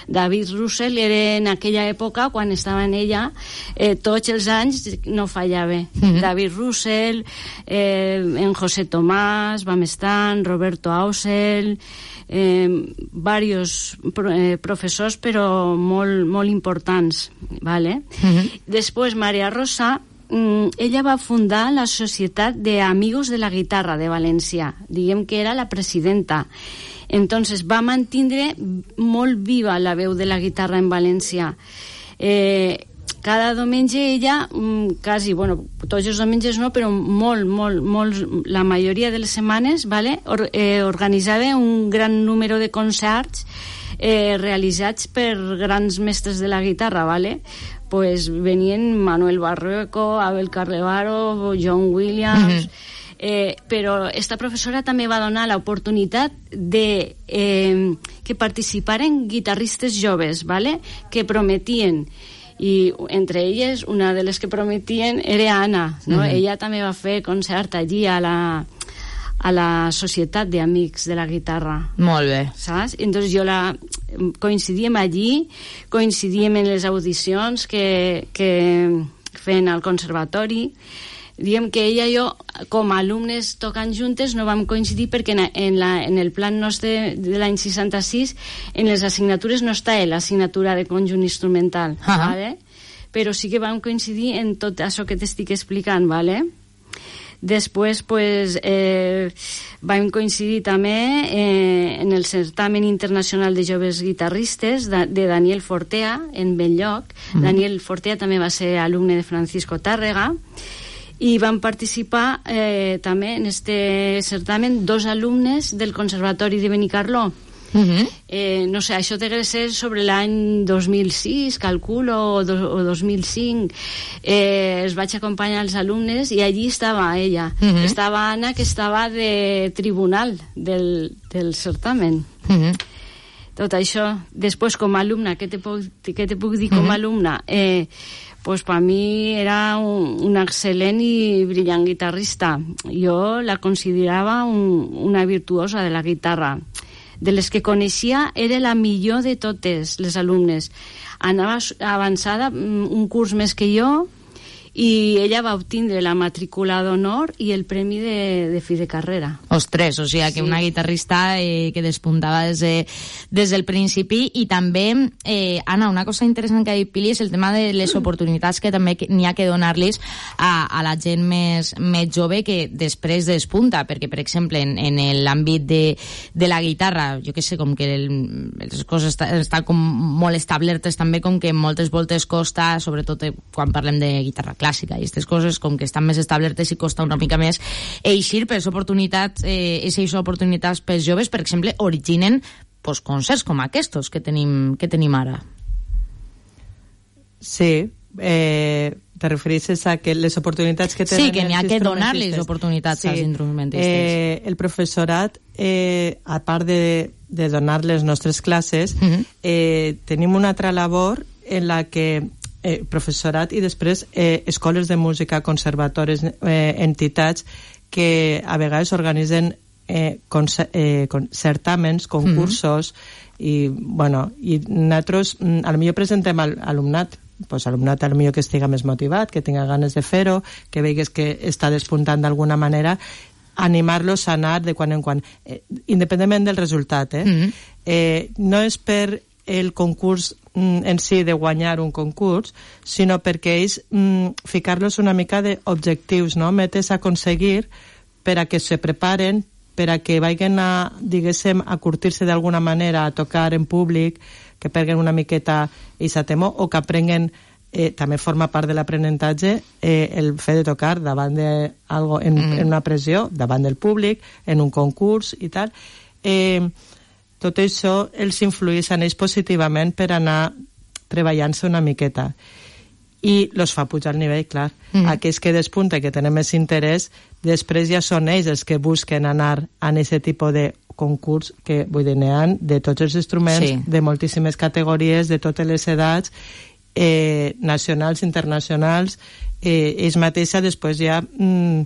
David Russell era en aquella època, quan estava en ella, eh, tots els anys no fallava. Mm-hmm. David Russell, eh, en José Tomàs, vam estar, Roberto Ausel, eh, varios eh, professors, però molt, molt importants, vale? Mm-hmm. Després Maria Rosa, ella va fundar la Societat de Amigos de la Guitarra de València, diguem que era la presidenta. Entonces va mantindre molt viva la veu de la guitarra en València. Eh, cada diumenge ella, quasi, bueno, tots els diumenges no, però molt, molt, molt, la majoria de les setmanes, vale, or, eh, organitzava un gran número de concerts eh, realitzats per grans mestres de la guitarra, vale? Pues venien Manuel Barrueco, Abel Carlevaro, John Williams... Mm-hmm. Eh, però esta professora també va donar l'oportunitat de eh, que participaren guitarristes joves, ¿vale? Que prometien, i entre elles una de les que prometien era Anna, no? Mm-hmm. Ella també va fer concert allí a la a la Societat d'Amics de la Guitarra. Molt bé. Saps? Entonces jo la... coincidíem allí, coincidíem en les audicions que, que feien al conservatori. Diguem que ella i jo, com a alumnes tocant juntes, no vam coincidir perquè en, en, la, en el plan nostre de l'any seixanta-sis, en les assignatures no està l'assignatura de conjunt instrumental, uh-huh. ¿vale? Però sí que vam coincidir en tot això que t'estic explicant, ¿vale? Després, pues, eh, vam coincidir també eh, en el certamen internacional de joves guitarristes de, de Daniel Fortea, en Benlloc. Mm. Daniel Fortea també va ser alumne de Francisco Tàrrega, i van participar eh, també en este certamen dos alumnes del Conservatori de Benicarló. Uh-huh. eh, no sé, això té que ser sobre l'any dos mil sis, calculo, o, do, o dos mil cinc. Eh, els vaig acompanyar als alumnes i allí estava ella. Uh-huh. Estava Anna, que estava de tribunal del, del certamen. Uh-huh. Tot això. Després, com a alumna, què te puc, què te puc dir com a uh-huh. alumna? Eh, pues per mi era un, un excel·lent i brillant guitarrista. Jo la considerava un, una virtuosa de la guitarra. De les que coneixia, era la millor de totes les alumnes. Anava avançada un curs més que jo, i ella va obtindre la matrícula d'honor i el premi de, de fi de carrera. Ostres, o sigui que sí. Una guitarrista eh, que despuntava des, de, des del principi. I també, eh, Anna, una cosa interessant que ha dit Pili és el tema de les oportunitats que també n'hi ha que donar-los a, a la gent més, més jove que després despunta, perquè, per exemple, en, en l'àmbit de, de la guitarra, jo que sé, com que el, les coses estan, estan com molt establertes també, com que moltes voltes costa, sobretot quan parlem de guitarra clàssica, clàssica i aquestes coses com que estan més establertes i costa una mica més eixir, per oportunitats, eh, aquestes oportunitats pels joves, per exemple, originen pues, concerts com aquests que tenim, que tenim ara. Sí, eh, te refereixes a que les oportunitats que tenen... Sí, que n'hi ha que donar-les oportunitats sí. als instrumentistes. Eh, el professorat, eh, a part de, de donar les nostres classes, uh-huh. eh, tenim una altra labor en la que Eh, professorat i després eh, escoles de música, conservatoris, eh, entitats que a vegades organitzen eh, concer eh, con certàmens, concursos, mm-hmm. i, bueno, i nosaltres a lo millor presentem al alumnat, pues alumnat a lo millor que estiga més motivat, que tinga ganes de fer-ho, que veigues que està despuntant d'alguna manera, animar-los a anar de quan en quan, eh, independentment del resultat, eh? Mm-hmm. eh, no és per el concurs en si de guanyar un concurs, sinó perquè ells mm, ficar-los una mica d'objectius, no? Metes a aconseguir per a que se preparen, per a que vagin a, diguéssim, a curtir-se d'alguna manera, a tocar en públic, que perguen una miqueta aquesta temor, o que aprenguen, eh, també forma part de l'aprenentatge, eh, el fet de tocar davant de algo en, mm. en una pressió, davant del públic, en un concurs i tal. Eh, tot això els influeix en ells positivament per anar treballant-se una miqueta i los fa pujar el nivell, clar. Mm. Aquells que despunten, que tenen més interès, després ja són ells els que busquen anar a aquest tipus de concurs que, vull dir, n'hi ha de tots els instruments, sí. de moltíssimes categories, de totes les edats, eh, nacionals, internacionals, eh, ells mateixos després ja... Mm,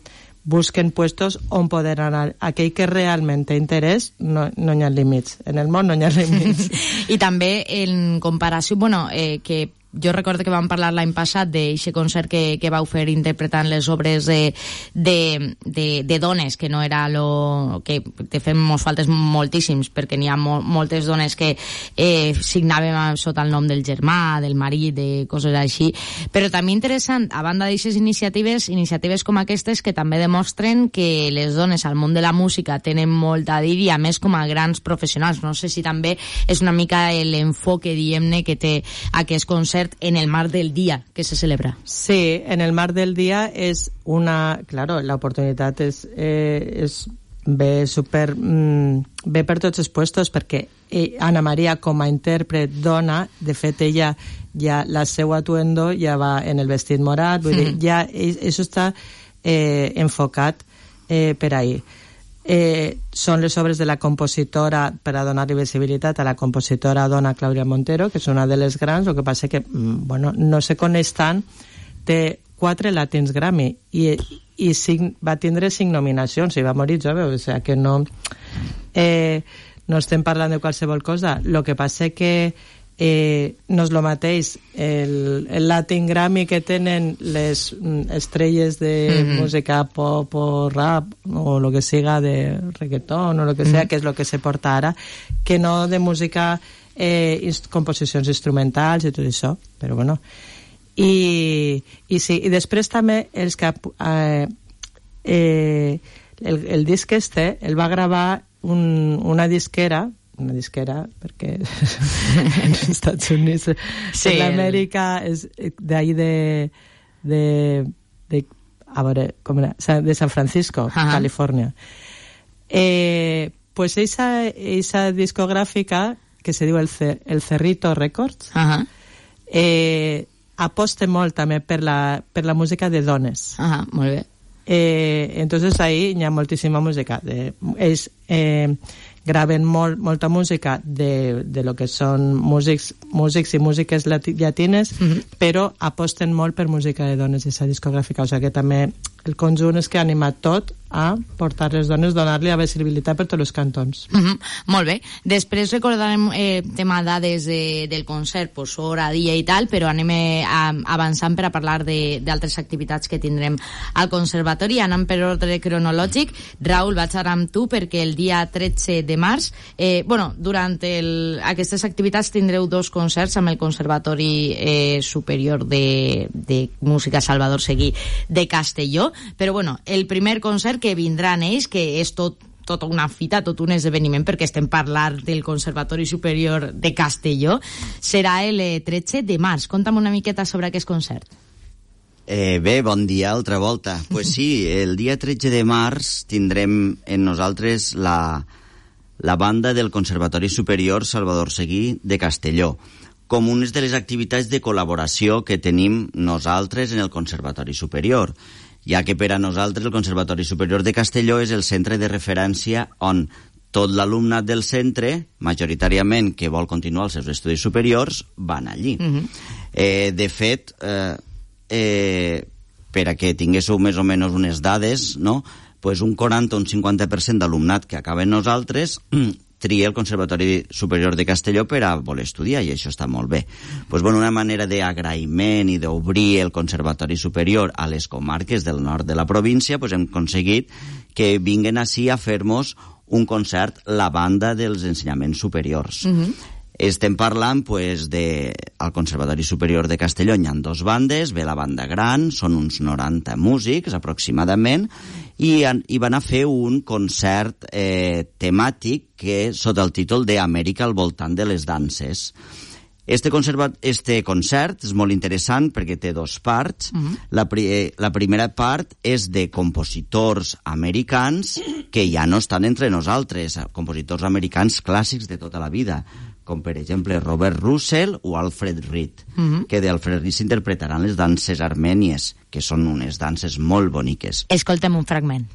busquen puestos on poder anar. Aquell que realment té interès, no, no hi ha límits. En el món no hi ha límits. I també en comparació, bueno, eh, que jo recordo que vam parlar l'any passat d'aquest concert que, que vau fer interpretant les obres de, de, de, de dones, que no era lo que de fet mos faltes moltíssims, perquè n'hi ha mo, moltes dones que eh, signàvem sota el nom del germà, del marit, de coses així. Però també interessant, a banda d'aquestes iniciatives, iniciatives com aquestes que també demostren que les dones al món de la música tenen molt a dir, i a més com a grans professionals. No sé si també és una mica l'enfoque, diguem-ne, que té aquest concert concert en el marc del dia que se celebra. Sí, en el marc del dia és una... Claro, la oportunitat és, eh, és ve super... Mm, ve per tots els puestos, perquè eh, Anna Maria, com a intèrpret dona, de fet, ella ja, la seva atuendo ja va en el vestit morat, vull dir, ja això està eh, enfocat eh, per ahí. Eh, són les obres de la compositora, per a donar-li visibilitat a la compositora dona Clàudia Montero, que és una de les grans. El que passa que, bueno, no se coneix tant, té quatre Latins Grammy i, i cinc, va tindre cinc nominacions i va morir jove, o sigui que no eh, no estem parlant de qualsevol cosa. El que passa que eh, no és el mateix el, el Latin Grammy que tenen les estrelles de mm-hmm. música pop o rap o lo que siga, de reggaeton o lo que sea, mm-hmm. que és lo que se porta ara, que no de música eh, inst- composicions instrumentals i tot això, però bueno. I, i sí, i després també els que eh, eh, el, el disc este el va gravar un, una disquera una disquera, perquè en els Estats Units, sí, en l'Amèrica, és d'ahí de, de, de, a veure, com era? De San Francisco, uh-huh. Califòrnia. Eh, pues esa, esa discogràfica, que se diu el, C, el Cerrito Records, uh-huh. eh, aposta molt també per la, per la música de dones. Uh-huh, molt bé. Eh, entonces ahí hi ha moltíssima música. De, és... Eh, graven molt, molta música de, de lo que són músics, músics i músiques lati, llatines, mm-hmm. però aposten molt per música de dones i aquesta discogràfica, o sigui que també el conjunt és que ha animat tot a portar les dones, donar-li la visibilitat per tots els cantons. Mm-hmm. Molt bé. Després recordarem eh, tema dades de, del concert, pues, hora, dia i tal, però anem eh, avançant per a parlar d'altres activitats que tindrem al conservatori. Anem per ordre cronològic. Raül, vaig ara amb tu perquè el dia tretze de març, eh, bueno, durant el, aquestes activitats tindreu dos concerts amb el Conservatori eh, Superior de, de Música Salvador Seguí de Castelló, però bueno, el primer concert que vindran ells, que és tot tota una fita, tot un esdeveniment, perquè estem parlant del Conservatori Superior de Castelló, serà el tretze de març. Conta'm una miqueta sobre aquest concert. Eh, bé, bon dia, altra volta. Pues sí, el dia tretze de març tindrem en nosaltres la, la banda del Conservatori Superior Salvador Seguí de Castelló, com unes de les activitats de col·laboració que tenim nosaltres en el Conservatori Superior, ja que per a nosaltres el Conservatori Superior de Castelló és el centre de referència on tot l'alumnat del centre, majoritàriament que vol continuar els seus estudis superiors, van allí. Mm-hmm. eh, de fet, eh, eh, per a que tinguéssiu més o menys unes dades, no? Pues un quaranta o un cinquanta per cent d'alumnat que acaba en nosaltres tria el Conservatori Superior de Castelló per a voler estudiar, i això està molt bé. Pues, bueno, una manera d'agraïment i d'obrir el Conservatori Superior a les comarques del nord de la província, pues hem aconseguit que vinguen ací a fer-nos un concert la banda dels ensenyaments superiors. Mm-hmm. Estem parlant, pues, de... al Conservatori Superior de Castelló hi ha dos bandes, ve la banda gran, són uns noranta músics, aproximadament, i, i van a fer un concert eh, temàtic que sota el títol d'Amèrica al voltant de les danses. Este, conserva... este concert és molt interessant perquè té dos parts. Uh-huh. La, pri... la primera part és de compositors americans que ja no estan entre nosaltres, compositors americans clàssics de tota la vida, com per exemple Robert Russell o Alfred Reed, uh-huh. que d'Alfred Reed s'interpretaran les danses armènies, que són unes danses molt boniques. Escoltem un fragment.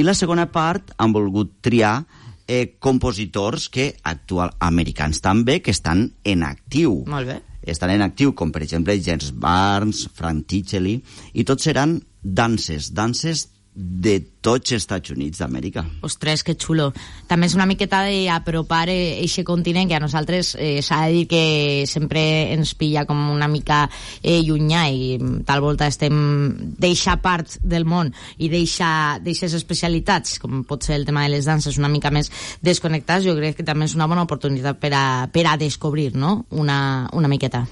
I la segona part han volgut triar eh, compositors que actual, americans també, que estan en actiu. Molt bé. Estan en actiu, com per exemple James Barnes, Frank Tichelli, i tots seran danses, danses de tots els Estats Units d'Amèrica. Ostres, que xulo. També és una miqueta d'apropar aquest continent que a nosaltres eh, s'ha de dir que sempre ens pilla com una mica eh, llunyà i tal volta estem d'eixa part del món i d'eixes especialitats, com pot ser el tema de les danses, una mica més desconnectats. Jo crec que també és una bona oportunitat per a, per a descobrir, no?, una, una miqueta.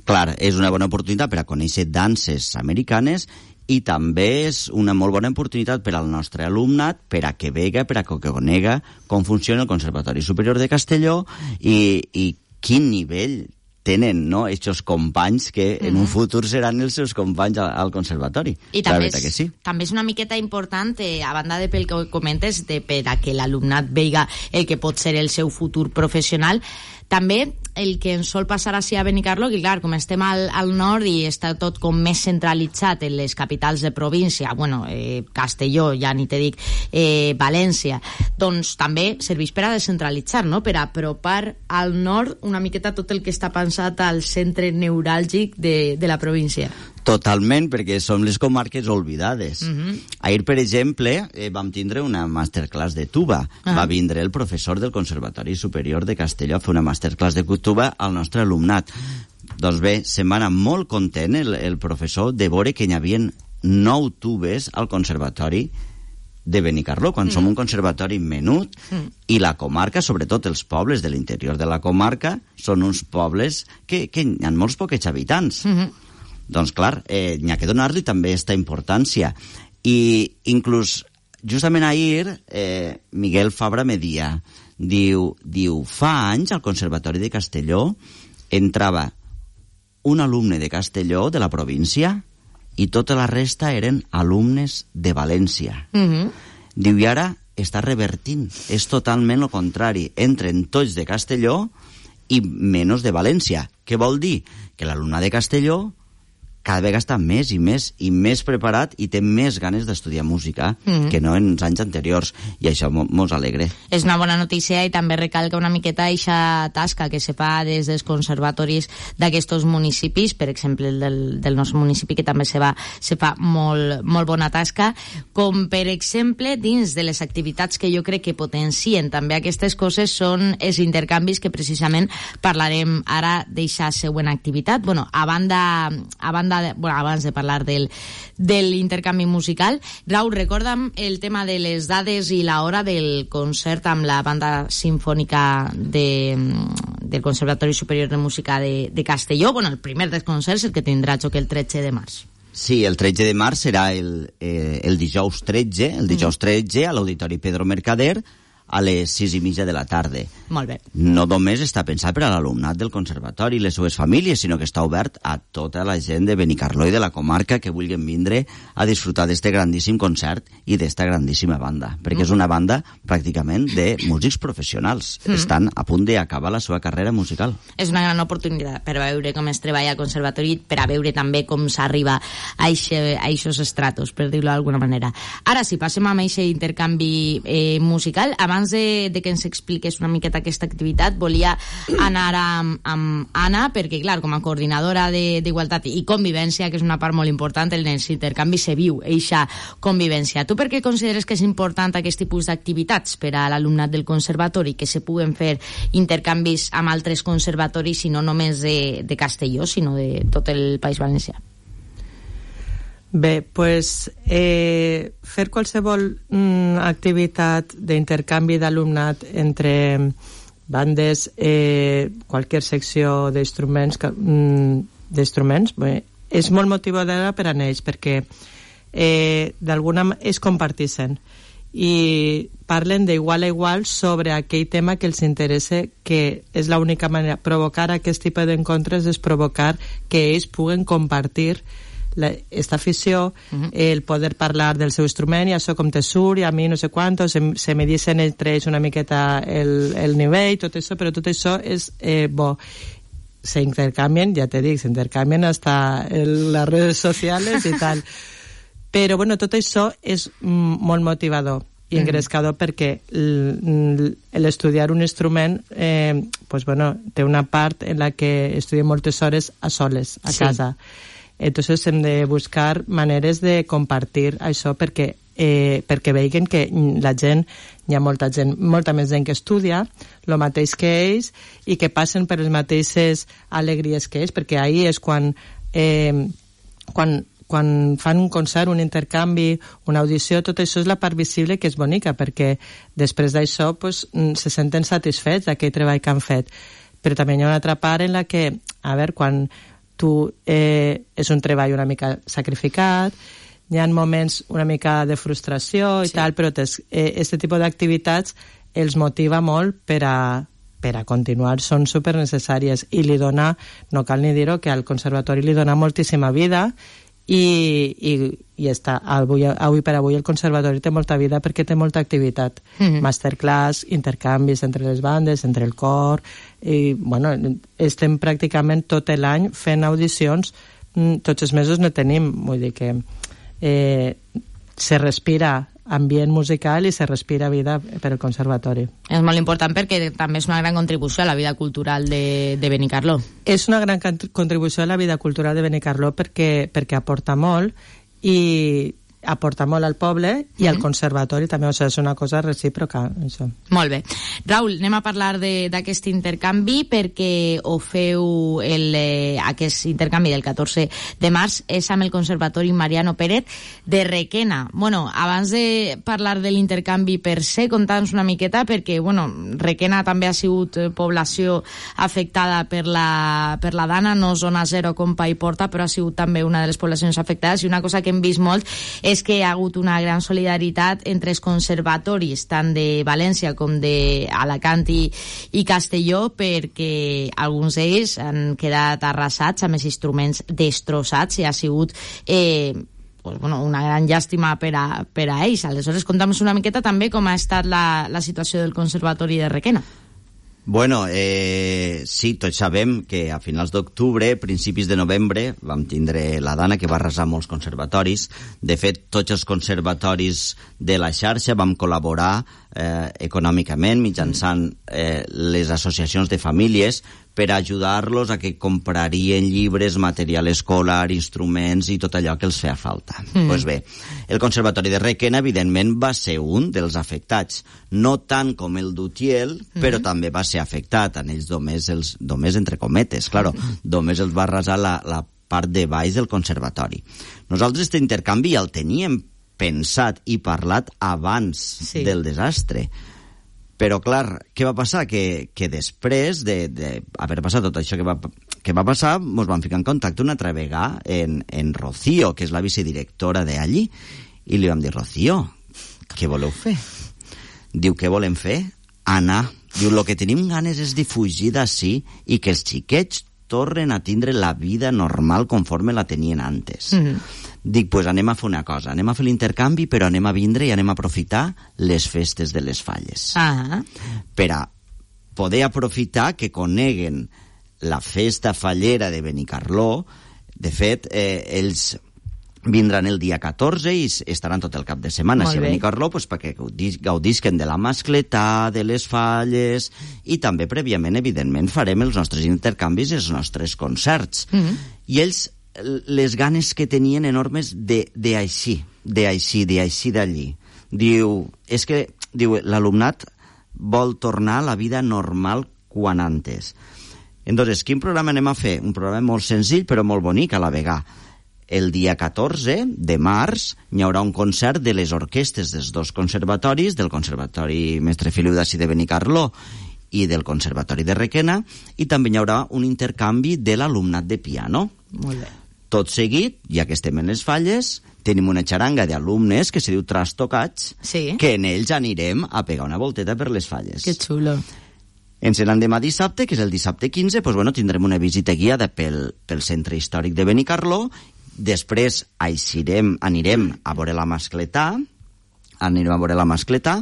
Clar, és una bona oportunitat per a conèixer danses americanes i també és una molt bona oportunitat per al nostre alumnat per a que vega, per a que conega com funciona el Conservatori Superior de Castelló i, i quin nivell tenen, no?, aquests companys que mm-hmm. en un futur seran els seus companys al, al conservatori. I també és, que sí. també és una miqueta important, eh, a banda de pel que comentes, de per a que l'alumnat veiga el que pot ser el seu futur professional, també el que ens sol passar així a Benicarló, que clar, com estem al, al nord i està tot com més centralitzat en les capitals de província, bueno, eh, Castelló, ja ni te dic, eh, València, doncs també serveix per a descentralitzar, no?, per a apropar al nord una miqueta tot el que està pensat al centre neuràlgic de, de la província. Totalment, perquè som les comarques oblidades. Uh-huh. Ahir, per exemple, eh, vam tindre una masterclass de tuba. Uh-huh. Va vindre el professor del Conservatori Superior de Castelló a fer una masterclass de tuba al nostre alumnat. Doncs bé, se'n va anar molt content el, el professor de veure que hi havia nou tubes al Conservatori de Benicarló, quan mm. som un conservatori menut, mm. i la comarca, sobretot els pobles de l'interior de la comarca, són uns pobles que, que hi ha molts poquets habitants. Mm-hmm. Doncs clar, eh, n'hi ha que donar-li també aquesta importància. I inclús, justament ahir, eh, Miguel Fabra me dia, diu, diu, fa anys al Conservatori de Castelló entrava un alumne de Castelló, de la província, i tota la resta eren alumnes de València. Mm-hmm. Diu, i ara està revertint. És totalment el contrari. Entren tots de Castelló i menys de València. Què vol dir? Que l'alumne de Castelló cada vegada està més i més i més preparat i té més ganes d'estudiar música mm. que no en els anys anteriors, i això mos alegra. És una bona notícia i també recalca una miqueta eixa tasca que se fa des dels conservatoris d'aquests municipis, per exemple el del, del nostre municipi, que també se, va, se fa molt, molt bona tasca, com per exemple dins de les activitats que jo crec que potencien també aquestes coses són els intercanvis que precisament parlarem ara d'eixa següent activitat. Bueno, a banda, a banda de, bueno, abans de parlar del, de l'intercanvi musical, Raúl, recorda'm el tema de les dades i l'hora del concert amb la banda sinfònica de, del Conservatori Superior de Música de, de Castelló. Bueno, el primer dels concerts, el que tindrà joc el tretze de març. Sí, el tretze de març serà el, eh, el dijous tretze, el dijous tretze a l'Auditori Pedro Mercader, a les sis i mitja de la tarda. Molt bé. No només està pensat per a l'alumnat del conservatori i les seves famílies, sinó que està obert a tota la gent de Benicarló i de la comarca que vulguin vindre a disfrutar d'este grandíssim concert i d'esta grandíssima banda, perquè mm. és una banda pràcticament de músics professionals. Mm. Estan a punt d'acabar la seva carrera musical. És una gran oportunitat per a veure com es treballa al conservatori, per a veure també com s'arriba a aquests estratos, per dir-ho d'alguna manera. Ara sí, passem amb aquest intercanvi eh, musical. Abans Abans de, de que ens expliqués una miqueta aquesta activitat, volia anar amb, amb Anna, perquè, clar, com a coordinadora d'Igualtat i Convivència, que és una part molt important, en els intercanvis se viu eixa convivència. Tu per què consideres que és important aquest tipus d'activitats per a l'alumnat del conservatori, que se puguen fer intercanvis amb altres conservatoris i no només de, de Castelló, sinó de tot el País Valencià? Bé, pues, eh, fer qualsevol mm, activitat d'intercanvi d'alumnat entre bandes, eh, qualsevol secció d'instruments, mm, d'instruments, bé, és molt motivadora per a ells, perquè eh, d'alguna manera es comparteixen i parlen d'igual a igual sobre aquell tema que els interessa, que és l'única manera. Provocar aquest tipus d'encontres és provocar que ells puguen compartir la, esta afició, uh-huh. el poder parlar del seu instrument, i això com te surt, i a mi no sé quantos, se, se me dicen entre ells una miqueta el, el nivell, tot això, però tot això és eh, bo. Se intercambien, ja te dic, se intercambien hasta en las redes sociales y tal. Però, bueno, tot això és mm, molt motivador i engrescador mm. perquè l'estudiar un instrument eh, pues, bueno, té una part en la que estudiem moltes hores a soles, a sí. casa. Entonces hem de buscar maneres de compartir això perquè, eh, perquè veiguen que la gent, hi ha molta gent, molta més gent que estudia el mateix que ells i que passen per les mateixes alegries que ells, perquè ahir és quan eh, quan quan fan un concert, un intercanvi, una audició, tot això és la part visible que és bonica, perquè després d'això pues, se senten satisfets d'aquell treball que han fet. Però també hi ha una altra part en la que, a veure, quan tu eh, és un treball una mica sacrificat, hi ha moments una mica de frustració i sí. tal, però aquest eh, tipus d'activitats els motiva molt per a per a continuar, són supernecessàries i li dona, no cal ni dir-ho, que al conservatori li dona moltíssima vida i, i, i està, avui, avui per avui el conservatori té molta vida perquè té molta activitat, mm-hmm. masterclass, intercanvis entre les bandes, entre el cor i bueno, estem pràcticament tot l'any fent audicions, tots els mesos no tenim, vull dir que eh, se respira ambient musical i se respira vida per al conservatori. És molt important perquè també és una gran contribució a la vida cultural de, de Benicarló. És una gran contribució a la vida cultural de Benicarló perquè, perquè aporta molt i aporta molt al poble i mm-hmm. al conservatori també, o sigui, és una cosa recíproca, això. Molt bé. Raül, anem a parlar d'aquest intercanvi perquè ho feu el, eh, aquest intercanvi del catorze de març és amb el Conservatori Mariano Pérez de Requena. Bueno, abans de parlar de l'intercanvi per se, conta'ns una miqueta perquè, bueno, Requena també ha sigut població afectada per la, per la Dana, no zona zero com Paiporta, Porta, però ha sigut també una de les poblacions afectades i una cosa que hem vist molt és és que hi ha hagut una gran solidaritat entre els conservatoris, tant de València com d'Alacant i, i Castelló, perquè alguns d'ells han quedat arrasats amb els instruments destrossats i ha sigut eh, pues, bueno, una gran llàstima per a, per a ells. Aleshores, conta'm una miqueta també com ha estat la, la situació del Conservatori de Requena. Bueno, eh, sí, tots sabem que a finals d'octubre, principis de novembre, vam tindre la Dana que va arrasar molts conservatoris. De fet, tots els conservatoris de la xarxa vam col·laborar eh, econòmicament mitjançant eh, les associacions de famílies per ajudar-los a que comprarien llibres, material escolar, instruments i tot allò que els feia falta. Mm. Pues bé, el Conservatori de Requena, evidentment, va ser un dels afectats. No tant com el d'Utiel, mm. però també va ser afectat. En ells només, els, només entre cometes, claro, mm. només els va arrasar la, la part de baix del conservatori. Nosaltres aquest intercanvi ja el teníem pensat i parlat abans sí. del desastre. Però, clar, què va passar? Que, que després d'haver passat tot això que va, que va passar, ens vam ficar en contacte una altra vegada en, en Rocío, que és la vicedirectora d'allí, i li vam dir, Rocío, què voleu fer? Diu, què volem fer? Anar. Diu, el que tenim ganes és de fugir d'ací i que els xiquets tornen a tindre la vida normal conforme la tenien antes. Mm-hmm. Dic, pues anem a fer una cosa, anem a fer l'intercanvi, però anem a vindre i anem a aprofitar les festes de les Falles. Ah. Per a poder aprofitar que coneguen la festa fallera de Benicarló. De fet, eh, ells vindran el dia catorze i estaran tot el cap de setmana a Benicarló, pues, perquè gaudisquen de la mascletà, de les falles, i també prèviament, evidentment, farem els nostres intercanvis i els nostres concerts. Mm-hmm. I ells les ganes que tenien enormes de, de així, de així, de així d'allí. Diu, és que diu, l'alumnat vol tornar a la vida normal quan antes. Entonces, quin programa anem a fer? Un programa molt senzill però molt bonic a la vegada. El dia catorze de març hi haurà un concert de les orquestes dels dos conservatoris, del Conservatori Mestre Feliu d'ací de Benicarló i del Conservatori de Requena, i també hi haurà un intercanvi de l'alumnat de piano. Molt bé. Tot seguit, ja que estem en les Falles, tenim una xaranga d'alumnes que se diu Trastocats, sí. que en ells anirem a pegar una volteta per les Falles. Que xulo. Ens l'endemà dissabte, que és el dissabte quinze, pues bueno, tindrem una visita guiada pel, pel centre històric de Benicarló. Després aixirem, anirem a veure la mascletà, anirem a veure la mascletà,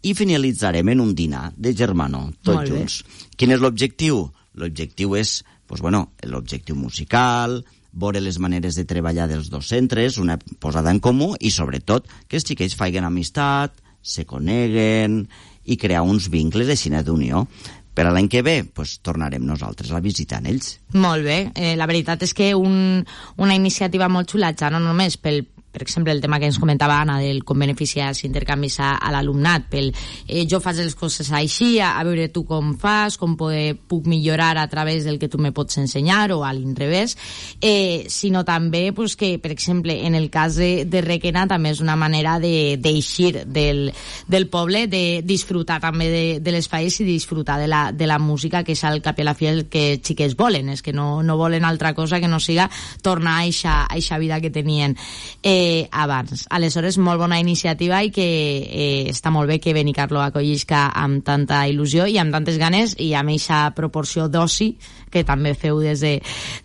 i finalitzarem en un dinar de germanor, tots junts. Quin és l'objectiu? L'objectiu és, pues bueno, l'objectiu musical, veure les maneres de treballar dels dos centres, una posada en comú, i sobretot que els xiquets faiguen amistat, se coneguen i crear uns vincles així d'unió. Per a l'any que ve, pues, tornarem nosaltres a visitar ells. Molt bé. Eh, la veritat és que un, una iniciativa molt xula, ja no només pel, per exemple, el tema que ens comentava Anna del com beneficiar els intercanvis a, a l'alumnat, pel eh, jo faig les coses així, a, a veure tu com fas, com poder, puc millorar a través del que tu me pots ensenyar o a l'inrevés, eh, sinó també pues, que, per exemple, en el cas de, de Requena també és una manera d'eixir de, del, del poble, de disfrutar també de, de l'espai i disfrutar de la, de la música, que és al cap i a la fi el que xiquets volen, és que no, no volen altra cosa que no siga tornar a eixa vida que tenien eh, abans. Aleshores, molt bona iniciativa i que eh, està molt bé que Benicarló acollisca amb tanta il·lusió i amb tantes ganes i amb eixa proporció d'oci que també feu des, de,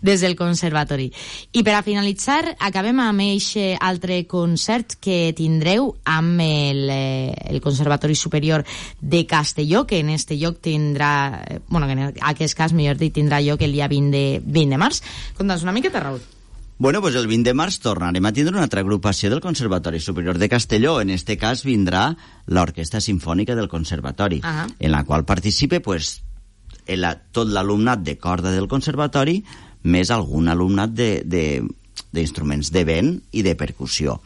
des del conservatori. I per a finalitzar, acabem amb aquest altre concert que tindreu amb el, eh, el Conservatori Superior de Castelló, que en este lloc tindrà, eh, bueno, que en aquest cas, millor dit, tindrà lloc el dia vint de, vint de març. Conta'ns una miqueta, Raül. Bueno, pues el vint de març tornarem a tindre una altra agrupació del Conservatori Superior de Castelló. En este cas vindrà l'Orquestra Simfònica del Conservatori, uh-huh. en la qual participe pues, el, tot l'alumnat de corda del Conservatori més algun alumnat d'instruments de, de, de vent i de percussió.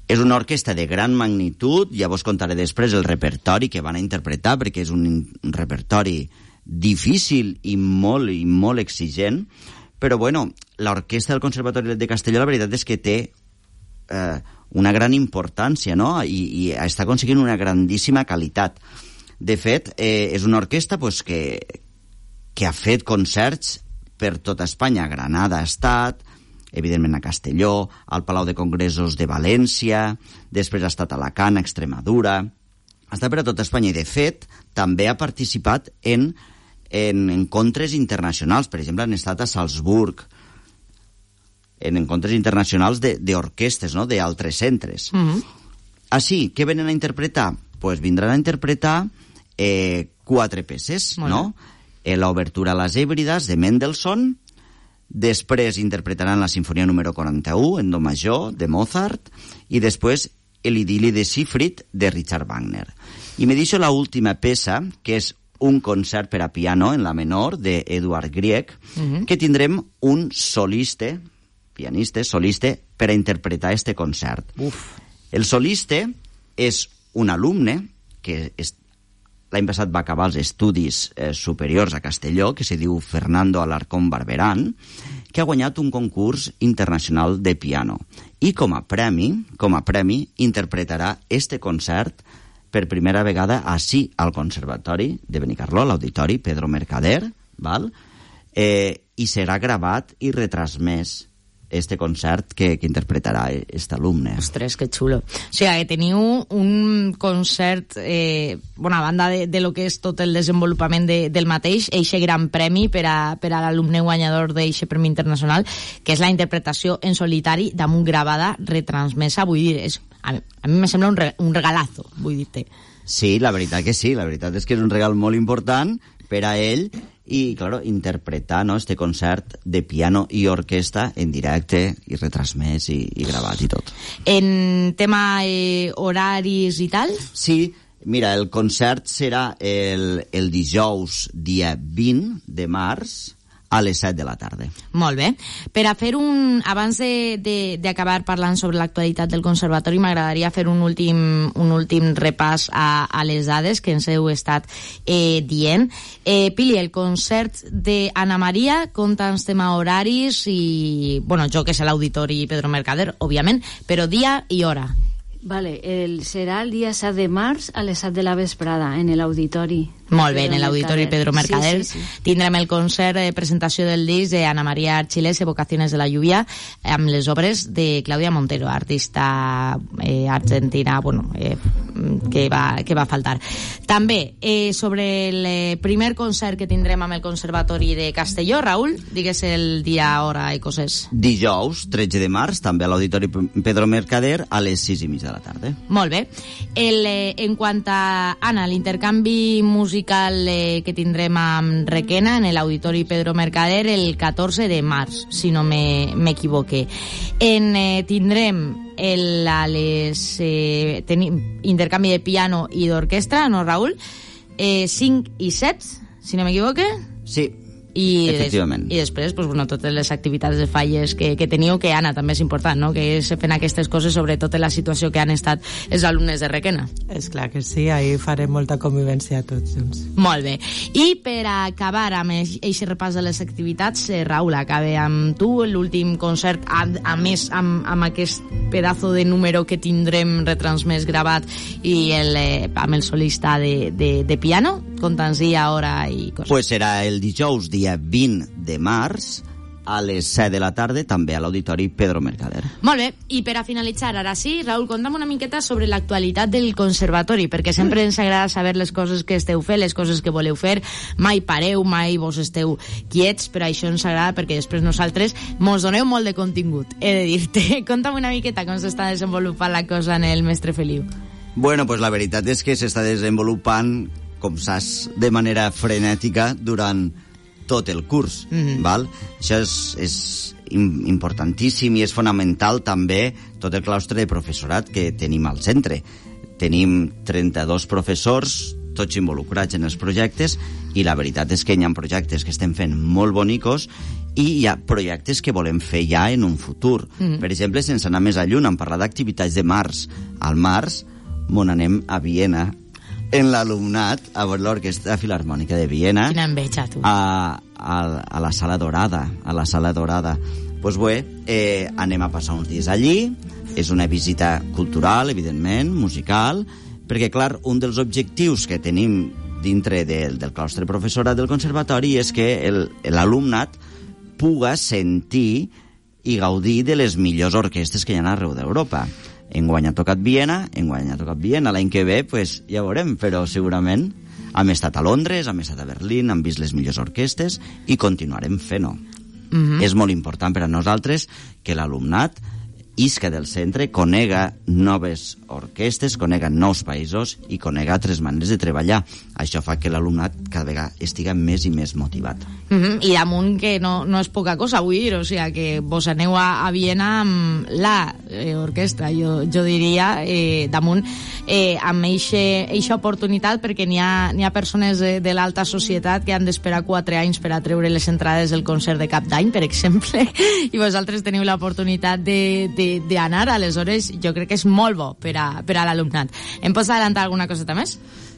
És una orquestra de gran magnitud, ja vos contaré després el repertori que van a interpretar, perquè és un, un repertori difícil i molt, i molt exigent. Però, bueno, l'orquestra del Conservatori de Castelló la veritat és que té eh, una gran importància, no? I, i està aconseguint una grandíssima qualitat. De fet, eh, és una orquestra pues, que, que ha fet concerts per tota Espanya. A Granada ha estat, evidentment a Castelló, al Palau de Congressos de València, després ha estat a Alacant, a Extremadura. Ha estat per a tota Espanya i, de fet, també ha participat en... en encontres internacionals, per exemple, han estat a Salzburg, en encontres internacionals d'orquestes, no?, d'altres centres. Mm-hmm. Així, què venen a interpretar? Pues vindran a interpretar eh, quatre peces, Molt no? Eh, l'obertura a les Hèbrides, de Mendelssohn, després interpretaran la Sinfonia número quaranta-u, en do major, de Mozart, i després l'Idili de Siegfried, de Richard Wagner. I me deixo l'última peça, que és un concert per a piano en la menor d'Eduard Grieg, uh-huh. que tindrem un solista, pianista, solista, per a interpretar este concert. Uf. El solista és un alumne que és, l'any passat va acabar els estudis eh, superiors a Castelló, que se diu Fernando Alarcón Barberán, que ha guanyat un concurs internacional de piano. I com a premi, com a premi, interpretarà este concert per primera vegada així al Conservatori de Benicarló, a l'Auditori Pedro Mercader, val? Eh, i serà gravat i retransmès este concert que, que interpretarà aquest alumne. Ostres, que xulo. O sigui, que teniu un concert, eh, bueno, a banda de, de lo que és tot el desenvolupament de, del mateix, eixe gran premi per a, per a l'alumne guanyador d'eixe Premi Internacional, que és la interpretació en solitari damunt gravada retransmesa, vull dir, és a mi, a mi me sembla un, re, un regalazo, vull dir-te. Sí, la veritat que sí, la veritat és que és un regal molt important per a ell i, claro, interpretar, no, este concert de piano i orquestra en directe i retransmès i, i gravat i tot. En tema eh, horaris i tal? Sí, mira, el concert serà el, el dijous dia vint de març a les set de la tarda. Molt bé. Per a fer un... Abans d'acabar parlant sobre l'actualitat del Conservatori, m'agradaria fer un últim, un últim repàs a, a les dades que ens heu estat eh, dient. Eh, Pili, el concert d'Anna Maria, conta'ns tema horaris i... Bueno, jo que sé l'Auditori Pedro Mercader, òbviament, però dia i hora. Vale, el, serà el dia set de març a les set de la vesprada en l'Auditori. Molt bé, en l'Auditori Pedro Mercader. Sí, sí, sí. Tindrem el concert de presentació del disc d'Anna Maria Archilés, Evocaciones de la lluvia, amb les obres de Claudia Montero, artista eh, argentina, bueno, eh, que, va, que va faltar. També, eh, sobre el eh, primer concert que tindrem amb el Conservatori de Castelló, Raül, digues el dia, hora i coses. Dijous, tretze de març, també a l'Auditori Pedro Mercader, a les sis i mitja de la tarda. Molt bé. El, eh, en quant a, Anna, l'intercanvi musical eh, que tindrem amb Requena en l'Auditori Pedro Mercader el catorze de març, si no m'equivoque. En, eh, tindrem el, a les, eh, tenim intercanvi de piano i d'orquestra, no, Raül? Eh, cinc i set, si no m'equivoque? Sí. I, efectivament. des, i després pues, bueno, totes les activitats de falles que, que teniu, que Anna també és important, no? Que se fent aquestes coses, sobretot en la situació que han estat els alumnes de Requena. És clar que sí, ahir farem molta convivència tots junts. Molt bé. I per acabar amb aquest repàs de les activitats, eh, Raül, acabe amb tu l'últim concert, a, a més amb, amb aquest pedazo de número que tindrem retransmès gravat i el, eh, amb el solista de, de, de piano, conta'ns-hi hora i coses. Pues serà el dijous, dia vint de març, a les set de la tarda, també a l'Auditori Pedro Mercader. Molt bé, i per a finalitzar, ara sí, Raül, conta'm una miqueta sobre l'actualitat del Conservatori, perquè sempre ens agrada saber les coses que esteu fent, les coses que voleu fer, mai pareu, mai vos esteu quiets, però això ens agrada perquè després nosaltres mos doneu molt de contingut, he de dir-te. Conta'm una miqueta com s'està desenvolupant la cosa en el Mestre Feliu. Bueno, pues la veritat és que s'està desenvolupant, com saps, de manera frenètica durant tot el curs, mm-hmm. val? Això és, és importantíssim i és fonamental també tot el claustre de professorat que tenim al centre. Tenim trenta-dos professors, tots involucrats en els projectes, i la veritat és que hi ha projectes que estem fent molt bonicos i hi ha projectes que volem fer ja en un futur. Mm-hmm. Per exemple, sense anar més a lluny, en parlar d'activitats de març. Al març, on anem a Viena, en l'alumnat, a veure l'Orquestra Filarmònica de Viena. Quina enveja, tu. A, a, a la Sala Dorada, a la Sala Dorada. Pues bé, eh, anem a passar uns dies allí, és una visita cultural, evidentment, musical, perquè, clar, un dels objectius que tenim dintre del, del claustre professorat del conservatori és que l'alumnat puga sentir i gaudir de les millors orquestres que hi ha arreu d'Europa. Enguany ha tocat Viena, enguany ha tocat Viena, l'any que ve, pues, ja veurem, però segurament hem estat a Londres, hem estat a Berlín, hem vist les millors orquestes i continuarem fent-ho. Mm-hmm. És molt important per a nosaltres que l'alumnat isca del centre, conega noves orquestes, conega nous països i conega altres maneres de treballar. Això fa que l'alumnat cada vegada estiga més i més motivat. Mm-hmm. I damunt que no, no és poca cosa, vull dir, o sigui, que vos aneu a, a Viena amb la eh, orquestra, jo, jo diria, eh, damunt eh, amb eixa oportunitat, perquè n'hi ha, n'hi ha persones de, de l'alta societat que han d'esperar quatre anys per a treure les entrades del concert de cap d'any, per exemple, i vosaltres teniu l'oportunitat de, de d'anar, aleshores jo crec que és molt bo per a, per a l'alumnat. Em pots adelantar alguna coseta més?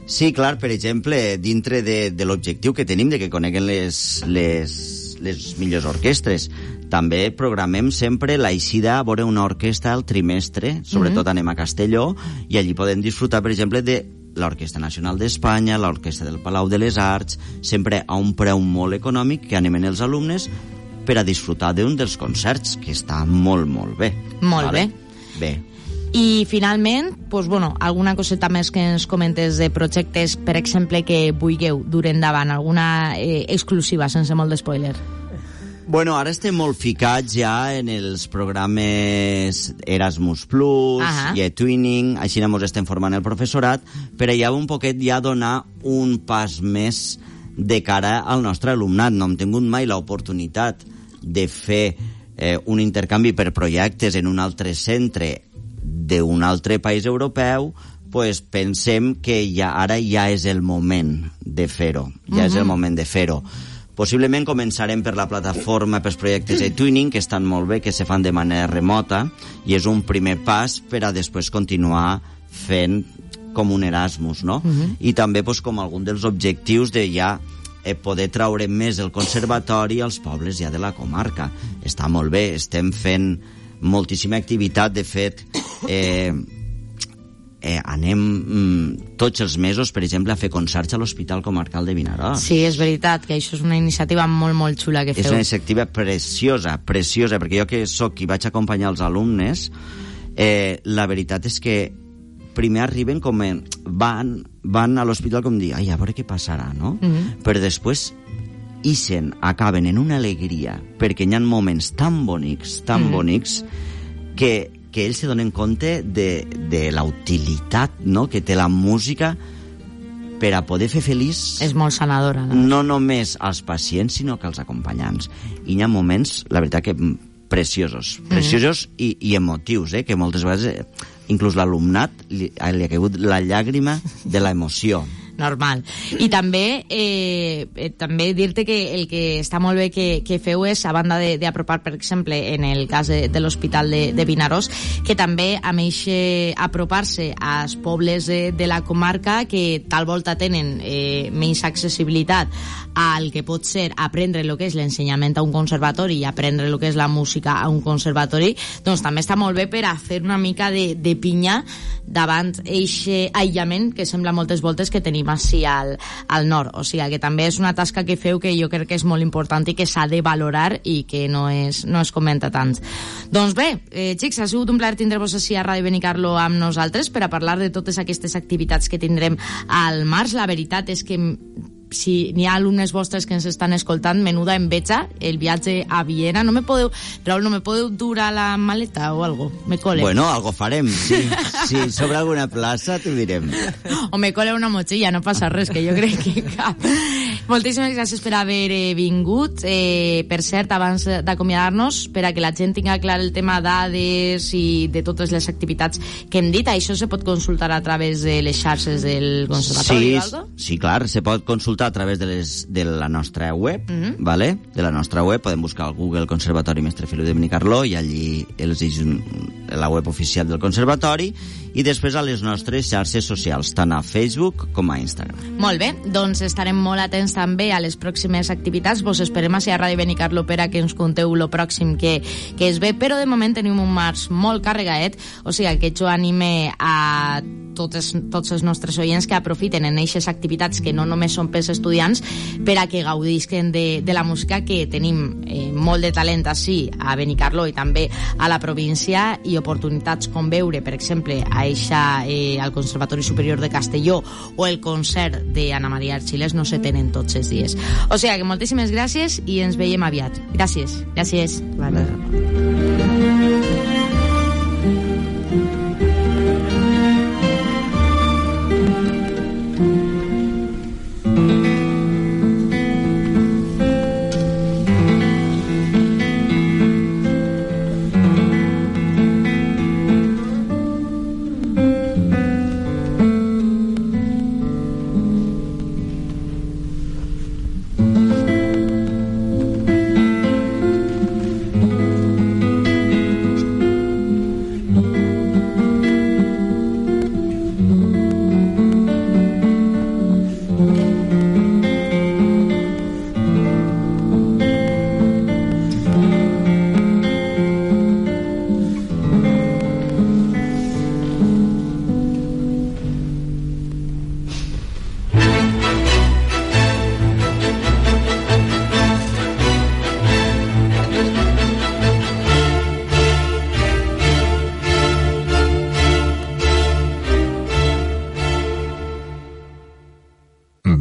Sí, clar, per exemple, dintre de, de l'objectiu que tenim de que coneguen les, les, les millors orquestres, també programem sempre l'aixida a veure una orquestra al trimestre, sobretot mm-hmm. anem a Castelló, i allí podem disfrutar, per exemple, de l'Orquestra Nacional d'Espanya, l'Orquestra del Palau de les Arts, sempre a un preu molt econòmic que animen els alumnes per a disfrutar d'un dels concerts, que està molt, molt bé. Molt vale? bé. Bé. I finalment, pues, bueno, alguna coseta més que ens comentes de projectes, per exemple, que vulgueu dur endavant, alguna eh, exclusiva, sense molt d'espoiler. Bueno, ara estem molt ficats ja en els programes Erasmus Plus, uh-huh. i eTwinning, així ens estem formant el professorat, per allà un poquet ja donar un pas més de cara al nostre alumnat. No hem tingut mai l'oportunitat de fer eh, un intercanvi per projectes en un altre centre d'un altre país europeu, pues pensem que ja, ara ja és el moment de fer-ho. Ja uh-huh. és el moment de fer-ho. Possiblement començarem per la plataforma pels projectes de Twinning, que estan molt bé, que se fan de manera remota, i és un primer pas per a després continuar fent com un Erasmus, no? Uh-huh. I també pues, com algun dels objectius de ja eh, poder traure més el conservatori als pobles ja de la comarca. Està molt bé, estem fent moltíssima activitat, de fet, eh, eh, anem mm, tots els mesos, per exemple, a fer concerts a l'Hospital Comarcal de Vinaròs. Sí, és veritat, que això és una iniciativa molt, molt xula que feu. És una iniciativa preciosa, preciosa, perquè jo que soc qui vaig acompanyar els alumnes, eh, la veritat és que primer arriben com en, van, van a l'hospital com dir, ai, a veure què passarà, no? Mm-hmm. Però després ixen, acaben en una alegria, perquè hi ha moments tan bonics, tan mm-hmm. bonics, que, que ells se donen compte de, de la utilitat, no?, que té la música per a poder fer feliç... És molt sanadora, no? No només als pacients, sinó que als acompanyants. I hi ha moments, la veritat, que preciosos, preciosos mm. i, i emotius, eh? Que moltes vegades, eh, inclús l'alumnat, li, li ha caigut la llàgrima de l'emoció. Normal. I també eh, eh, també dir-te que el que està molt bé que, que feu és, a banda d'apropar, per exemple, en el cas de, de l'Hospital de, de Vinaròs, que també amb eixe apropar-se als pobles de, de la comarca que tal volta tenen eh, menys accessibilitat al que pot ser aprendre el que és l'ensenyament a un conservatori i aprendre el que és la música a un conservatori, doncs també està molt bé per a fer una mica de, de pinya davant eixe aïllament que sembla moltes voltes que tenim així al, al nord. O sigui, que també és una tasca que feu que jo crec que és molt important i que s'ha de valorar i que no es, no es comenta tant. Doncs bé, eh, xics, ha sigut un plaer tindre-vos així a Ràdio Benicarló amb nosaltres per a parlar de totes aquestes activitats que tindrem al març. La veritat és que si n'hi ha alumnes vostres que ens estan escoltant, menuda enveja el viatge a Viena. No me podeu, Raúl, no me podeu dur a la maleta o algo? Me cole. Bueno, algo farem, sí. Si sí, sobre alguna plaça t'ho direm. O me cole una motxilla, no passa res, que jo crec que cap. Moltíssimes gràcies per haver eh, vingut. Eh, per cert, abans d'acomiadar-nos, per a que la gent tinga clar el tema dades i de totes les activitats que hem dit, això se pot consultar a través de les xarxes del Conservatori, sí, sí, clar, se pot consultar a través de, les, de la nostra web, mm-hmm. ¿vale? De la nostra web, podem buscar al Google Conservatori Mestre Feliu de Benicarló i allí els és la web oficial del Conservatori, i després a les nostres xarxes socials, tant a Facebook com a Instagram. Molt bé, doncs estarem molt atents també a les pròximes activitats. Vos esperem a ser a Ràdio Benicarló per a que ens conteu lo pròxim que, que es ve, però de moment tenim un març molt carregadet, o sigui que jo anime a totes, tots els nostres oients que aprofiten en aquestes activitats que no només són pels estudiants, per a que gaudisquen de, de la música, que tenim eh, molt de talent així a Benicarló i també a la província, i oportunitats com veure, per exemple, a eixa, eh, al Conservatori Superior de Castelló o el concert d'Anna Maria Archilés no se tenen tots els dies. O sigui que moltíssimes gràcies i ens veiem aviat. Gràcies. Gràcies. Vale.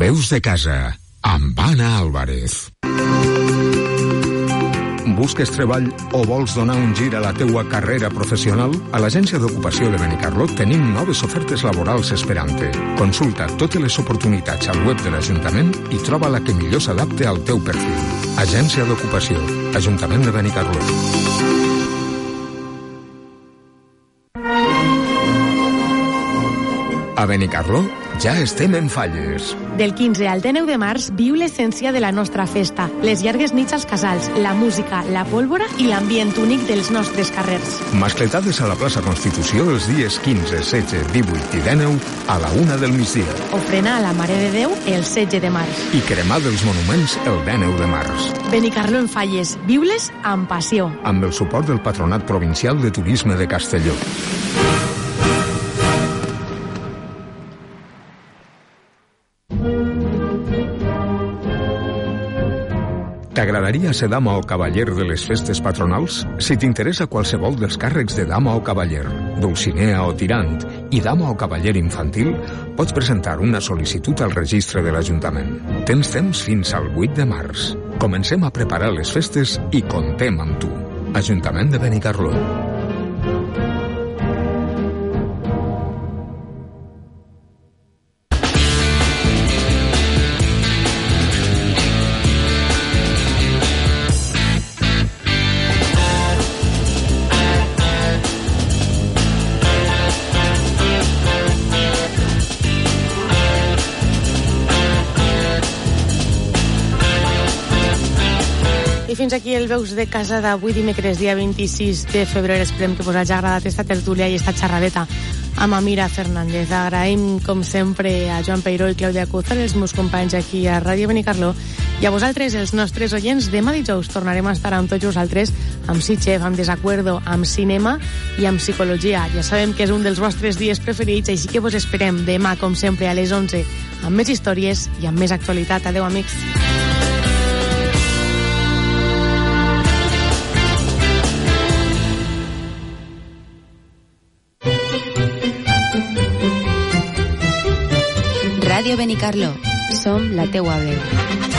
Veus de casa, amb Anna Álvarez. Busques treball o vols donar un gir a la teua carrera professional? A l'Agència d'Ocupació de Benicarló tenim noves ofertes laborals esperant-te. Consulta totes les oportunitats al web de l'Ajuntament i troba la que millor s'adapte al teu perfil. Agència d'Ocupació, Ajuntament de Benicarló. A Benicarló ja estem en falles. Del quinze al dinou de març viu l'essència de la nostra festa, les llargues nits als casals, la música, la pólvora i l'ambient únic dels nostres carrers. Mascletades a la plaça Constitució els dies quinze, setze, divuit i dinou a la una del migdia. Ofrena a la Mare de Déu el setze de març. I cremar dels monuments el dinou de març. Benicarló en falles, viu-les amb passió. Amb el suport del Patronat Provincial de Turisme de Castelló. T'agradaria ser dama o cavaller de les festes patronals? Si t'interessa qualsevol dels càrrecs de dama o cavaller, dulcinea o tirant, i dama o cavaller infantil, pots presentar una sol·licitud al registre de l'Ajuntament. Tens temps fins al vuit de març. Comencem a preparar les festes i contem amb tu. Ajuntament de Benicarló. Fins aquí el Veus de Casa d'avui dimecres, dia vint-i-sis de febrer. Esperem que us hagi agradat esta tertúlia i esta xerradeta amb Amira Fernández. Agraïm, com sempre, a Joan Peiró i Clàudia Cúzar, els meus companys aquí a Ràdio Benicarló, i a vosaltres, els nostres oients. Demà dijous tornarem a estar amb tots vosaltres, amb Sitxef, amb Desacuerdo, amb cinema i amb psicologia. Ja sabem que és un dels vostres dies preferits, així que vos esperem demà, com sempre, a les onze, amb més històries i amb més actualitat. Adeu, amics. Ràdio Benicarló. Som la teua veu.